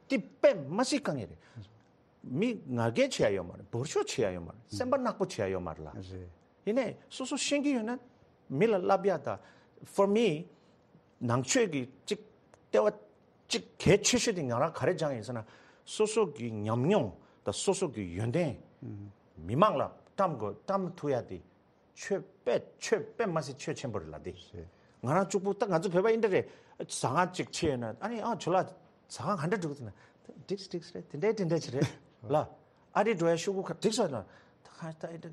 འདི་དཔེ་མ་སྲིད་དཀའ་ངལ་རེད། མི་ང་རྒྱལ་བྱེད་ཡ་ཡོད་མ་རེད། འབོར་ཤོག་བྱེད་ཡ་ཡོད་མ་རེད། སེམས་པ་ནག་པོ་བྱེད་ཡ་ཡོད་མ་རེད་ལ། རེད། ཡིན་ནའི་སོ་སོ་ཤེས་ཀྱི་ཡོད་ན་མི་ལ་བསླབ་ཡ་ད། For me, ནང་ཆོས་ཀྱི་གཅིག་ལྟེ་བ་གཅིག་གལ་ཆེ་ཤོས་དེ་ང་རང་ག་རེ་སྦྱངས་ཡིན་ཟེར་ན། སོ་སོ་གི་ཉམས་མྱོང་དང་སོ་སོ་གི་ཡོན་ཏན་མི་མང་ལ་བཀྲམ་དགོས། བཀྲམ་ཐུབ་ཡ་དེ་ཆོས་དཔེ་ཆོས་དཔེ་མ་སྲིད་ཆོས་ཆེན་པོ་རེད་ལ་དེ། ང་རང་གཅིག་པུ་ད་ང་ཚོ་བོད་པ་ཡིན་འདྲ་རེད། ཟ་ཁང་གཅིག་ཕྱེ་ཡོད་ན་ཨ་ནི་ཨ་ཇོ་ལགས་ཟ་ཁང་ག་འདྲ་འགྲོ་གི་འདུག་ན། འགྲིག་འགྲིག་རེད། དེ་འདྲའི་དེ་འདྲ་ཅིག་རེད་ལ། ཨ་རི་འགྲོ་ཡ་ཤོག་གུ་ཁ་འགྲིག་སོང་ན། ད་ཁ་ད་ཨེ་ད་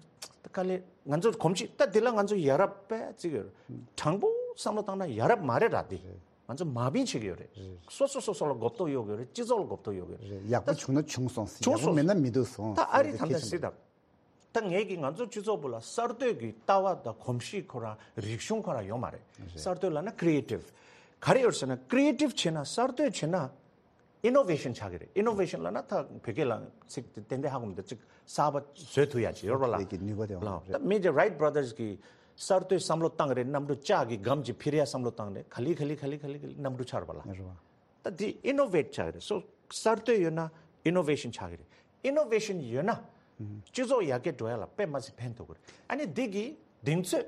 དཀའ་ལས་ང་ཚོ་གོམས་གཤིས་ད་དེ་ལ་ང་ཚོ་ཡ་རབས་དཔེ་བརྩི་གི་ཡོད་རེད། དྲང་པོ་བསམ་བློ་བཏང་ན་ཡ་རབས་མ་རེད་ར་དེ། ང་ཚོ་མ་བིན་བྱེད་ཀྱི་ཡོད་རེད། སོ་སོ་སོ་སོ་ལ་གོ་རྟོགས་ཡོད་གི་ཡོད་རེད། སྤྱི་ཚོགས་ལ་གོ་རྟོགས་ཡོད་གི་ཡོད་རེད། རེད། ཡག་པོ་ད་བྱུང་ན་བྱུང་སོང་ཟེར། བྱུང་ཡག་པོ་སོང་མེད་ན་མི་འདུག་སོང་ད་ཨ་རི་ཟེར་ཐང་གི་ད་ཤེས་སྲིད་ད། ད་ངས་ཀྱི་ང་ཚོ་སྤྱི་ཚོགས་བུ་ལ་གསར་གཏོད་ཀྱི་ལྟ་བ་དང་གོམས་གཤིས་ཁོ་རང་རིག་གཞུང་ཁོ་རང་ཡོད་མ་རེད། རེད། གསར་གཏོད་ལབ་ན་ཀྲི་ཨེ་ཊིབ། ག་རེ་ཡོད་ཟེར་ན་ཀྲི་ཨེ་ཊིབ་བྱེད་ན་གསར་གཏོད་བྱེད་ན་ཨི་ནོ་ཝེ་ཤན་ཆགས་ཀྱི་རེད། ཨི་ནོ་ཝེ་ཤན་ལབ་ན་ད་བོད་སྐད་ལ་ཚིག་དེ་ཏན་ཏན་ཧ་གོ་མི་འདུག་ཅིག་གསར་པ་བཟོ་ཐུབ་ཡ་ཅིག་ཡོད་རེད་པ་ལ། ལས་ཀྱི་ནུས་པ་དེ་ལ། ཡོད་རེད། ད་མི་དེ་རའིཊ་བྷ་ར་དར་སི་གི་གསར་གཏོད་བསམ་བློ་བཏང་གི་རེད། གནམ་གྲུ་ལྕགས་ཀྱི་སྒམ་གྱི་འཕུར་ཡ་བསམ་བློ་བཏང་རེད། ག་ལེ་ག་ལེ་ག་ལེ་ག་ལེ་ག་ལེ་གནམ་གྲུ་ཆགས་རེད་པ་ལ། རེད་པ། ད་འདི་ཨི་ནོ་ཝེ་ཊི་ཆགས་ཀྱི་རེད། སོ་གསར་གཏོད་ཡོད་ན་ཨི་ནོ་ཝེ་ཤན་ཆགས་ཀྱི་རེད། ཨི་ནོ་ཝེ་ཤན་ཡོད་ན་སྤྱི་ཚོགས་ཡར་རྒྱས་འགྲོ་ཡ་ལ་དཔེ་མ་སྲིད་ཕན་ཐོགས་ཀྱི་རེད། ཨ་ནི་འདི་གི་གདེང་ཚོད་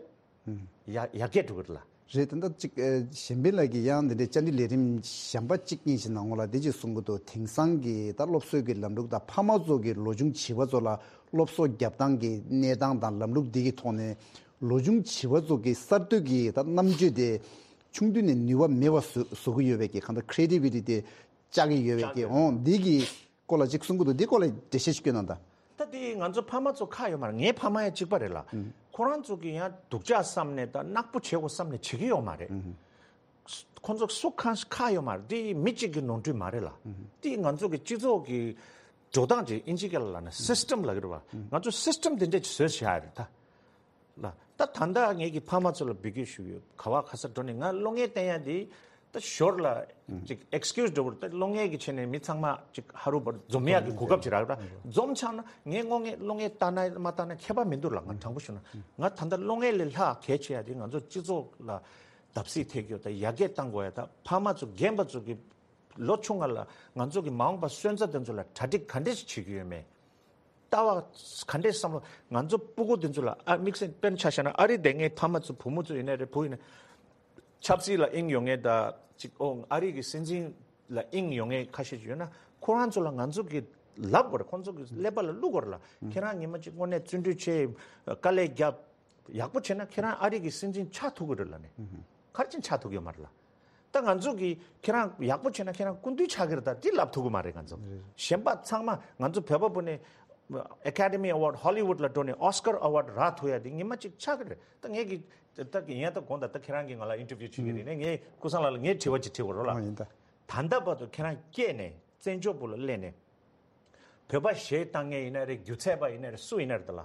ཡ་ཡར་རྒྱས་འགྲོ་གི་རེད་ལ། རེད། ད་ལྟ་ཅིག་ཨ་གཞན་ཕན་ལགས་ཀྱིས་ཡང་འདི་འདྲའི་བཅར་འདྲི་ལས་རིམ་གཞན་པ་གཅིག་གཉིས་ཤིག་ནང་ལོགས་ལ་འདི་ཅིག་གསུང་གི་འདུག་དེང་སང་གི་ད་སློབ་གསོའི་གི་ལམ་ལུགས་དང་ཕ་མ་ཚོ་གི་ལོ་ཆུང་བྱིས་པ་ཚོ་ལ་སློབ་གསོ་རྒྱབ་སྟངས་ཀྱི་གནས་སྟངས་དང་ལམ་ལུགས་འདི་གི་ཐོག་ནས་ལོ་ཆུང་བྱིས་པ་ཚོ་གི་གསར་གཏོད་ཀྱི་ད་རྣམ་དཔྱོད་དེ་ཆུང་དུས་ནས་ནུས་པ་མེད་པ་བཟོ་བཟོ་གི་ཡོད་པའི་གི་གང་ལྟར་ཁི་རེ་ཊི་བི་ཊི་དེ་བཅག་གི་ཡོད་པའི་གི་འོང་འདི་གི་སྐོར་ལ་ཅིག་གསུང་གི་འདུག་འདི་སྐོར་ལ་འགྲེལ་བཤད་ཅིག་སྐྱོན་གནང་དང་། ད་དེ་ང་ཚོ་ཕ་མ་ཚོ་ཁག་ཡོད་མ་རེད། ངའི་ཕ་མ་ཡང་གཅིག་པ་རེད་ལ། ཁོ་རང་ཚོ་གི་ཡང་སྡུག་ཅག་བསམ་ནས་ད་ནག་པོ་བྱེད་དགོས་བསམ་ནས་བྱེད་ཀྱི་ཡོད་མ་རེད། ཁོ་ཚོ་སུ་ཁག་ཁག་ཡོད་མ་རེད། དེ་མི་གཅིག་གི་ནོར་འཁྲུལ་མ་རེད་ལ། དེ་ང་ཚོ་གི་སྤྱི་ཚོགས་ཀྱི་འགྲོ་སྟངས་ཅིག་ཨིན་ཇི་སྐད་ལ་ལབ་ན་སིས་ཊམ་ལབ་ཀྱི་རེད་པ། ང་ཚོ་སིས་ཊམ་དེ་འདྲས་ཅིག་བཟོས་བཞག་ཡ་རེད་ད། ལ། ད་ད་ལྟ་ངེད་ཀྱི་ཕ་མ་ཚོ་ལ་འབོད་སྐུལ་ཞུ་གི་ཡོད། ག་བ་ག་ས་འགྲོ་ནས་ང་སློབ་གཉེར་བསྟན་ཡ་དེ་ད་ཞོར་ལ་ཅིག་ཨེག་སི་ཀིའུ་སི་འགྲོ་བར་ད་སློབ་གཉེར་གྱི་ཆེད་ནས་མི་ཚང་མ་ཅིག་ཧ་རུ་བར་འཛོམས་ཡ་གི་གོ་སྐབས་ཅིག་རག་ར། འཛོམས་ཆགས་ན་ངས་སློབ་གཉེར་སློབ་གཉེར་བསྟན་ན་མ་བསྟན་ན་ཁྱད་པར་མི་འདུག་ལ། ང་དྲང་པོ་ཞུ་ན་ང་ད་ལྟ་སློབ་གཉེར་ལས་ལྷག་གལ་ཆེ་ཡ་དེ་ང་ཚོ་སྤྱི་ཚོགས་ལ་བརྡབ་གསིག་ཐེབས་རྒྱུ་ད་ཡར་རྒྱས་གཏང་དགོས་ཡ། ད་ཕ་མ་ཚོ་རྒན་པ་ཚོ་གི་ལོ་ཆུང་ང་ལ་ང་ཚོ་གི་མ་འོངས་པ་སོན་རྩ་དེ་ཚོ་ལ་གྲ་སྒྲིག་ག་འདྲས་ཤིག་བྱེད་ཀྱི་ཡོད་མེད། ལྟ་བ་ག་འདྲས་བསམ་བློ་ང་ཚོ་སྤུ་གུ་དེ་ཚོ་ལ་ཨ་དམིགས་བསལ་དཔེར་ན་ཆ་བཞག་ན་ཨ་རི་དེ་ངའི་ཕ་མ་ཚོ་བུ་མོ་ཚོ་ཡིན་ན་རེད་བུ་ཡིན་ན་ཆབ་སྲིད་ལ་དབྱིངས་ཡོད་མཁན་ད་ཅིག་ཨོ་ཨ་རི་གི་སྲིད་འཛིན་ལ་དབྱིངས་ཡོད་མཁན་ཁ་ཤས་ཅིག་ཡོད་ན་ཁོ་རང་ཚོ་ལ་ང་ཚོ་གི་ལབ་དགོས་རེད། ཁོང་ཚོ་གི་ཀླད་པ་ལ་བླུག་དགོས་རེད་ལ། ཁྱེད་རང་ཉི་མ་གཅིག་དངོས་གནས་བརྩོན་འགྲུས་ཆེ་དཀའ་ལས་རྒྱབ། ཡག་པོ་བྱས་ན་ཁྱེད་རང་ཨ་རི་གི་སྲིད་འཛིན་ཆགས་ཐུབ་ཀྱི་རེད་ལབ་ནས། ག་རེ་བྱས་ནས་ཆགས་ཐུབ་ཀྱི་ཡོད་མ་རེད་ལ། ད་ང་ཚོ་གིས་ཁྱེད་རང་ཡག་པོ་བྱས་ན་ཁྱེད་རང་སྐུ་མདུན་ཆགས་ཀྱི་རེད། ད་འདི་ལབ་ཐུབ་ཀྱི་མ་རེད་ང་ཚོ། གཞན་པ་ཚང་མ་ང་ཚོ་བོད་པ་བུ་ནས་ཨེ་ཀ་ཌེ་མི་ཨེ་ཝཱཌ་ཧོ་ལི་ཝུཌ་ལ་འགྲོ་ནས་ཨོ་སི་ཀར་ཨེ་ཝཱཌ་རག་ཐུབ་ཡ་དེ་ཉི་མ་གཅིག་ཆགས་ཀྱི་རེད། ད་ངས་ཀྱི་ད་ཡིན་ཡང་ད་དགོངས་དག་ད་ཁྱེད་རང་གིས་ང་ལ་ཨིན་ཊར་བིའུ་བྱེད་ཀྱི་རེད་ནས་ངས་ཀུན་བཟང་ལགས་ལ་ངས་དྲི་བ་ཅིག་དྲི་དགོས་རེད་ལ། ཨོ་ཡིན་ད། ད་ལྟ་བར་དུ་ཁྱེད་རང་སྐྱེས་ནས་བཙན་བྱོལ་བུ་ལ་སླེབས་ནས། བོད་པ་གཞས་བཏང་མཁན་ཡིན་ན་རེད། སྒྱུ་རྩལ་པ་ཡིན་ན་རེད། སུ་ཡིན་ན་རེད་ད་ལ།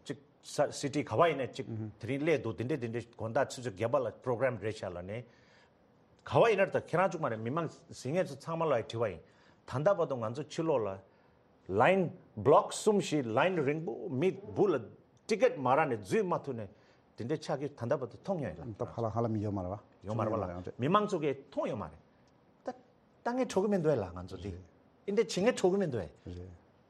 ཅིག་ས་སི་ཊི་ག་བ་ཡིན་ན་ཅིག་དེ་རིང་སླེབས་འདུག་དེ་འདྲས་དེ་འདྲས་དགོང་དག་ཆུ་ཚོད་བརྒྱད་པ་ལ་པོ་རོ་གྷ་རམ་རེད་ཤག་ལབ་ནས། ག་བ་ཡིན་ན་རེད་ད་ཁྱེད་རང་གཅིག་མ་རེད། མི་མང་གཟིགས་མཁན་ཚོ་ཚང་མ་ལ་དྲི་བ་ཡིན། ད་ལྟ་བར་དུ་ང་ཚོ་ཕྱི་ལོགས་ལ་ལའིན་བྷི་ལོག་གསུམ་བཞི་ལའིན་རིང་པོ་མི་བུ་ལ་ཊི་ཀེ་ཊི་མ་རག་ནས་འཛུལ་མ་ཐུབ་ནས་དེ་འདྲས་ཆགས་ཀྱི་ད་ལྟ་བར་དུ་མཐོང་མྱོང་ཡོད་ལ། ད་ཧ་ལམ་ཧ་ལམ་ཡོད་མ་རེད་བ། ཡོད་མ་རེད་བ་ལ། མི་མང་ཚོ་གིས་མཐོང་ཡོད་མ་རེད། ད་ལྟ་ངས་འཕྲོ་གི་མི་འདུག་ལ་ང་ཚོ་དེ། རེད། ཨིན་དེ་བྱེད་ངས་འཕྲོ་གི་མི་འདུག་། རེད།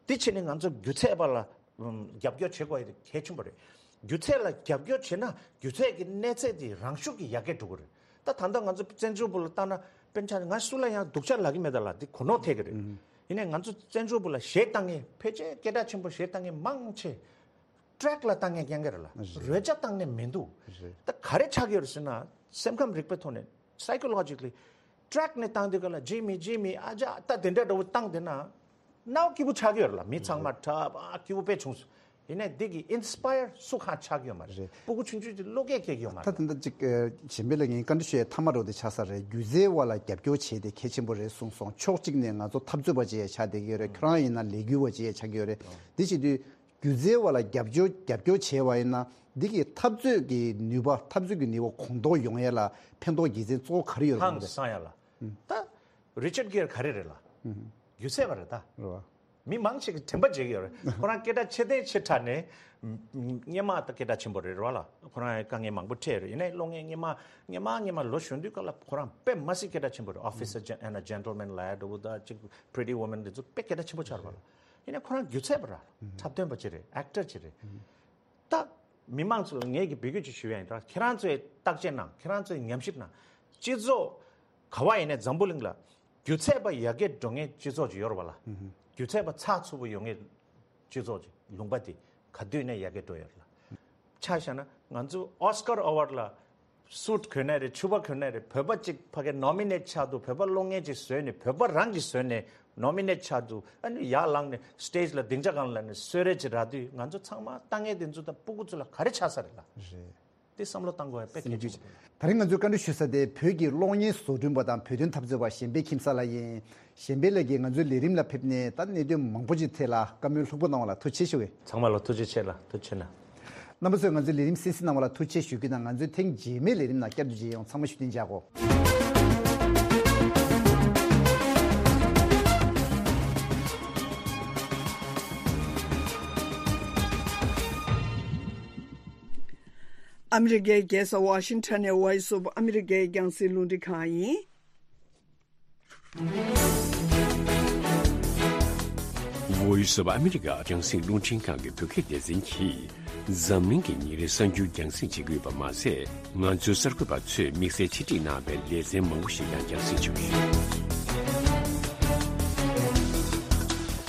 དེ་བྱས་ནས་ང་ཚོ་སྒྱུ་རྩལ་པ་ལ་ཨམ་རྒྱབ་སྐྱོར་བྱེད་དགོས་ཡ་དེ་གལ་ཆེན་པོ་རེད། སྒྱུ་རྩལ་ལ་རྒྱབ་སྐྱོར་བྱེད་ན་སྒྱུ་རྩལ་གྱི་གནས་ཚད་དེ་རང་ཤུགས་ཀྱིས་ཡར་རྒྱས་འགྲོ་གི་རེད། ད་ད་ལྟ་ང་ཚོ་བཙན་བྱོལ་བུ་ལ་བལྟ་ན་དཔེར་ན་ཆ་ང་སུ་ལ་ཡང་སྡུག་ཅག་ལབ་ཀྱི་མེད་ད་ལ་དེ་གོ་ནོར་ཐེབས་ཀྱི་རེད། ཡིན་ནའི་ང་ཚོ་བཙན་བྱོལ་བུ་ལ་གཞས་བཏང་མཁན་ཕལ་ཆེར་སྐད་གྲགས་ཆེན་པོ་གཞས་བཏང་མཁན་མང་ཆེ། ཊེག་ལ་བཏང་མཁན་རྐྱང་རྐྱང་རེད་ལ། རེད། རོལ་ཆ་བཏང་མཁན་མི་འདུག། རེད། ད་ག་རེ་ཆགས་ཀྱི་ཡོད་རེད་ཟེར་ན་སེམས་ཁམས་རིག་པའི་ཐོག་ནས་སའི་ཀོ་ལོ་ཇི་ཀལ་ལི་ཊེག་ནས་བཏང་དུས་ག་ལ་ཇི་མི་ཇི་མི་ཨ་ཅག་ད་དེ་འདྲ་འདྲ་བོ་བཏང་དེ་ན་རྣ་བ་སྐྱིད་པོ་ཆགས་ཀྱི་ཡོད་རེད་ལ། མི་ཚང་མ་གྲབས་ཨ་སྐྱིད་པོ་དཔེ་བྱུང་སོང་ ཡིན་ནའི་འདི་གི་ཨིན་སི་པ་ཡར་སུ་གང་ཆགས་ཀྱི་ཡོད་མ་རེད། རེད། སྤུ་གུ་ཆུང་ཆུང་ཅིག་བློ་སྐྱེད་སྐྱེ་གི་ཡོད་མ་ད་རེད། དེ་འདྲ་ཅིག་ཨ། གཞན་པའི་ལ་ངས་བཀའ་འདྲི་ཞུ་ཡས་མཐའ་མ་རོ་དེ་ཆགས་ས་རེད། སྒྱུ་རྩལ་བ་ལ་རྒྱབ་སྐྱོར་བྱེད་དེ་གལ་ཆེན་པོ་རེད་གསུངས་སོང་། ཕྱོགས་གཅིག་ནས་ང་ཚོ་འཐབ་རྩོད་པ་ཅིག་ཡང་ཆགས་བསྡད་ཀྱི་ཡོད་རེད། ཁྱོད་རང་ཡིན་ན་ལས་འགུལ་བ་ཅིག་ཡང་ཆགས་ཀྱི་ཡོད་རེད། འདི་བྱེད་དུས་སྒྱུ་རྩལ་བ་ལ་རྒྱབ་སྐྱོར་རྒྱབ་སྐྱོར་བྱས་པ་ཡིན་ན་འདི་གི་འཐབ་རྩོད་ཀྱི་ནུས་པ་འཐབ་རྩོད་ཀྱི་ནུས་པ་གོང་མཐོར་ཡོང་ཡས་ལ་ཕན་ཐོགས་དགེ་མཚན་གཙོ་བོ་ག་རེ་ཡོད་རེད། ཧང་སང་ཡ་ལ། ད་རི་ཅར་གྷེར་ག་རེ་རེད་ལ། སྒྱུ་རྩལ་བ་རེད་ད། རེད་བ། མི་མང་ཆེ་གིས་དྲན་པ་བརྗེད་ཀྱི་ཡོད་རེད། ཁོ་རང་སྐད་གྲགས་ཆེ་ཐལ་ཆེ་དྲགས་ནས། སྔོན་མ་ད་སྐད་གྲགས་ཆེན་པོ་རེད་རེད་བ་ལ། ཁོ་རང་དཀའ་ངལ་མང་པོ་འཕྲད་ཡོད་རེད། ཡིན་ནའི་གློག་བརྙན་སྔོན་མ་སྔོན་མ་སྔོན་མ་ལོ་གཞོན་དུས་སྐབས་ལ་ཁོ་རང་དཔེ་མ་སྲིད་སྐད་གྲགས་ཆེན་པོ་རེད། Officer and a Gentleman ལབ་ཡ་འདྲ་བོ་ད་ཅིག Pretty Woman འདི་ཚོ་དཔེ་སྐད་གྲགས་ཆེན་པོ་ཆགས་རེད་བ་ལ། ཡིན་ནའི་ཁོ་རང་སྒྱུ་རྩལ་བ་རེད། འཁྲབ་སྟོན་པ་ཅིག་རེད། ཨེག་ཊར་ཅིག་རེད། ད་མི་མང་ཚོ་ལ་ངས་ཀྱི་འབོད་སྐུལ་ཅིག་ཞུ་ཡ་ཡིན། ད་ཁྱེད་རང་ཚོས་བརྟག་དཔྱད་གནང་། ཁྱེད་རང་ཚོས་ཉམས་ཞིབ་གནང་། སྤྱི་ཚོགས་ག་བ་ཡིན་ནའི་འཛམ་བུ་གླིང་ལ་སྒྱུ་རྩལ་པ་ཡར་རྒྱས་འགྲོ་མཁན་སྤྱི་ཚོགས་ཅིག་ཡོད་རེད་བ་ལ། སྒྱུ་རྩལ་པ་ཚགས་ཚུད་པོ་ཡོང་མཁན་སྤྱི་ཚོགས་ཅིག་ལུང་པ་དེ་ག་དུས་ནས་ཡར་རྒྱས་འགྲོ་ཡོད་རེད་ལ། ཆ་བཞག་ན་ང་ཚོ་ཨོ་སི་ཀར་ཨེ་ཝརཌ་ལ་སུཊ་གོན་ནའི་རེད། ཕྱུ་པ་གོན་ནའི་རེད། བོད་པ་གཅིག་ཕ་གིར་ནོ་མི་ནེཊ་ཆགས་འདུག་བོད་པ་གློག་བརྙན་ཅིག་བཟོས་ནས་བོད་པ་རང་གིས་བཟོས་ནས་ནོ་མི་ནེཊ་ཆགས་འདུག་ཨ་ནི་ཡར་ལངས་ནས་སི་ཊེཇ་ལ་སྡིངས་ཆ་སྒང་ལ་ནས་གསོལ་རས་ཅིག་རག་དུས་ང་ཚོ་ཚང་མ་ལྟ་མཁན་དེ་ཚོ་དང་སྤུ་གུ་ཚོ་ལ་ག་རེ་ཆགས་ས་རེད་ལ། རེད། དེ་བསམ་བློ་བཏང་དགོས་ཡ་དཔེ་གལ་ཆེན་པོ་རེད། ད་རིང་ང་ཚོས་བཀའ་འདྲི་ཞུ་ས་དེ་བོད་ཀྱི་གློག་བརྙན་བཟོ་སྐྲུན་པ་དང་བོད་དོན་འཐབ་རྩོད་པ་གཞན་ཕན་ཁྱིམ་གསར་ལགས་ཡིན། གཞན་ཕན་ལགས་ཀྱིས་ང་ཚོའི་ལས་རིམ་ལ་ཕེབས་ནས་ད་གནད་དོན་མང་པོ་ཅིག་ཐད་ལ་བཀའ་མོལ་ལྷུག་པོ་གནང་བ་ལ་ཐུགས་རྗེ་ཆེ་ཞུ་གི། ཚང་མ་ལ་ཐུགས་རྗེ་ཆེ་ལ་ཐུགས་རྗེ་ཆེ་གནང་། རྣམ་པ་ཚོས་ང་ཚོའི་ལས་རིམ་གསན་གཟིགས་གནང་བ་ལ་ཐུགས་རྗེ་ཆེ་ཞུ་གི་དང་། ང་ཚོའི་ཐེངས་རྗེས་མའི་ལས་རིམ་ནང་བསྐྱར་དུ་མཇལ་ཡོང་། ཚང་མ་བཞུགས་གདན་འཇགས་གོ། ཨ་མི་རི་ཀའི་རྒྱལ་ས་ཝ་ཤིང་ཊོན་ནས་Voice of America རྒྱང་སྲིང་རླུང་འཕྲིན་ཁང་ཡིན། Voice of America རྒྱང་སྲིང་རླུང་འཕྲིན་ཁང་གི་བོད་སྐད་སྡེ་ཚན་གྱིས་འཛམ་གླིང་གི་ཉིན་རེའི་གསར་འགྱུར་རྒྱང་སྲིང་བྱེད་ཀྱི་ཡོད་པ་མ་ཟད། ང་ཚོའི་གསར་འགོད་པ་ཚོས་དམིགས་བསལ་ཆེད་སྒྲིག་གནང་བའི་ལེ་ཚན་མང་པོ་ཞིག་ཀྱང་རྒྱང་སྲིང་བྱེད་ཀྱི་ཡོད།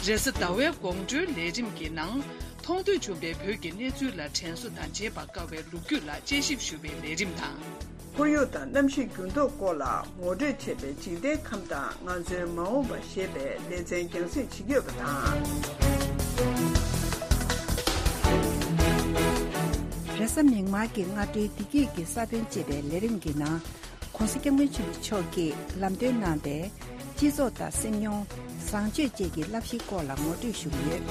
རེས་གཟའ་ཟླ་བའི་དགོང་དྲོའི་ལས་རིམ་གྱི་ནང་། མཐོང་ཐོས་བྱུང་བའི་བོད་ཀྱི་གནས་ཚུལ་ལ་དྲན་གསོ་དང་བརྗེད་པར་དཀའ་བའི་ལོ་རྒྱུས་ལ་དཔྱད་ཞིབ་ཞུ་བའི་ལས་རིམ་དང་། ཁོར་ཡུག་དང་གནམ་གཤིས་འགྱུར་ལྡོག་སྐོར་ལ་ངོ་སྤྲོད་བྱས་པའི་འཇིག་རྟེན་ཁམས་དང་ང་ཚོའི་མ་འོངས་པ་ཞེས་པའི་ལེ་ཚན་རྒྱང་སྲིང་བྱེད་ཀྱི་ཡོད་པ་དང་། རེས་གཟའ་མིག་དམར་གྱི་སྔ་དྲོའི་བདེ་སྐྱིད་ཀྱི་ས་བོན་ཅེས་པའི་ལས་རིམ་གྱི་ནང་། ༸གོང་ས་༸སྐྱབས་མགོན་ཆེན་པོ་མཆོག་གིས་ལམ་སྟོན་གནང་པའི་སྤྱི་ཚོགས་དང་སེམས་མྱོང་བཟང་སྤྱོད་བཅས་ཀྱི་བསླབ་གཞིའི་སྐོར་ལ་ངོ་སྤྲོད་ཞུ་གི་ཡོད།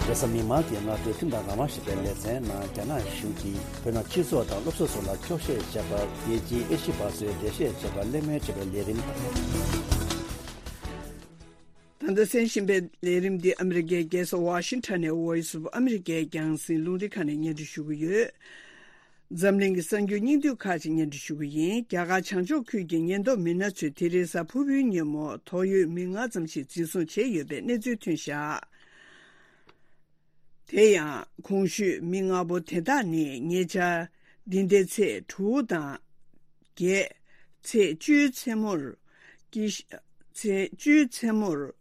རེས་གཟའ་མིག་དམར་གྱི་སྔ་དྲོའི་ཁྲིམས་དང་རང་དབང་ཞེས་པའི་ལེ་ཚན་ནང་། རྒྱ་ནག་གཞུང་གིས་བོད་ནང་སྤྱི་ཚོགས་དང་སློབ་གསོ་སོགས་ལ་འཁྱོག་བཤད་བྱས་པར། རྒྱལ་སྤྱིའི་ཨེ་ཤི་པ་ཚོས་འགྲེལ་བཤད་བྱས་པར་གླེང་མོལ་བྱས་པའི་ལས་རིམ་དང་། ད་ལྟ་གསན་བཞིན་པའི་ལས་རིམ་འདི་ཨ་མི་རི་ཀའི་རྒྱལ་ས་ཝ་ཤིང་ཊོན་ནས་Voice of America རྒྱང་སྲིང་རླུང་འཕྲིན་ཁང་ནས་སྙན་སྒྲོན་ཞུ་གི་ཡོད། འཛམ་གླིང་གི་གསར་འགྱུར་སྙིང་བསྡུས་ཁག་ཅིག་སྙན་སྒྲོན་ཞུ་གི་ཡིན། རྒྱ་གར་བྱང་ཕྱོགས་ཁུལ་གྱི་ཉེན་རྟོག་མི་སྣ་ཚོས་དེ་རིང་གཟའ་ཕུར་བུའི་ཉིན་མོ་ཐོག་ཡོད་མི་ལྔ་ཙམ་ཞིག་འཛིན་བཟུང་བྱས་ཡོད་པའི་གནས་ཚུལ་ཐོན་བཞག་དེ་ཡང་གོང་ཞུས་མི་ལྔ་པོ་དེ་དག་ནི་ཉེ་ཆར་འདི་ཟླའི་ཚེས་དྲུག་དང་བརྒྱད། ཚེས་བཅུའི་མཚན་མོར་ཀི་ཤ་ཚེས་བཅུའི་མཚན་མོར་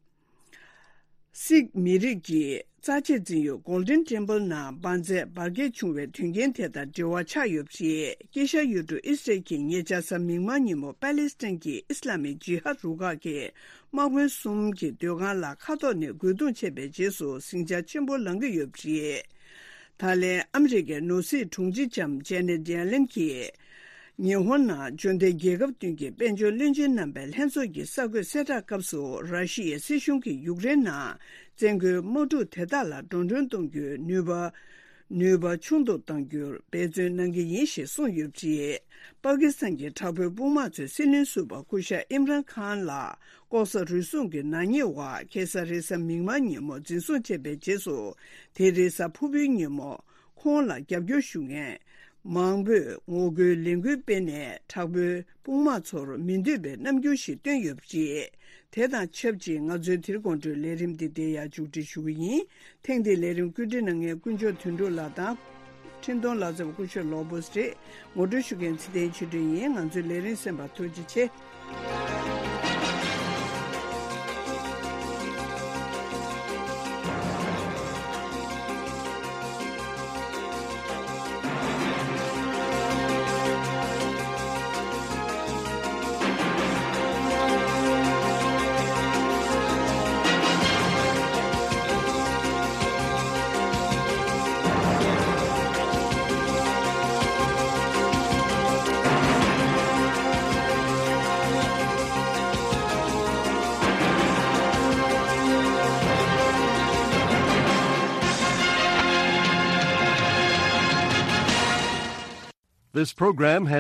སིག་མི་རིགས་ཀྱི་རྩ་ཆེ་འཛིན་ཡུལ་Golden Temple ནང་འབར་རྫས་འབར་གས་བྱུང་བའི་དོན་རྐྱེན་དེ་དང་འབྲེལ་བ་ཆགས་ཡོད་པ་རེད། དཀྱིལ་ཤར་ཡུལ་གྲུ་ཨི་སི་རལ་གྱིས་ཉེ་ཆར་གཟའ་མིག་དམར་ཉིན་མོ་པ་ལེ་སི་ཐན་གྱི་ཨི་སི་ལ་མིག་ཇི་ཧ་རུ་ཁག་གི་དམག་དཔོན་གསུམ་གྱི་སྡོད་ཁང་ལ་མཁའ་ཐོག་ནས་རྒོལ་རྡུང་བྱས་པའི་རྗེས་སུ་ཟིང་ཆ་ཆེན་པོ་ལངས་ཀྱི་ཡོད་པ་རེད། ད་ལན་ཨ་མི་རི་ཀའི་ནོར་སྲིད་དྲུང་ཆེ་ལྕམ་ཇེ་ནེ་ཌི་ཡ་ལེན་གྱིས་ཉི་ཧོང་ནང་འབྱོར་ལྡན་རྒྱལ་ཁབ་བདུན་གྱི་དཔལ་འབྱོར་བློན་ཆེན་རྣམ་པའི་ལྷན་ཚོགས་ཀྱི་གསར་འགོད་གསལ་བསྒྲགས་སྐབས་སུ། ར་ཤི་ཡའི་སྲིད་གཞུང་གིས་ཡུཀ་རེན་ནང་བཙན་རྒོལ་དམག་འཁྲུག་དེ་དག་ལ་འགྲོ་གྲོན་གཏོང་རྒྱུའི་ནུས་པ། ནུས་པ་ཆུང་དུ་གཏང་རྒྱུར་འབད་བརྩོན་གནང་གི་ཡིན་ཞེས་གསུངས་ཡོད་པ་རེད། པ་ཀི་སི་ཐན་གྱི་དྲག་པོའི་དཔུང་དམག་ཚོས་སྲིད་བློན་ཟུར་པ་སྐུ་ཞབས་ཨིམ་རན་ཁཱན་ལགས་ལྐོག་ཟ་རུལ་སུངས་ཀྱི་ནག་ཉེས་འོག་ཁ་སང་རེས་གཟའ་མིག་དམར་ཉིན་མོ་འཛིན་བཟུང་བྱས་པའི་རྗེས་སུ། དེ་རིང་གཟའ་ཕུར་བུའི་ཉིན་མོ་ཁོང་ལ་རྒྱབ་སྐྱོར་ཞུ་མཁན་མང་པོས་ངོ་རྒོལ་ལས་འགུལ་སྤེལ་ནས་དྲག་པོའི་དཔུང་དམག་ཚོར་མི་འདོད་པའི་རྣམ་འགྱུར་ཞིག་བསྟན་ཡོད་པ་རེད། དེ་དང་ཆབས་ཅིག་ང་ཚོའི་དེ་རིང་དགོང་དྲོའི་ལས་རིམ་འདི་འདིར་ཡང་མཇུག་སྒྲིལ་ཞུ་གི་ཡིན། ཐེངས་འདིའི་ལས་རིམ་བཀོད་སྒྲིག་གནང་མཁན་དཀོན་མཆོག་དོན་གྲུབ་ལགས་དང་། འཕྲིན་གཏོང་ལག་རྩལ་བ་སྐུ་ཞབས་ལོ་བོས་རེད། ངོ་སྤྲོད་ཞུ་མཁན་ཚེ་བརྟན་ཆོས་སྒྲོན་ཡིན། ང་ཚོའི་ལས་རིམ་གསན་པར་ཐུགས་རྗེ་ཆེ། This program